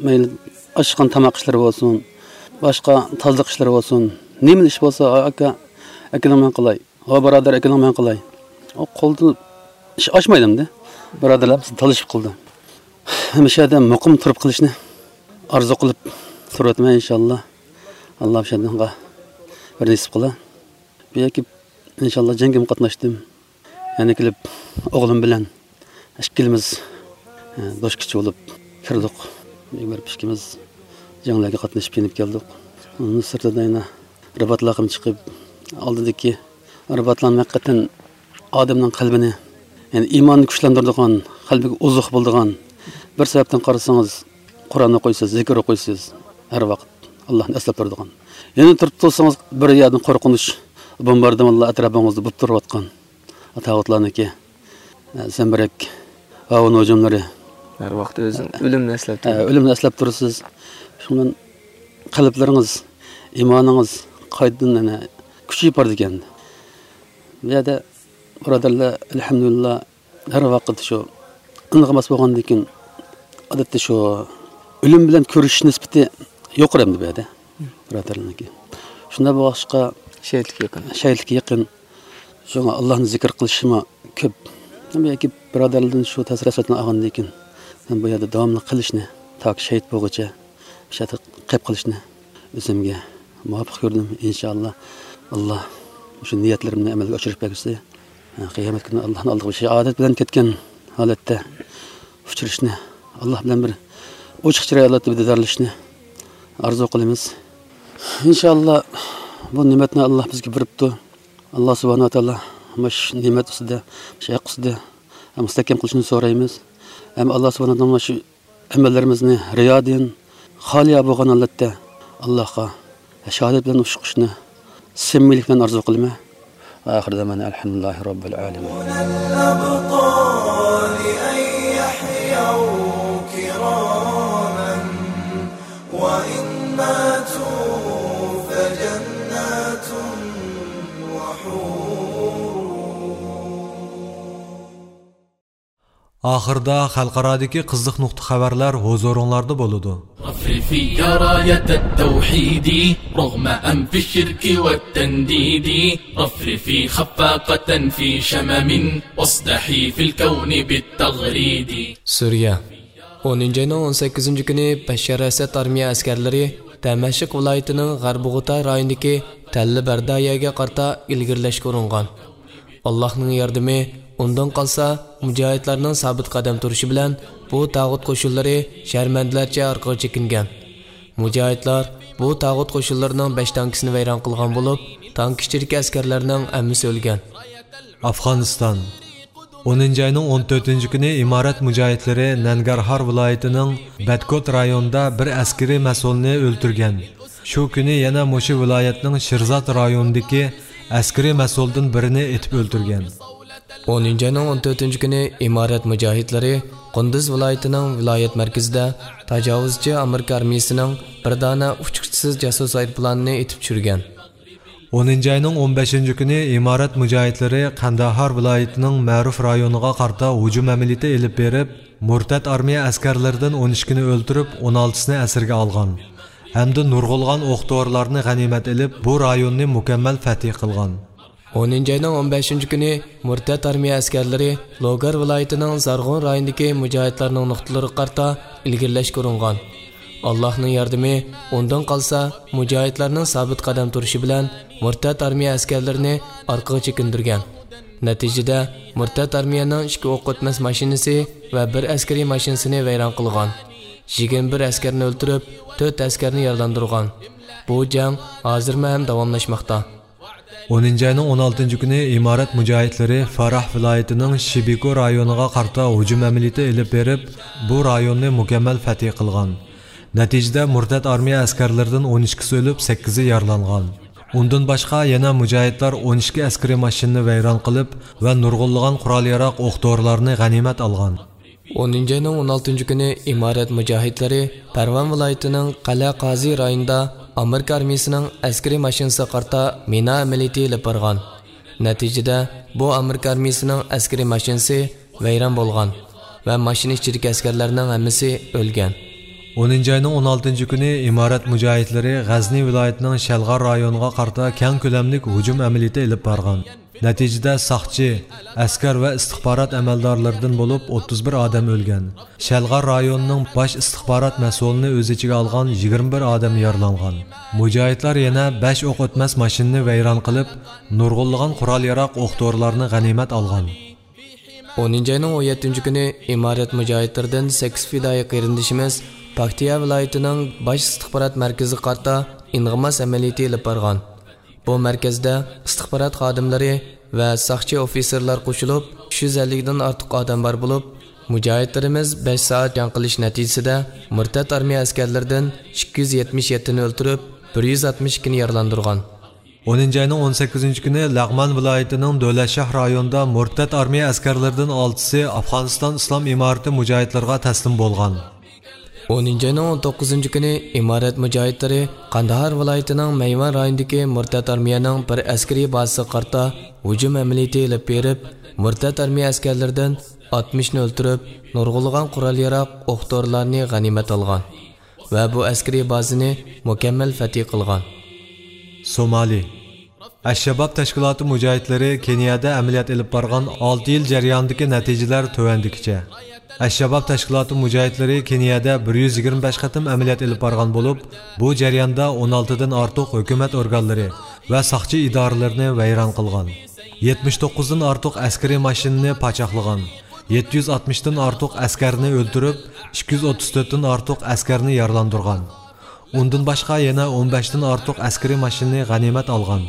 مەيلى ئاشقان تاماق ئىشلىرى بولسۇن، باشقا تازىلىق ئىشلىرى بولسۇن، نېمىلا ئىش بولسا، «ئاكا، ئەكېلىڭ مەن قىلاي، ھو بۇرادەر، ئەكېلىڭ مەن قىلاي.» ئۇ قولدا ئىش ئاشمايدۇ ئەمدى. بۇرادەرلەر بىز تالىشىپ قىلدى. ھەمىشە مۇقىم تۇرۇپ قېلىشنى ئارزۇ قىلىپ تۇرۇۋاتىمەن، ئىنشاللا. ئاللا شۇنىڭغا بىر نېسىپ قىلا. بۇ يەرگە ئىنشاللا جەڭگىمۇ قاتناشتىم. يەنە كېلىپ ئوغلۇم بىلەن ئىككىلىمىز، ئە، دوشكىچى بولۇپ كىردۇق. بىر ئىككىمىز جەڭلەرگە قاتنىشىپ يېنىپ كەلدۇق. ئۇنىڭ سىرتىدا يەنە رىباتلارغىمۇ چىقىپ، ئالدىدىكى رىباتلارنى ھەقىقەتەن ئادەمنىڭ قەلبىنى، يەنى ئىماننى كۈچلەندۈرىدىغان، قەلبىگە ئوزۇق بولىدىغان بىر سەۋەبتىن قارىسىڭىز، قۇرئان ئوقۇيسىز، زىكىر ئوقۇيسىز، ھەر ۋاقىت ئاللانى ئەسلەپ تۇرىدىغان. يەنە تۇرۇپ تۇرسىڭىز، بىر يەردىن قورقۇنچ، بومباردىمانلار ئەتراپىڭىزدا بولۇپ تۇرۇۋاتقان. تاغۇتلارنىڭكى، ئە، زەمبىرەك، ئاۋۇ نوجۇملىرى. ھەر ۋاقىت ئۆزىنى ئۆلۈمنى ئەسلەپ، ئە، تۇرىدۇ. ئۆلۈمنى ئەسلەپ تۇرىسىز. شۇنىڭ بىلەن قەلبلىرىڭىز، ئىمانىڭىز قايتىدىن يەنە كۈچىيىپ بارىدىكەن. بۇ يەردە بۇرادەرلەر، ئەلھەمدۇلىللا، ھەر ۋاقىت شۇ ئىلغىماس بولغاندىن كېيىن، ئادەتتە شۇ ئۆلۈم بىلەن كۆرۈشۈش نىسبىتى يۇقىرى ئەمدى بۇ يەردە، بۇرادەرلەرنىڭكى. شۇنداق بولغاچقا، شېھىتلىككە يېقىن. شېھىتلىككە يېقىن. شۇڭا ئاللانى زىكىر قىلىشىمۇ كۆپ. ياكى بۇرادەرلەردىن شۇ تەسىر ھەسرەتنى ئالغاندىن كېيىن، مەن بۇ يەردە داۋاملىق قېلىشنى، تاكى شېھىت بولغۇچە، شۇ يەردە قېلىپ قېلىشنى ئۆزۈمگە مۇۋاپىق كۆردۈم. ئىنشائاللا، ئاللا شۇ نىيەتلىرىمنى ئەمەلگە ئاشۇرۇپ بەرگۈسى. قىيامەت كۈنى ئاللانىڭ ئالدىغا شاھادەت بىلەن كەتكەن ھالەتتە ئۇچرىشىشنى، ئاللا بىلەن بىر ئوچۇق چىراي ھالەتتە بىر دىدارلىشىشنى ئارزۇ قىلىمىز. ئىنشائاللا، بۇ نېمەتنى ئاللا بىزگە بېرىپتۇ. ئاللا سۇبھانەھۇ ۋە تائالا مۇشۇ نېمەت ئۈستىدە، مۇشۇ ھەق ئۈستىدە مۇستەھكەم قىلىشنى سورايمىز. ھەم ئاللا سۇبھانەھۇ ۋە تائالا مۇشۇ ئەمەللىرىمىزنى رىيادىن خالىيا بولغان ھالەتتە ئاللاغا شاھادەت بىلەن ئۇچرىشىشنى سەمىمىيلىك بىلەن ئارزۇ قىلىمەن. وآخر دعوانا الحمد لله رب العالمين. الأبطال أن يحيوا كراما وإن ماتوا فجنات وحور. ئاخىردا خەلقئارادىكى قىزىق نۇقتا خەۋەرلەر ھۇزۇرۇڭلاردا بولىدۇ. رفرفي يا راية التوحيد، رغم أنف الشرك والتنديد، رفرفي خفاقة في شمم، واصدحي في الكون بالتغريد. سۈرىيە. ئونىنچى ئاينىڭ ئون سەككىزىنچى كۈنى بەششار ئەسەد ئارمىيە ئەسكەرلىرى دەمەشق ۋىلايىتىنىڭ غەربىي غۇتا رايونىدىكى تەللە بەردايەگە قارىتا ئىلگىرىلەشكە ئۇرۇنغان. ئاللاھنىڭ ياردىمى، ئۇندىن قالسا، مۇجاھىدلارنىڭ سابىت قەدەم تۇرۇشى بىلەن بۇ تاغۇت قوشۇنلىرى شەرمەندىلەرچە ئارقىغا چېكىنگەن. مۇجاھىدلار بۇ تاغۇت قوشۇنلىرىنىڭ بەش تانكىسىنى ۋەيران قىلغان بولۇپ، تانكا ئىچىدىكى ئەسكەرلەرنىڭ ھەممىسى ئۆلگەن. ئافغانىستان. ئونىنچى ئاينىڭ ئون تۆتىنچى كۈنى ئىمارەت مۇجاھىدلىرى نەنگەرھار ۋىلايىتىنىڭ بەتكوت رايونىدا بىر ئەسكىرىي مەسئۇلنى ئۆلتۈرگەن. شۇ كۈنى يەنە مۇشۇ ۋىلايەتنىڭ شىرزات رايونىدىكى ئەسكىرىي مەسئۇلدىن بىرىنى ئېتىپ ئۆلتۈرگەن. ئونىنچى ئاينىڭ ئون تۆتىنچى كۈنى ئىمارەت مۇجاھىدلىرى قۇندۇز ۋىلايىتىنىڭ ۋىلايەت مەركىزىدە تاجاۋۇزچى ئامېرىكا ئارمىيىسىنىڭ بىر دانە ئۇچقۇچىسىز جاسۇس ئايروپىلانىنى ئېتىپ چۈشۈرگەن. ئونىنچى ئاينىڭ ئون بەشىنچى كۈنى ئىمارەت مۇجاھىدلىرى قەندەھار ۋىلايىتىنىڭ مەرۇف رايونىغا قارىتا ھۇجۇم ئەمەلىيىتى ئېلىپ بېرىپ، مۇرتەت ئارمىيە ئەسكەرلىرىدىن ئون ئىككىنى ئۆلتۈرۈپ، ئون ئالتىسىنى ئەسىرگە ئالغان ھەمدە نۇرغۇنلىغان ئوق-دورىلارنى غەنىيمەت ئېلىپ، بۇ رايوننى مۇكەممەل فەتھى قىلغان. ئونىنچى ئاينىڭ ئون بەشىنچى كۈنى مۇرتەت ئارمىيە ئەسكەرلىرى لوگار ۋىلايىتىنىڭ زارغۇن رايونىدىكى مۇجاھىدلارنىڭ نۇقتىلىرىغا قارىتا ئىلگىرىلەشكە ئۇرۇنغان. ئاللاھنىڭ ياردىمى، ئۇندىن قالسا، مۇجاھىدلارنىڭ سابىت قەدەم تۇرۇشى بىلەن مۇرتەت ئارمىيە ئەسكەرلىرىنى ئارقىغا چېكىندۈرگەن. نەتىجىدە، مۇرتەت ئارمىيەنىڭ ئىككى ئوق ئۆتمەس ماشىنىسى ۋە بىر ئەسكىرىي ماشىنىسىنى ۋەيران قىلغان. يىگىرمە بىر ئەسكەرنى ئۆلتۈرۈپ، تۆت ئەسكەرنى يارىلاندۇرغان. بۇ جەڭ ھازىرمۇ ھەم داۋاملاشماقتا. ئونىنچى ئاينىڭ ئون ئالتىنچى كۈنى ئىمارەت مۇجاھىدلىرى فاراھ ۋىلايىتىنىڭ شىبىكو رايونىغا قارىتا ھۇجۇم ئەمەلىيىتى ئېلىپ بېرىپ، بۇ رايوننى مۇكەممەل فەتھى قىلغان. نەتىجىدە، مۇرتەت ئارمىيە ئەسكەرلىرىدىن ئون ئىككىسى ئۆلۈپ، سەككىزى يارىلانغان. ئۇندىن باشقا، يەنە مۇجاھىدلار ئون ئىككى ئەسكىرىي ماشىنىنى ۋەيران قىلىپ ۋە نۇرغۇنلىغان قورال-ياراغ، ئوق-دورىلارنى غەنىيمەت ئالغان. ئونىنچى ئاينىڭ ئون ئالتىنچى كۈنى ئىمارەت مۇجاھىدلىرى پەرۋان ۋىلايىتىنىڭ قەلئە قازى رايونىدا ئامېرىكا ئارمىيىسىنىڭ ئەسكىرىي ماشىنىسىغا قارىتا مىنا ئەمەلىيىتى ئېلىپ بارغان. نەتىجىدە، بۇ ئامېرىكا ئارمىيىسىنىڭ ئەسكىرىي ماشىنىسى ۋەيران بولغان ۋە ماشىنا ئىچىدىكى ئەسكەرلەرنىڭ ھەممىسى ئۆلگەن. ئونىنچى ئاينىڭ ئون ئالتىنچى كۈنى ئىمارەت مۇجاھىدلىرى غەزنى ۋىلايىتىنىڭ شەلغار رايونىغا قارىتا كەڭ كۆلەملىك ھۇجۇم ئەمەلىيىتى ئېلىپ بارغان. نەتىجىدە، ساقچى، ئەسكەر ۋە ئىستىخبارات ئەمەلدارلىرىدىن بولۇپ ئوتتۇز بىر ئادەم ئۆلگەن. شەلغار رايونىنىڭ باش ئىستىخبارات مەسئۇلىنى ئۆز ئىچىگە ئالغان يىگىرمە بىر ئادەم يارىلانغان. مۇجاھىدلار يەنە بەش ئوق ئۆتمەس ماشىنىنى ۋەيران قىلىپ، نۇرغۇنلىغان قورال-ياراغ، ئوق-دورىلارنى غەنىيمەت ئالغان. ئونىنچى ئاينىڭ ئون يەتتىنچى كۈنى ئىمارەت مۇجاھىدلىرىدىن سەككىز پىدائىي قېرىندىشىمىز پاكتىيا ۋىلايىتىنىڭ باش ئىستىخبارات مەركىزىگە قارىتا ئىنغىماس ئەمەلىيىتى ئېلىپ بارغان. بۇ مەركەزدە ئىستىخبارات خادىملىرى ۋە ساقچى ئوفىتسېرلار قوشۇلۇپ، ئۈچ يۈز ئەللىكتىن ئارتۇق ئادەم بار بولۇپ، مۇجاھىدلىرىمىز بەش سائەت جەڭ قىلىش نەتىجىسىدە مۇرتەت ئارمىيە ئەسكەرلىرىدىن ئىككى يۈز يەتمىش يەتتىنى ئۆلتۈرۈپ، بىر يۈز ئاتمىش ئىككىنى يارىلاندۇرغان. ئونىنچى ئاينىڭ ئون سەككىزىنچى كۈنى لەغمان ۋىلايىتىنىڭ دۆلەتشاھ رايونىدا مۇرتەت ئارمىيە ئەسكەرلىرىدىن ئالتىسى ئافغانىستان ئىسلام ئىمارىتى مۇجاھىدلىرىغا تەسلىم بولغان. ئونىنچى ئاينىڭ ئون توققۇزىنچى كۈنى ئىمارەت مۇجاھىدلىرى قانداھار ۋىلايىتىنىڭ مەيۋان رايونىدىكى مۇرتەت ئارمىيەنىڭ بىر ئەسكىرىي بازىسىغا قارىتا ھۇجۇم ئەمەلىيىتى ئېلىپ بېرىپ، مۇرتەت ئارمىيە ئەسكەرلىرىدىن ئاتمىشنى ئۆلتۈرۈپ، نۇرغۇنلىغان قورال-ياراغ، ئوق-دورىلارنى غەنىيمەت ئالغان ۋە بۇ ئەسكىرىي بازىنى مۇكەممەل فەتھى قىلغان. سومالى. ئەششەباب تەشكىلاتى مۇجاھىدلىرى كېنىيەدە ئەمەلىيەت ئېلىپ بارغان ئالتە يىل جەريانىدىكى نەتىجىلەر تۆۋەندىكىچە. ئەششەباب تەشكىلاتى مۇجاھىدلىرى كېنىيەدە بىر يۈز يىگىرمە بەش قېتىم ئەمەلىيەت ئېلىپ بارغان بولۇپ، بۇ جەرياندا ئون ئالتىدىن ئارتۇق ھۆكۈمەت ئورگانلىرى ۋە ساقچى ئىدارىلىرىنى ۋەيران قىلغان. يەتمىش توققۇزدىن ئارتۇق ئەسكىرىي ماشىنىنى پاچاقلىغان. يەتتە يۈز ئاتمىشتىن ئارتۇق ئەسكەرنى ئۆلتۈرۈپ، ئىككى يۈز ئوتتۇز تۆتتىن ئارتۇق ئەسكەرنى يارىلاندۇرغان. ئۇندىن باشقا يەنە ئون بەشتىن ئارتۇق ئەسكىرىي ماشىنىنى غەنىيمەت ئالغان.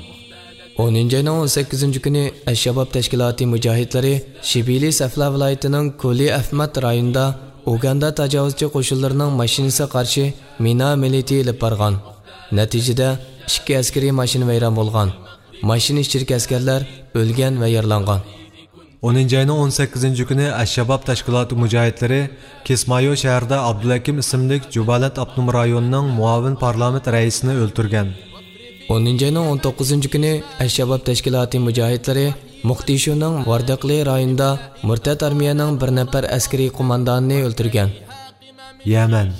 ئونىنچى ئاينىڭ ئون سەككىزىنچى كۈنى ئەششەباب تەشكىلاتى مۇجاھىدلىرى شىبىلى سەفلا ۋىلايىتىنىڭ كۇلى ئەفمات رايونىدا ئۇگاندا تاجاۋۇزچى قوشۇنلىرىنىڭ ماشىنىسىغا قارشى مىنا ئەمەلىيىتى ئېلىپ بارغان. نەتىجىدە، ئىككى ئەسكىرىي ماشىنا ۋەيران بولغان. ماشىنا ئىچىدىكى ئەسكەرلەر ئۆلگەن ۋە يارىلانغان. ئونىنچى ئاينىڭ ئون سەككىزىنچى كۈنى ئەششەباب تەشكىلاتى مۇجاھىدلىرى كىسمايو شەھىرىدە ئابدۇلھەكىم ئىسىملىك جۇبالەنت ئاپتونوم رايونىنىڭ مۇئاۋىن پارلامېنت رەئىسىنى ئۆلتۈرگەن. ئونىنچى ئاينىڭ ئون توققۇزىنچى كۈنى ئەششەباب تەشكىلاتى مۇجاھىدلىرى موقدىشۇنىڭ ۋاردەقلى رايونىدا مۇرتەت ئارمىيەنىڭ بىر نەپەر ئەسكىرىي قوماندانىنى ئۆلتۈرگەن. يەمەن.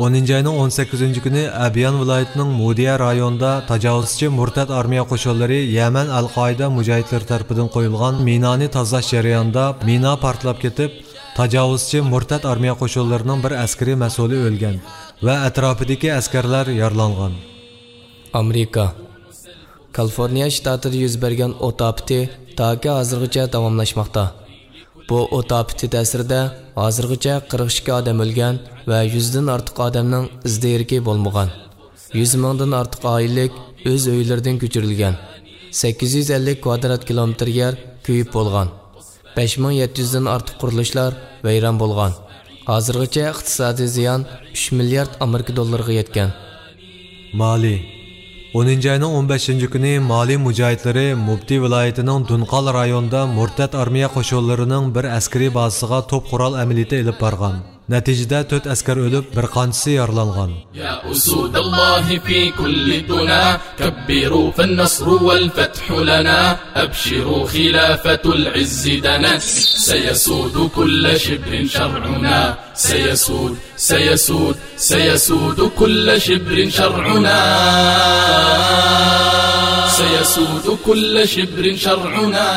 ئونىنچى ئاينىڭ ئون سەككىزىنچى كۈنى ئەبيان ۋىلايىتىنىڭ مۇدىيە رايونىدا تاجاۋۇزچى مۇرتەت ئارمىيە قوشۇنلىرى يەمەن ئەل-قائىدە مۇجاھىدلىرى تەرىپىدىن قويۇلغان مىنانى تازىلاش جەريانىدا مىنا پارتلاپ كېتىپ، تاجاۋۇزچى مۇرتەت ئارمىيە قوشۇنلىرىنىڭ بىر ئەسكىرىي مەسئۇلى ئۆلگەن ۋە ئەتراپىدىكى ئەسكەرلەر يارىلانغان. ئامېرىكا. كالىفورنىيە شتاتىدا يۈز بەرگەن ئوت ئاپىتى تاكى ھازىرغىچە داۋاملاشماقتا. بۇ ئوت ئاپىتى تەسىرىدە ھازىرغىچە قىرىق ئىككى ئادەم ئۆلگەن ۋە يۈزدىن ئارتۇق ئادەمنىڭ ئىز-دېرىكى بولمىغان. يۈز مىڭدىن ئارتۇق ئائىلىلىك ئۆز ئۆيلىرىدىن كۆچۈرۈلگەن. سەككىز يۈز ئەللىك كۋادرات كىلومېتىر يەر كۆيۈپ بولغان. بەش مىڭ يەتتە يۈزدىن ئارتۇق قۇرۇلۇشلار ۋەيران بولغان. ھازىرغىچە ئىقتىسادىي زىيان ئۈچ مىليارد ئامېرىكا دوللىرىغا يەتكەن. مالى. ئونىنچى ئاينىڭ ئون بەشىنچى كۈنى مالى مۇجاھىدلىرى مۇبتى ۋىلايىتىنىڭ دۇنقال رايونىدا مۇرتەت ئارمىيە قوشۇنلىرىنىڭ بىر ئەسكىرىي بازىسىغا توپ قورال ئەمەلىيىتى ئېلىپ بارغان. نەتىجىدە تۆت ئەسكەر ئۆلۈپ، بىر قانچىسى يارىلانغان. يا أسود الله في كل دنا، كبروا فالنصر والفتح لنا، أبشروا خلافة العز دنت، سيسود كل شبر شرعنا، سيسود، سيسود، سيسود كل شبر شرعنا، سيسود كل شبر شرعنا.